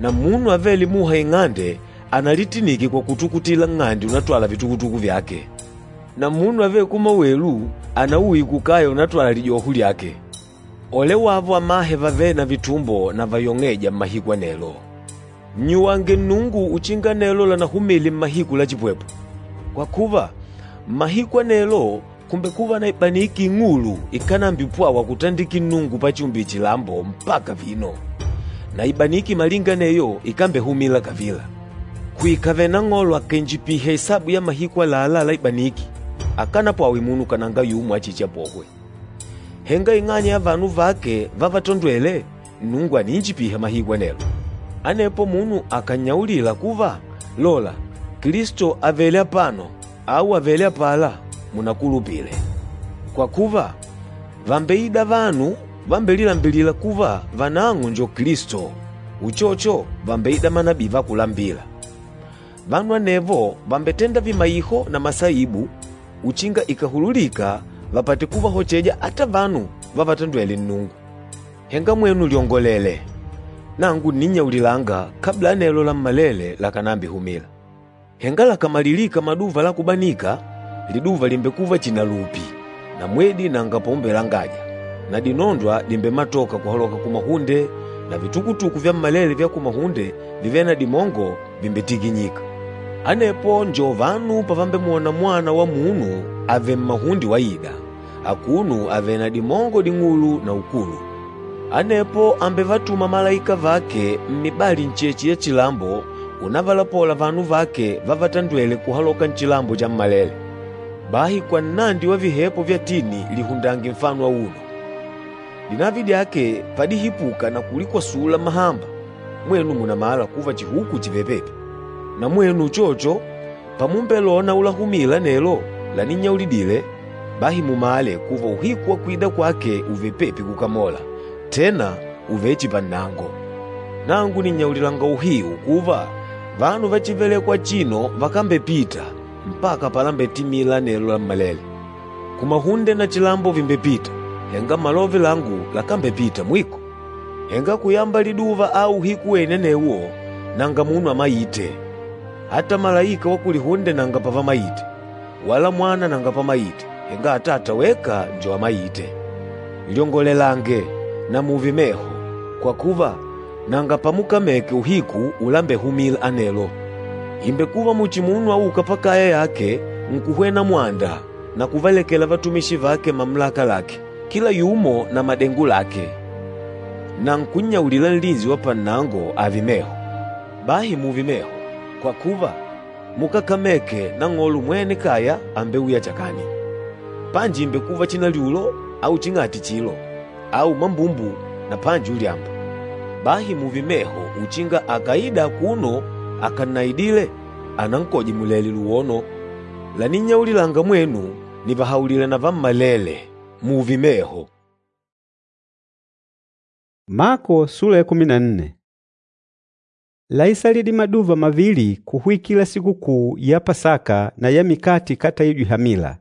E: Na munu avêle muha ing'ande analitinike kwa kutukutila nng'ande unatwala vitukutuku vyake. Na munu avêle kumawelu anauye kukaya unatwala lijoho lyake. Ole wavo amahe vavêle na vitumbo na vayong'êja mmahiku anelo! Nnyuwange Nnungu uchinga anelo lanahumile mmahiku la chipwepwe. Kwa kuva, mmahiku anelo kùmbekuva na ibaniki ing'ulu ikánambipwawa kutandikila Nnungu pachiumbile chilambo mpaka vino, na ibaniki malinga aneyo ikambehumila kavila. Kuikave Nang'olo akàinjipiha isabu ya mahiku àlalá la ibaniki, akanapwawe munu kananga yumo achichiapohwe. Henga ing'anya ya vanu vake vavatondwêle, Nnungu àniinjipiha mahiku anelo. Anepo munu akànnyaulila kuva, ‘Lola, Kilisto àvele apano au àvele apala,’ munakulupile. Kwa kuva, vàmbeida vanu vambelilambilîla kuva vanang'o njo Kilisto, uchocho vàmbeida manabii va kulambila. Vanu anevo vàmbetenda vimaiho na masaibu uchinga ikàhululika vapate kuvahocheja ata vanu vavatandwêle Nnungu. Henga mwenu lyongolele, nangu ǹninnyaulilanga kabla anelo lammalele lakànambihumila. Henga lakàmalilika maduva la kubanika, liduva lìmbekuva chihi na lupi, na mwedi nanga paumbelangaja, na dinondwa dìmbematoka kuhaloka kumahunde, na vitukutuku vyammalele vya kumahunde vivêle na dimongo vìmbetikinyika. Anepo njo vanu pavambemwona Mwana wa Munu avèlè mmahunde waida, akuno avèlè na dimongo ding'ulu na ukulu. Anepo àmbevatuma malaika vake mmibali ncheche ya chilambo unavalapola vanu vake vavatandwêle kuhaloka nchilambo chammalele. Bahi kwa nnandi wa vihepo vya tini lihundange nfano auno. Dinavi dyake padihipuka na kulikwasula mahamba, mwenu mùnamala kuva chihuku chìvele pepi. Na mwenu uchocho, pamumbelona ulahumila anelo laninnyaulidile, bahi mumale kuva uhiku wa kwida kwake ùvele pepi kukamola, tena ùvele chihi pannango. Nangu nìnnyaulilanga uhiu kuva, vanu va chívelèkwà achino vakambepita mpaka palambetimila anelo lammalele. Kumahunde na chilambo vìmbepita, henga malove langu lakambepita mwiko. Henga kuyamba liduva au uhiku wene anewo, nanga munu amaite, ata malaika wa kulihunde nanga pavamaite, wala Mwana nanga pamaite, henga Atata weka njo amaite. Lyongolelange na mùùve meho, kwa kuva nanga pamukameke uhiku ulambehumila anelo. Ìmbekuva muchi munu aûka pakaya yake nkuhwena mwanda na kuvalekela vatumishi vake mamulaka lake, kila yumo na madengo lake, na nkunnyaulila nlinsi wa pannango ààve meho. Bahi mùùve meho, kwa kuva mukákameke nang'olo mwene kaya àmbeuya chakani. Panji ìmbekuva chinalyulo au ching'ati chilo, au mambumbu na panji ulyamba. Bahi mùùve meho uchinga akaida akuno akannaidile, anankoje mulèlè luwono. Laninnyaulilanga mwenu, nìvahaulila na vammalele, mùùve meho.
A: Mako sula ya kumi na nne. Láisalidile maduva mavili kuhwikila sikukuu ya Pasaka na ya mikate ikátaijwe hamila.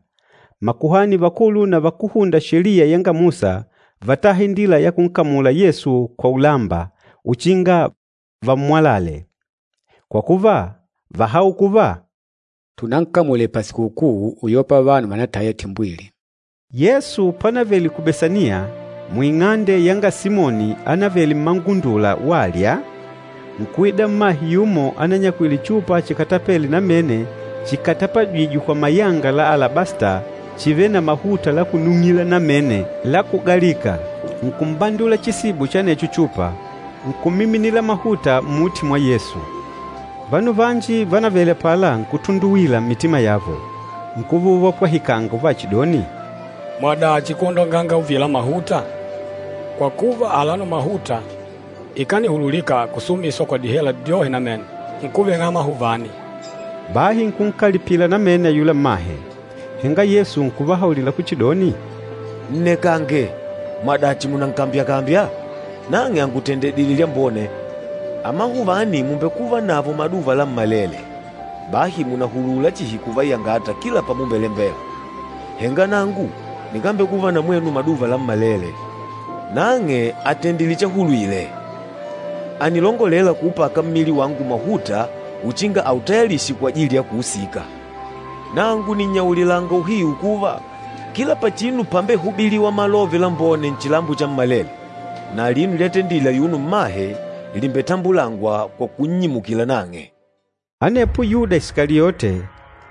A: Makuhani vakulu na vakúhunda Sheliya yanga Musa vátaha indila ya kunkamula Yesu kwa ulamba uchinga vammwalale. Kwa kuva, váhaula kuva,
D: Tunankamule pasikukuu uyopa vanu vanataya timbwili.
A: Yesu panavele ku Besaniya, muing'ande yanga Simoni ánavele mmangundula walya, nkuida mmahe yumo ananyakwile chupa chikatapêle namene chikatapajwîjwe kwa mayanga la alabasta chivêle na mahuta la kunung'ila namene la kugalika, nkumbandula chisibo cha anecho chupa, nkumiminila mahuta mmuti mwa Yesu. Vanu vanji vánavele apala nkutunduwila mmitima yavo, nkuva uvapwahikanga uvachidoni,
C: Mwadachi kwondonganga uvila mahuta? Kwa kuva alano mahuta ikanihululika kusumiswa kwa dihela dyohe namene, nkuveng'a amahuvani.
A: Bahi nkunkalipila namene ayula mmahe. Henga Yesu nkuvahaulila kuchidoni,
E: Nnekange, mwadachi mùnankambyakambya? Nang'e àngutendedile lyambone. Amahuvani mùmbekuva navo maduva lammalele, bahi mùnahulula chihi kuvaiyangata kila pamumbelembela. Henga nangu nikambekuva na mwenu maduva lammalele. Nang'e àtendile chahulwile, ànilongolela kuupaka mmili wangu mahuta uchinga autayalishe kwajili ya kuusika. Nangu nìnnyaulilanga uhiu kuva, kila pachinu pambehubiliwa Malove Lambone nchilambo chammalele, na alino lyatendile ayuno mmahe lìmbetambulangwa kwa kunnyimukila nang'e.”
A: Anepo Yuda Isikaliote,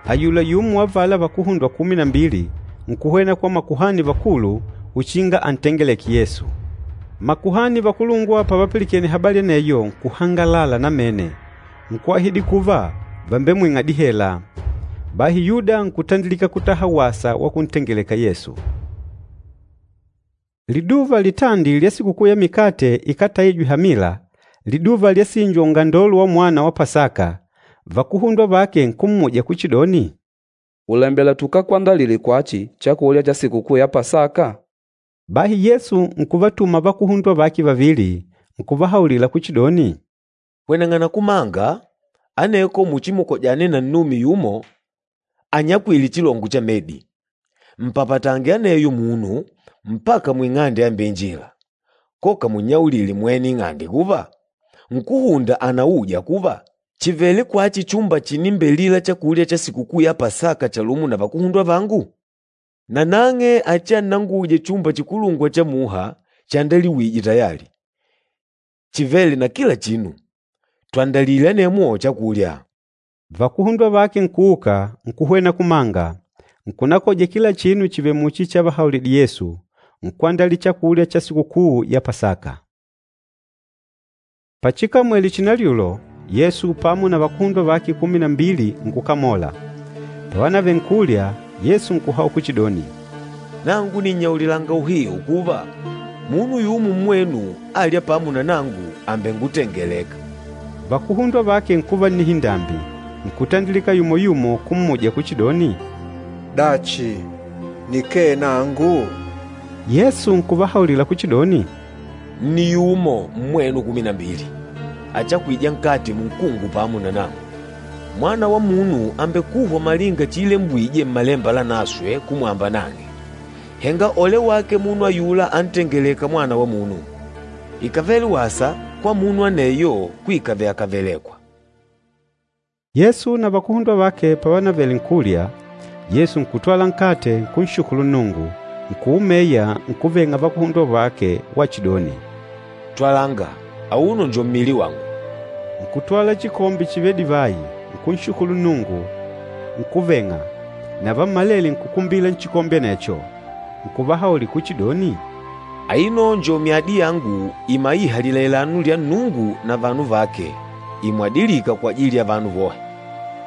A: ayula yumo wa avala vakuhundwa kumi na mbili, nkuhwena kwa makuhani vakulu uchinga antengeleke Yesu. Makuhani vakulungwa pavapilikene habali aneyo nkuhangalala namene, nkuahidi kuva vàmbemwing'a dihela. Bahi Yuda nkutandilika kutaha wasa wa kuntengeleka Yesu. Liduva litandi lya Sikukuu ya Mikate Ikátaijwe Hamila, liduva lyasinjwa ungandolo wa mwana wa Pasaka, vakuhundwa vake nkummuja kuchidoni,
B: Ùlembela tukakwandalile kwachi chakulya cha Sikukuu ya Pasaka?
A: Bahi Yesu nkuvatuma vakuhundwa vake vavili, nkuvahaulila kuchidoni,
E: “Hweneng'ana kumanga, aneko muchimukojane na nnume yumo anyakwîle chilongo cha medi. Mpapatange aneyo munu mpaka muing'ande yambeinjila. Koka munnyaulile mwene ing'ande kuva, Nkúhunda ànauja kuva, chìvele kwachi chumba chinimbelila chakulya cha Sikukuu ya Pasaka chalumo na vakuhundwa vangu? Nanang'e achiannanguje chumba chikulungwa cha muha chandaliwîje tayali, chivêle na kila chinu. Twandalile anemwo chakulya.”
A: Vakuhundwa vake nkuuka, nkuhwena kumanga, nkunakoja kila chinu chivèlè muchi chavahaulidile Yesu, nkwandalila chakulya cha Sikukuu ya Pasaka. Pachikamwele chinalyulo, Yesu pamo na vakuhundwa vake kumi na mbili nkukamola. Pavanavele nkulya, Yesu nkuhaula kuchidoni,
E: Nangu nìnnyaulilanga uhiu kuva, munu yumo mmwenu alya pamo na nangu àmbengutengeleka.
A: Vakuhundwa vake nkuva nnihindambi, nkutandilika yumo-yumo kummuja kuchidoni,
G: Dachi, nikee nangu?
A: Yesu nkuvahaulila kuchidoni,
E: Nni yumo mmwenu kumi na mbili, achakwîja nkate munkungu pamo na nangu. Mwana wa Munu àmbekuhwa malinga chiilembwije Mmalemba Lanaswe kumwamba nang'e. Henga ole wake munu ayula antengelêka Mwana wa Munu! Ikàvele wasa kwa munu aneyo kuikave akàvelekwa.”
A: Yesu na vakuhundwa vake pavanavele nkulya, Yesu nkutwala nkate nkunshukulu Nnungu, nkuumeya nkuveng'a vakuhundwa vake wachidoni,
E: “Twalanga, auno njo mmili wangu.”
A: Nkutwala chikombe chivêle divayi, nkunshukulu Nnungu, nkuveng'a, na vammalele nkukumbila nchikombe anecho. Nkuvahaulila kuchidoni,
E: “Aino njo myadi yangu imaîha lilailano lya Nnungu na vanu vake, imwadilîka kwajili ya vanu vohe.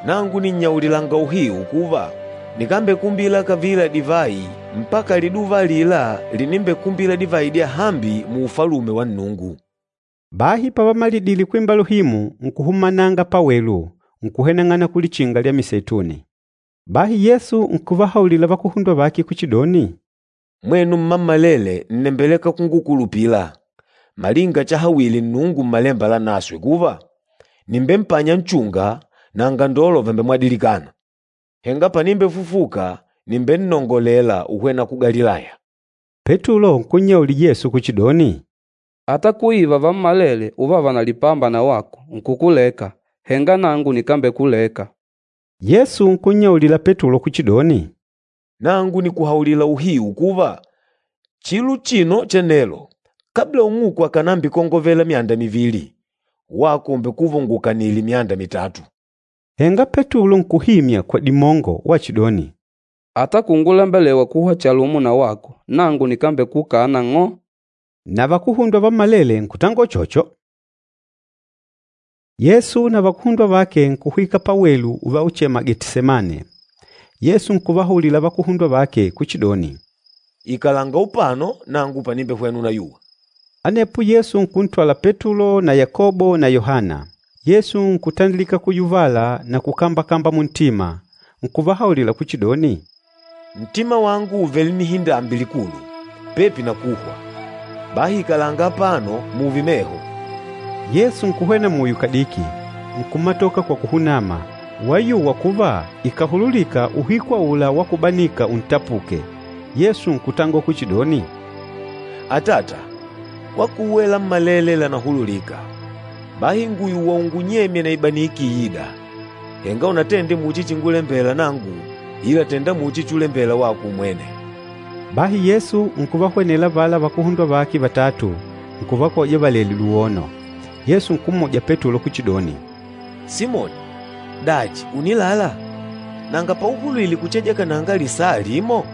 E: Nangu nìnnyaulilanga uhiu kuva, nikambekumbila kavila divayi mpaka liduva alila linimbekumbila divayi dyahambi mu Ufalume wa Nnungu.”
A: Bahi pavamalidile kwimba luhimu, nkuhumananga pawelu, nkuhweneng'ana kulichinga lya Miseituni. Bahi Yesu nkuvahaulila vakuhundwa vake kuchidoni,
E: “Mwenu mmammalele ǹnembeleka kungukulupila, malinga chahawile Nnungu Mmalemba Lanaswe kuva, ‘Nìmbempanya nchunga na angandolo vàmbemwadilikana.’ Henga panimbefufuka, nìmbennongolela uhwena ku Galilaya.”
A: Petulo nkunnyaulila Yesu kuchidoni,
B: Ata kuiva vammalele uvava na lipamba na wako nkukuleka, henga nangu nikambekuleka.
A: Yesu nkunnyaulila Petulo kuchidoni,
E: Nangu nìkuhaulila uhiu kuva, chilo chino cha nelo, kabla ung'uku akànambikongovela myanda mivili, wako ùmbekuva ungukanìlè myanda mitatu.
A: Henga Petulo nkuhimya kwa dimongo wachidoni,
B: Ata kungulembelewa kuhwa chalumo na wako, nangu nikambekukana ng'o.
A: Na vakuhundwa vammalele nkutangola uchocho. Yesu na vakuhundwa vake nkuhwika pawelu uvauchema Getisemane. Yesu nkuvahaulila vakuhundwa vake kuchidoni,
E: Ikalanga upano nangu panimbehwena unayuwa.
A: Anepo Yesu nkuntwala Petulo na Yakobo na Yohana. Yesu nkutandilika kuyuvala na kukambakamba muntima, nkuvahaulila kuchidoni,
E: Ntima wangu ùvele nnihindambi likulu, pepi na kuhwa. Bahi ikalanga apano mùùve meho.
A: Yesu nkuhwena muyo kadiki, nkumatoka kwa kuhunama, wayuwa kuva ikàhululika uhiku aula wa kubanika untapuke. Yesu nkutangola kuchidoni,
E: Atata, kwa kuwe lammalele lànahululika. Bahi ngùyuwa ungunyemye na ibaniki iîda. Henga unatende muchi chingulembela nangu, ila tenda muchi chulembela wako umwene.”
A: Bahi Yesu nkuvahwenela avala vakuhundwa vake vatatu, nkuvakoja valèlè luwono. Yesu nkummuja Petulo kuchidoni,
E: “Simoni, dachi ùnilala? Nanga pauhulwile kuchejekananga lisaa limo?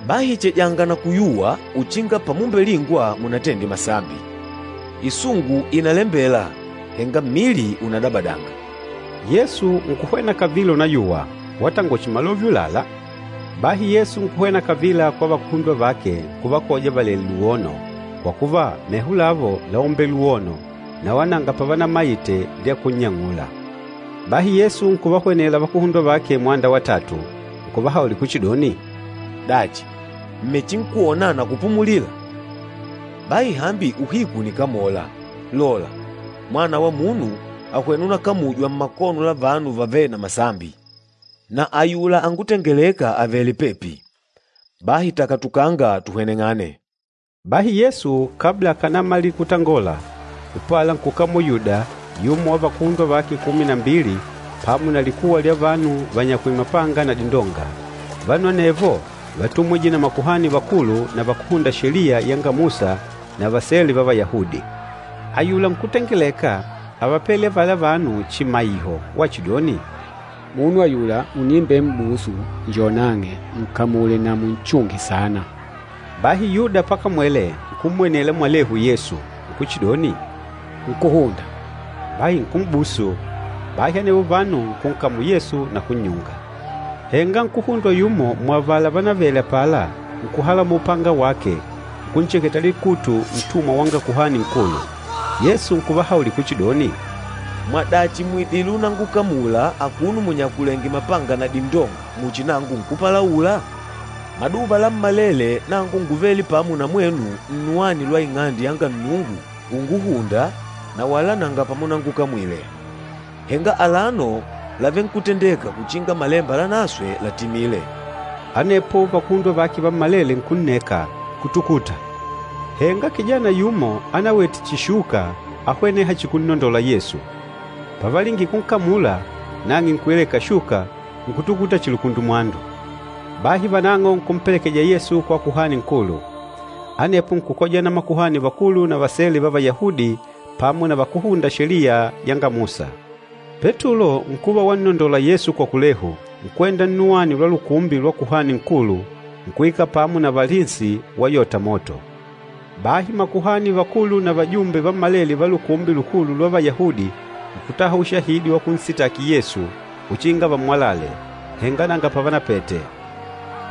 E: Bahi chejanga na kuyuwa uchinga pamumbelingwa munatende masambi. Isungu ìnalembela, henga mmili ùnadabadanga.”
A: Yesu nkuhwena kavila unayuwa, watangola chihi malove ùlala. Bahi Yesu nkuhwena kavila kwa vakuhundwa vake nkuvakoja valèlè luwono, kwa kuva meho lavo láumbele luwono na wala nanga pavanamaite lya kunnyang'ula. Bahi Yesu nkuvahwenela vakuhundwa vake mwanda wa tatu, nkuvahaulila kuchidoni,
E: “Dachi, m̀mechinkwona na kupumulila? Bahi hambi uhiku ùnikamola. Lola, Mwana wa Munu àhwena unakamujwa mmakono la vanu vavêle na masambi. Na ayula angutengelêka àvele pepi. Bahi takatukanga tuhweneng'ane.”
A: Bahi Yesu kabla akànamalila kutangola, upala nkukamula Yuda, yumo wa vakuhundwa vake kumi na mbili, pamo na likuwa lya vanu vanyakwîle mapanga na dindonga. Vanu anevo vátumwije na makuhani vakulu na vakúhunda Sheliya yanga Musa na vasele va Vayahudi. Ayula nkútengeleka ávapele avala vanu chimaiho wachidoni,
D: “Munu ayula unimbem'busu njo nang'e, nkamule na munchunge saana.”
A: Bahi Yuda pakamwele, nkummwenela mwalehu Yesu, nkuchidoni,
D: “Nkúhunda!”
A: Bahi nkum'busu. Bahi anevo vanu nkunkamula Yesu na kunnyunga. Henga nkuhundwa yumo muavala vánavele apala, nkuhalamola upanga wake, nkuncheketa likutu ntumwa wanga Kuhani Nkulu. Yesu nkuvahaulila kuchidoni,
E: “Mwadachi mùidile unangukamula akuno munyakulèngè mapanga na dindonga muchi nangu nkúpalaula? Maduva lammalele nangu ngúvele pamo na mwenu nnuwani lwa Ing'ande yanga Nnungu unguhunda na wala nanga pamunangukamwile. Henga alano làvenkutendeka kuchinga Malemba Lanaswe latimile.”
A: Anepo vakuhundwa vake vammalele nkunneka, nkutukuta. Henga kijana yumo anawete chishuka áhweneha chihi kunnondola Yesu. Pavalingile kunkamula, nang'e nkuileka shuka, nkutukuta chihi lukundumwandu. Bahi vanang'o nkumpelekeja Yesu kwa Kuhani Nkulu. Anepo nkukojana makuhani vakulu na vasele va Vayahudi pamo na vakúhunda Sheliya yanga Musa. Petulo nkuva wannondola Yesu kwa kulehu, nkwenda nnuwani lwa lukumbi lwa Kuhani Nkulu, nkuikala pamo na valinsi wayota moto. Bahi makuhani vakulu na vajumbe vammalele va Lukumbi Lukulu lwa Vayahudi nkutaha ushahidi wa kunsitaki Yesu uchinga vammwalale, henga nanga pavanapete.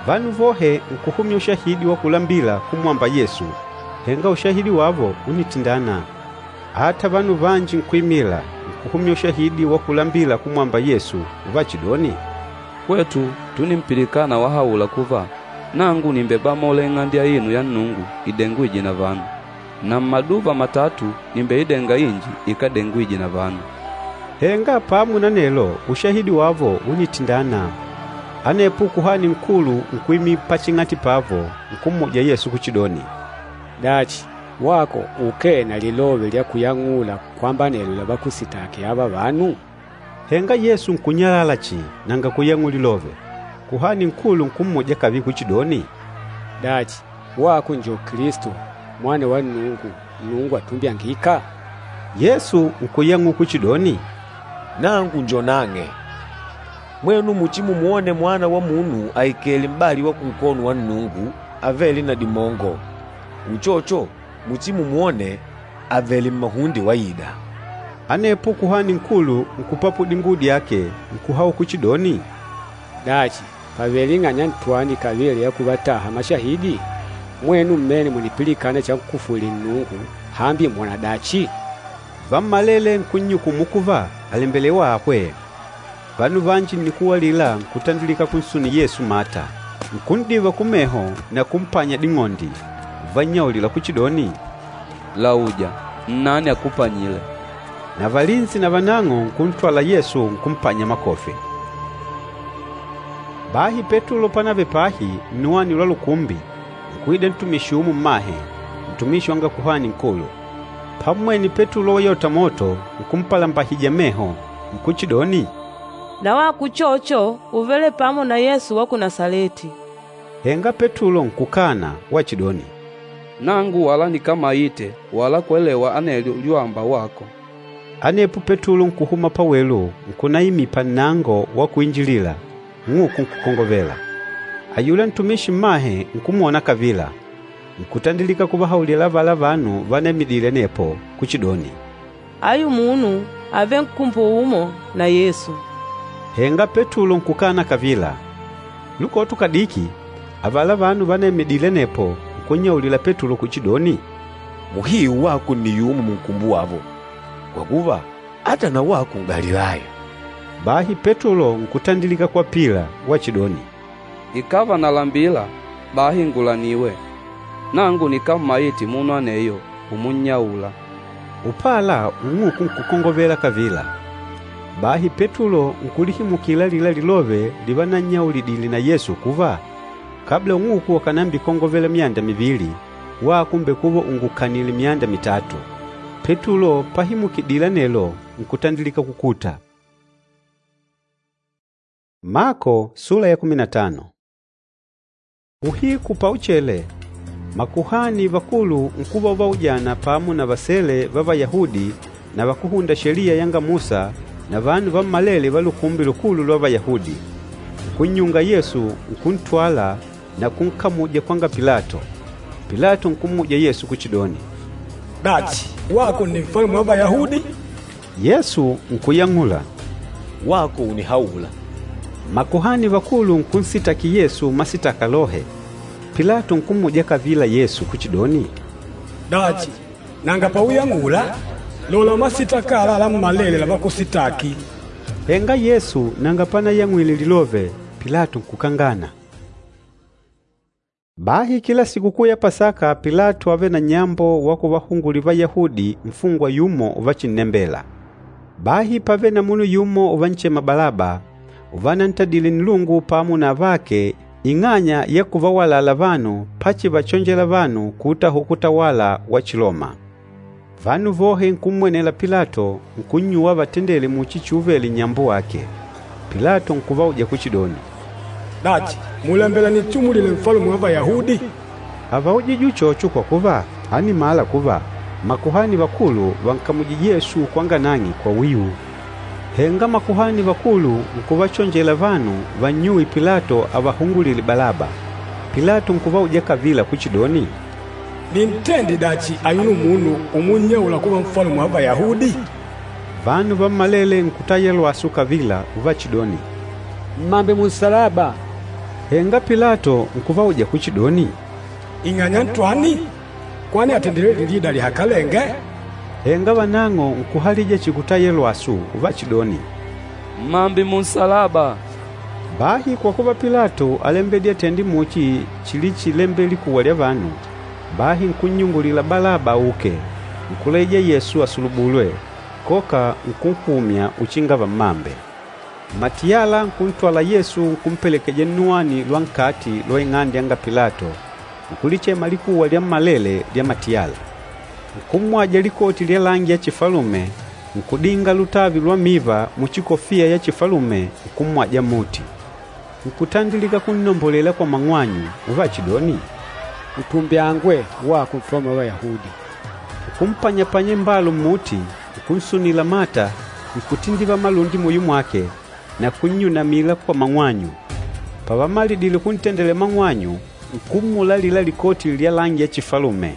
A: Vanu vohe nkuhumya ushahidi wa kulambila kumwamba Yesu, henga ushahidi wavo únitindana. Ata vanu vanji nkuimila, nkuhumya ushahidi wa kulambila kumwamba Yesu uvachidoni,
B: “Hwetu túnimpilikana wahaula kuva, ‘Nangu nìmbebamola Ing'ande aino ya Nnungu idengwîje na vanu, na mmaduva matatu nìmbeidenga inji ikádengwije na vanu.’”
A: Henga pamo na anelo ushahidi wavo únitindana. Anepo Kuhani Nkulu nkuimila paching'ati pavo, nkummuja Yesu kuchidoni,
D: “Dachi, wako ukee na lilove lya kuyang'ula kwamba anelo lavakusitaki ava vanu?”
A: Henga Yesu nkunyalala chihi nanga kuyang'ula lilove. Kuhani Nkulu nkummuja kavila kuchidoni,
D: “Dachi, wako njo Kilisto, Mwana wa Nnungu, Nnungu atumbyangîka?”
A: Yesu nkuyang'ula kuchidoni,
E: “Nangu njo nang'e. Mwenu muchimumwone Mwana wa Munu aikèlè m'bali wa kunkono wa Nnungu avêle na dimongo, uchocho muchimumwone avèlè mmahunde waida.”
A: Anepo Kuhani Nkulu nkupapula dinguwo dyake, nkuhaula kuchidoni,
D: “Dachi, pàvele ing'anya ntwani kavila ya kuvataha mashahidi? Mwenu mmene mùnipilikana chankufwile Nnungu. Hambi mwòna dachi?”
A: Vammalele nkunnyukumu kuva àlembelewa ahwe. Vanu vanji nnikuwa alila nkutandilika kunsunila Yesu mata, nkun'diva kumeho na kumpanya ding'ondi, uvannyaulila kuchidoni,
B: “Lauja, nnani akupanyîle?”
A: Na valinsi navanang'o nkuntwala Yesu nkumpanya makofi. Bahi Petulo panavele pahi nnuwani lwa lukumbi, nkuida ntumishi yumo mmahe, ntumishi wanga Kuhani Nkulu. Pammwene Petulo wayota moto, nkumpalambahija meho, nkuchidoni,
I: Na wako uchocho úvele pamo na Yesu wa ku Nasaleti.”
A: Henga Petulo nkukana wachidoni,
B: “Nangu wala nikámaite wala kwelewa anelyo lyuwamba wako.”
A: Anepo Petulo nkuhuma pawelu nkunaimila pannango wa kuinjilila, ng'uku nkukongovela. Ayula ntumishi mmahe nkumwona kavila, nkutandilika kuvahaulila avala vanu vanaimidile anepo kuchidoni,
I: “Ayu munu ávele nkumbu umo na Yesu.”
A: Henga Petulo nkukana kavila. Lukoto kadiki, avala vanu vanaimidile anepo nkunnyaulila Petulo kuchidoni,
E: “Muhiu wako nni yumo munkumbu wavo, kwa kuva, ata na wako N'galilaya.”
A: Bahi Petulo nkutandilika kwapila wachidoni,
B: “Ikàva nalambila, bahi ngulaniwe. Nangu nikámmaite munu aneyo umunnyaula.”
A: Upala ung'uku nkukongovela kavila. Bahi Petulo nkulihimukila alila lilove livanannyaulidile na Yesu kuva, kabla ung'uku akànambikongovela myanda mivili, wako ùmbekuva ungukanìlè myanda mitatu. Petulo pahimukidile anelo, nkutandilika kukuta. Mako sula ya kumi na tano. Uhiku pauchele, makuhani vakulu nkuva uvaujana pamo na vasele va Vayahudi na vakúhunda Sheliya yanga Musa na vanu vammalele va Lukumbi Lukulu lwa Vayahudi. Nkunnyunga Yesu, nkuntwala na kunkamuja kwanga Pilato. Pilato nkummuja Yesu kuchidoni,
C: “Dachi, wako nni Nfalume wa Vayahudi?”
A: Yesu nkuyang'ula,
E: “Wako ùnihaula.”
A: Makuhani vakulu nkunsitaki Yesu masitaka lohe. Pilato nkummuja kavila Yesu kuchidoni,
C: “Dachi, nanga pauyang'ula? Lola masitaka ala lammalele lavakusitaki.”
A: Henga Yesu nanga panayang'wile lilove, Pilato nkukangana. Bahi kila sikukuu ya Pasaka Pilato ávele na nnyambo wa kuvahungulila Vayahudi nfungwa yumo uvachinnembela. Bahi pávele na munu yumo uvanchema Balaba, uvanantadile nnilungu pamo na avake ing'anya ya kuvawalala vanu pachivachonjela vanu kuutahula kutawala wa Chiloma. Vanu vohe nkummwenela Pilato, nkunnyuwa avatendele muchi chiuvele nnyambo wake. Pilato nkuvauja kuchidoni,
C: “Dachi, mùlembela ninchumulile Nfalume wa Vayahudi?”
A: Ávaujije uchocho kwa kuva, ánimala kuva makuhani vakulu vànkamujije Yesu kwanga nang'e kwa wiu. Henga makuhani vakulu nkuvachonjela vanu vannyuwe Pilato avahungulile Balaba. Pilato nkuvauja kavila kuchidoni,
C: “Nintende dachi ayuno munu umunnyaula kuva Nfalume wa Vayahudi?”
A: Vanu vammalele nkutaya lwasu kavila uvachidoni,
D: Mmambe munsalaba!
A: Henga Pilato nkuvauja kuchidoni,
C: “Ing'anya ntwani? Kwani àtendile lilida lihakalenge?”
A: Henga vanang'o nkuhalija chihi kutaya lwasu uvachidoni,
B: “Mmambe munsalaba!”
A: Bahi kwa kuva Pilato álembedile atende muchi chilichilembela likuwa lya vanu, bahi nkunnyungulila Balaba auke, nkulaija Yesu asulubulwe, koka nkunhumya uchinga vammambe. Matiyala nkuntwala Yesu nkumpelekeja nnuwani lwa nkati lwa ing'ande yanga Pilato, nkulichema likuwa lyammalele lya matiyala. Nkummwaja likoti lya langi ya chifalume, nkudinga lutavi lwa miva muchikofia ya chifalume, nkummwaja mmuti. Nkutandilika kunnombolela kwa mang'wanyu uvachidoni,
D: “Utumbyangwe, wako Nfalume wa Vayahudi!”
A: Nkumpanyapanya imbalu mmuti, nkunsunila mata, nkutindiva malundi muyo mwake na kunnyunamila kwa mang'wanyu. Pavamalidile kuntendela mang'wanyu, nkummula alila likoti lya langi ya chifalume,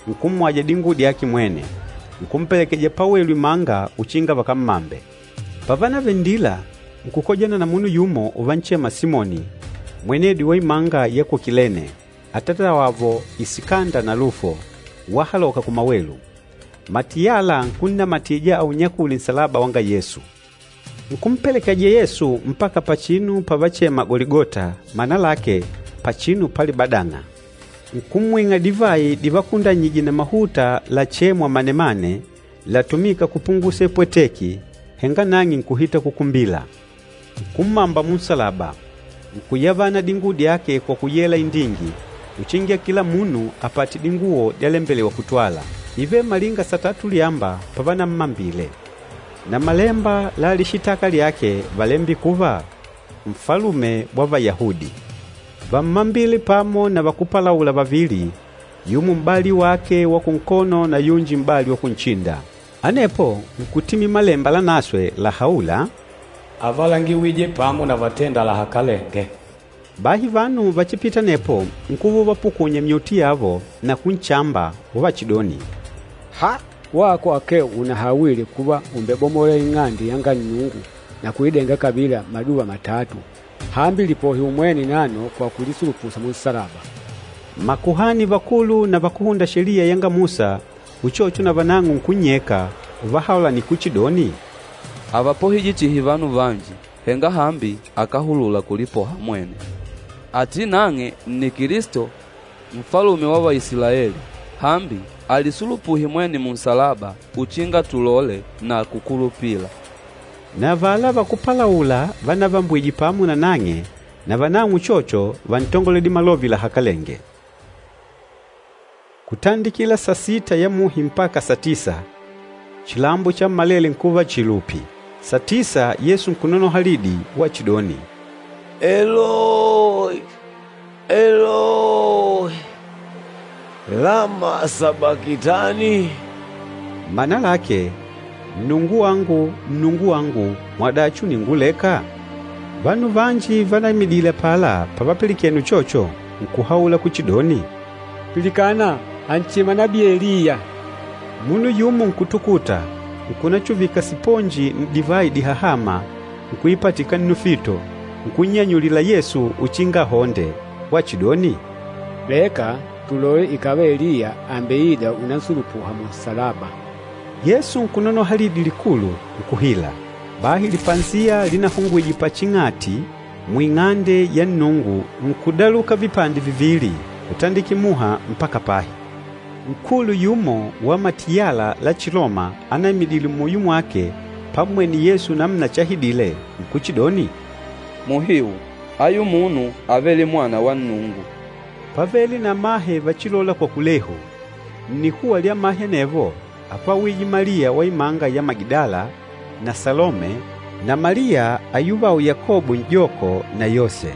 A: nkummwaja dinguwo dyake mwene, nkumpelekeja pawelu imanga uchinga vakammambe. Pavanavele nndila, nkukojana na munu yumo uvanchema Simoni, mwenedi wa imanga ya ku Kilene, atatawavo Isikanda na Lufo, wahaloka kumawelu. Matiyala nkunnamatija aunyakule nsalaba wanga Yesu. Nkumpelekeja Yesu mpaka pachinu pavachema Goligota, mana lake, pachinu palibadang'a. Nkummwing'a divayi divakundanyije na mahuta lachêmwa manemane, latumîka kupungusa ipweteki, henga nang'e nkuhita kukumbila. Nkummamba munsalaba, nkuyavana dinguwo dyake kwa kuyela indingi, uchinga kila munu apate dinguwo dyalembelewa kutwala. Ívele malinga satatu lyamba pavanammambile. Na malemba la lishitaka lyake válembile kuva, Nfalume wa Vayahudi. Vámmambile pamo na vakúpalaula vavili, yumo m'bali wake wa kunkono na yunji m'bali wa kunchinda. Anepo nkutimila Malemba Lanaswe lahaûla,
H: Ávalangiwije pamo na vatênda lahakalenge.
A: Bahi vanu vachipita anepo nkuva uvapukunya myuti yavo na kunchamba uvachidoni,
D: “Ha! Wako akee unahawile kuva ùmbebomola Ing'ande yanga Nnungu na kuidenga kavila maduva matatu! Hambi lipohe umwene nano kwa kulisulupuha munsalaba!”
A: Makuhani vakulu na vakúhunda Sheliya yanga Musa uchocho na vanang'o nkunnyeka uvahaulana kuchidoni,
B: “Àvapohije chihi vanu vanji, henga hambi akáhulula kulipoha mwene. Ati nang'e nni Kilisto, Nfalume wa Vaisilaeli! Hambi alisulupuhe mwene munsalaba uchinga tulole na kukulupila.”
A: Na avala vakúpalaula vanavambwije pamo na nang'e, na vanang'o uchocho vántongoledile malove lahakalenge. Kutandikila sasita ya muhi mpaka satisa, chilambo chammalele nkuva chihi lupi. Satisa Yesu nkunonoha lidi wachidoni,
E: Eloi, Eloi, lama sabakitani?
A: Mana lake, Nnungu wangu, Nnungu wangu, mwadachi ùninguleka? Vanu vanji vanaimidile apala pavapilikene uchocho, nkuhaula kuchidoni,
D: “Pilikana, ànchema nabii Eliya!”
A: Munu yumo nkutukuta, nkunachuvika siponji n'divayi dihahâma, nkuipatika nnufito, nkunnyanyulila Yesu uchinga ahonde, wachidoni,
D: “Leka tulole ikàva Eliya àmbeida unansulupuha munsalaba.”
A: Yesu nkunonoha lidi likulu, nkuhila. Bahi lipanziya linahungwije paching'ati muing'ande ya Nnungu nkudaluka vipande vivili, kutandikila muha mpaka pahi. Nkulu yumo wa matiyala la Chiloma anaimidile muyo mwake pammwene Yesu namuna chahidile, nkuchidoni,
B: “Muhiu, ayu munu ávele Mwana wa Nnungu!”
A: Pávele na amahe vachilola kwa kulehu. Nnikuwa lya amahe anevo ápwawije Maliya wa imanga ya Magidala na Salome na Maliya ayuvawo Yakobo n'joko na Yose.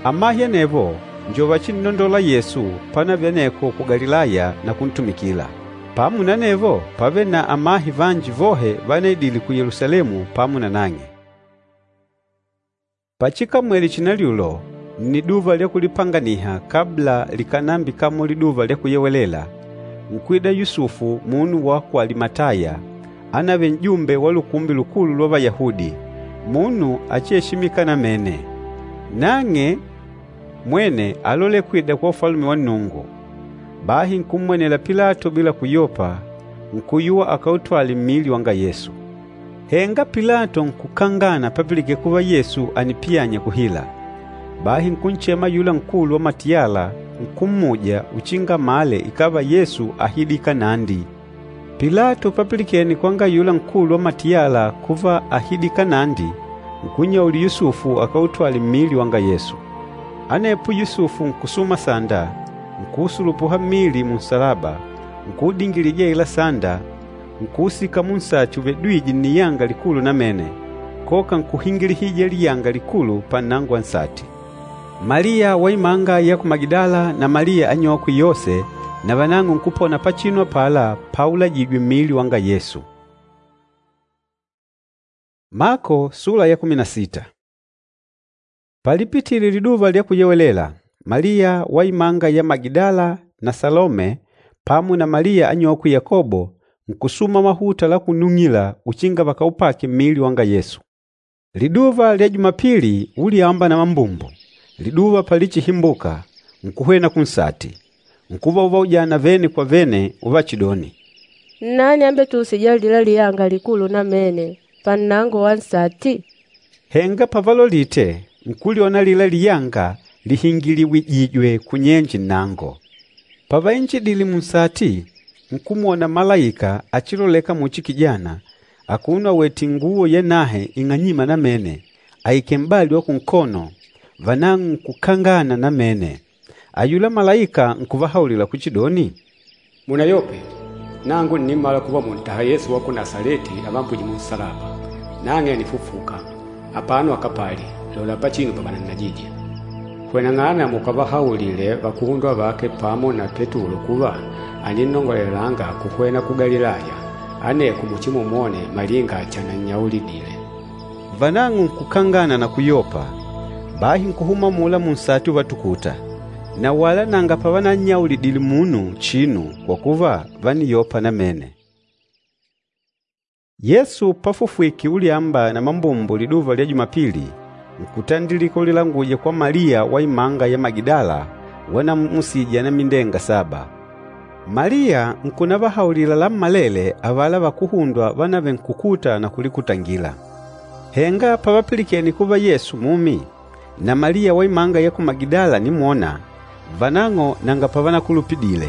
A: Amahe anevo njo vachinnondola Yesu panavele aneko ku Galilaya na kuntumikila. Pamo na anevo pávele na amahe vanji vohe vanaidile ku Yelusalemu pamo na nang'e. Pachikamwele chinalyulo, nniduva lya Kulipanganiha kabla likànambikamola Liduva lya Kuyewelela, nkuida Yusufu munu wa ku Alimataya, ánavele n'jumbe wa Lukumbi Lukulu lwa Vayahudi, munu achieshimika namene. Nang'e mwene álolela kwida kwa Ufalume wa Nnungu. Bahi nkummwenela Pilato bila kuyopa, nkuyuwa akautwale mmili wanga Yesu. Henga Pilato nkukangana papilikene kuva Yesu ànipiyanya kuhila. Bahi nkunchema ayula nkulu wa matiyala nkummuja uchinga amale ikàva Yesu áhidile nandi. Pilato papilikene kwanga ayula nkulu wa matiyala kuva áhidile nandi, nkunnyaulila Yusufu akautwale mmili wanga Yesu. Anepo Yusufu nkusuma sanda, nkuusulupuha mmili munsalaba, nkuudingilija aila sanda, nkuusika munsati uvedwîje nniyanga likulu namene, koka nkuhingilihija liyanga likulu pannango wa nsati. Maliya wa imanga ya ku Magidala na Maliya anyokwe Yose na vanang'o nkupona pachinu apala paulajijwe mmili wanga Yesu. Mako sula ya kumi na sita. Palipitile liduva lya kuyewelela, Maliya wa imanga ya Magidala na Salome pamo na Maliya anyokwe Yakobo nkusuma mahuta la kunung'ila uchinga vakaupake mmili wanga Yesu. Liduva lya Jumapili ulyamba na mambumbu, liduva palichihimbuka, nkuhwena kunsati. Nkuva uvaujana vene kwa vene uvachidoni,
F: Nnani ambetuusîja alila liyanga likulu namene pannango wa nsati?
A: Henga pavalolite, nkulyona alila liyanga lihingiliwijijwe kunyenje nnango. Pavainjidile munsati, nkumwona malaika achiloleka muchi kijana, akuno awètè inguwo yanahe ing'anyîma namene, aikèlè m'bali wa kunkono, vanang'o nkukangana namene. Ayula malaika nkuvahaulila kuchidoni,
D: “Munayope, Nangu ǹnimala kuva mùntaha Yesu wa ku Nasaleti avambwîje munsalaba. Nang'e ànifufuka, apano akapali, lola pachinu pavanannajije. Hweneng'ana mukavahaulile vakuhundwa vake pamo na Petulo kuva àninnongolelanga kuhwena ku Galilaya, aneko muchimumwone malinga chanannyaulidile.”
A: Vanang'o nkukangana na kuyopa, bahi nkuhuma amula munsati uvatukuta. Na wala nanga pavanannyaulidile munu chinu kwa kuva, vániyopa namene. Yesu pafufwike ulyamba na mambumbu liduva lya Jumapili, nkutandilika ulilanguja kwa Maliya wa imanga ya Magidala wanamusija anamindenga saba. Maliya nkunavahaulila lammalele avala vakuhundwa vanavele nkukuta na kulikutangila. Henga pavapilikene kuva Yesu mumi, na Maliya wa imanga ya ku Magidala ànimwona, vanang'o nanga pavanakulupidile.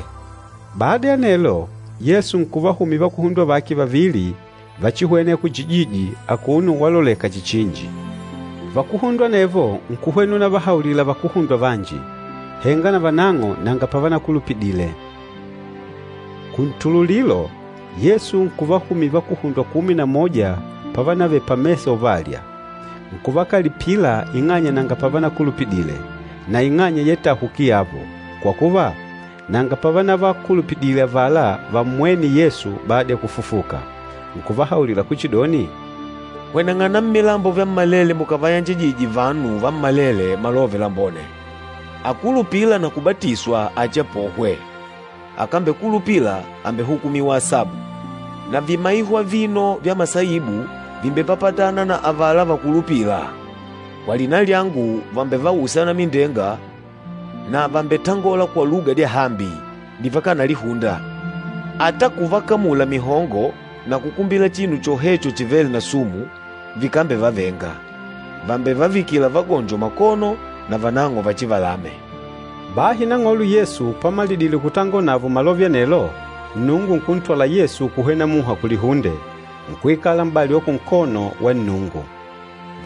A: Bada ya anelo, Yesu nkuvahumila vakuhundwa vake vavili vachihwena ya kuchijiji akuno waloleka chichinji. Vakuhundwa anevo nkuhwena unavahaulila vakuhundwa vanji, henga na vanang'o nanga pavanakulupidile. Kuntululilo, Yesu nkuvahumila vakuhundwa kumi na moja pavanavele pamesa uvalya. Nkuvakalipila ing'anya nanga pavanakulupidile na ing'anya ya tahuki yavo, kwa kuva, nanga pavanavakulupidile avala vammwêne Yesu bada ya kufufuka. Nkuvahaulila kuchidoni,
E: “Hweneng'ana mmilambo vyammalele mukavayanjajije vanu vammalele Malove Lambone. Akulupîla na kubatiswa achiapohwe, akambekulupila àmbehukumiwa asabu. Na vimaiho avino vya masaibu vìmbepapatana na avala vakulupîla. Kwa lina lyangu vàmbevausa anamindenga na vàmbetangola kwa luga dyahambi divakanalihunda. Ata kuvakamula mihongo na kukumbila chinu chohecho chivêle na sumu, vikambevavenga. Vàmbevavikila vagonjo makono na vanang'o vachivalame.”
A: Bahi Nang'olo Yesu pamalidile kutangola navo malove anelo, Nnungu nkuntwala Yesu kuhwena muha kulihunde, nkuikala m'bali wa kunkono wa Nnungu.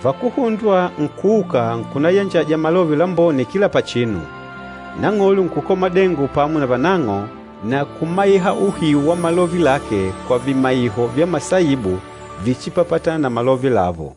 A: Vakuhundwa nkuuka nkunayanjaja Malove Lambone kila pachinu. Nang'olo nkukola madengo pamo na vanang'o na kumaiha uhiu wa malove lake kwa vimaiho vya masaibu vichipapatana na malove lavo.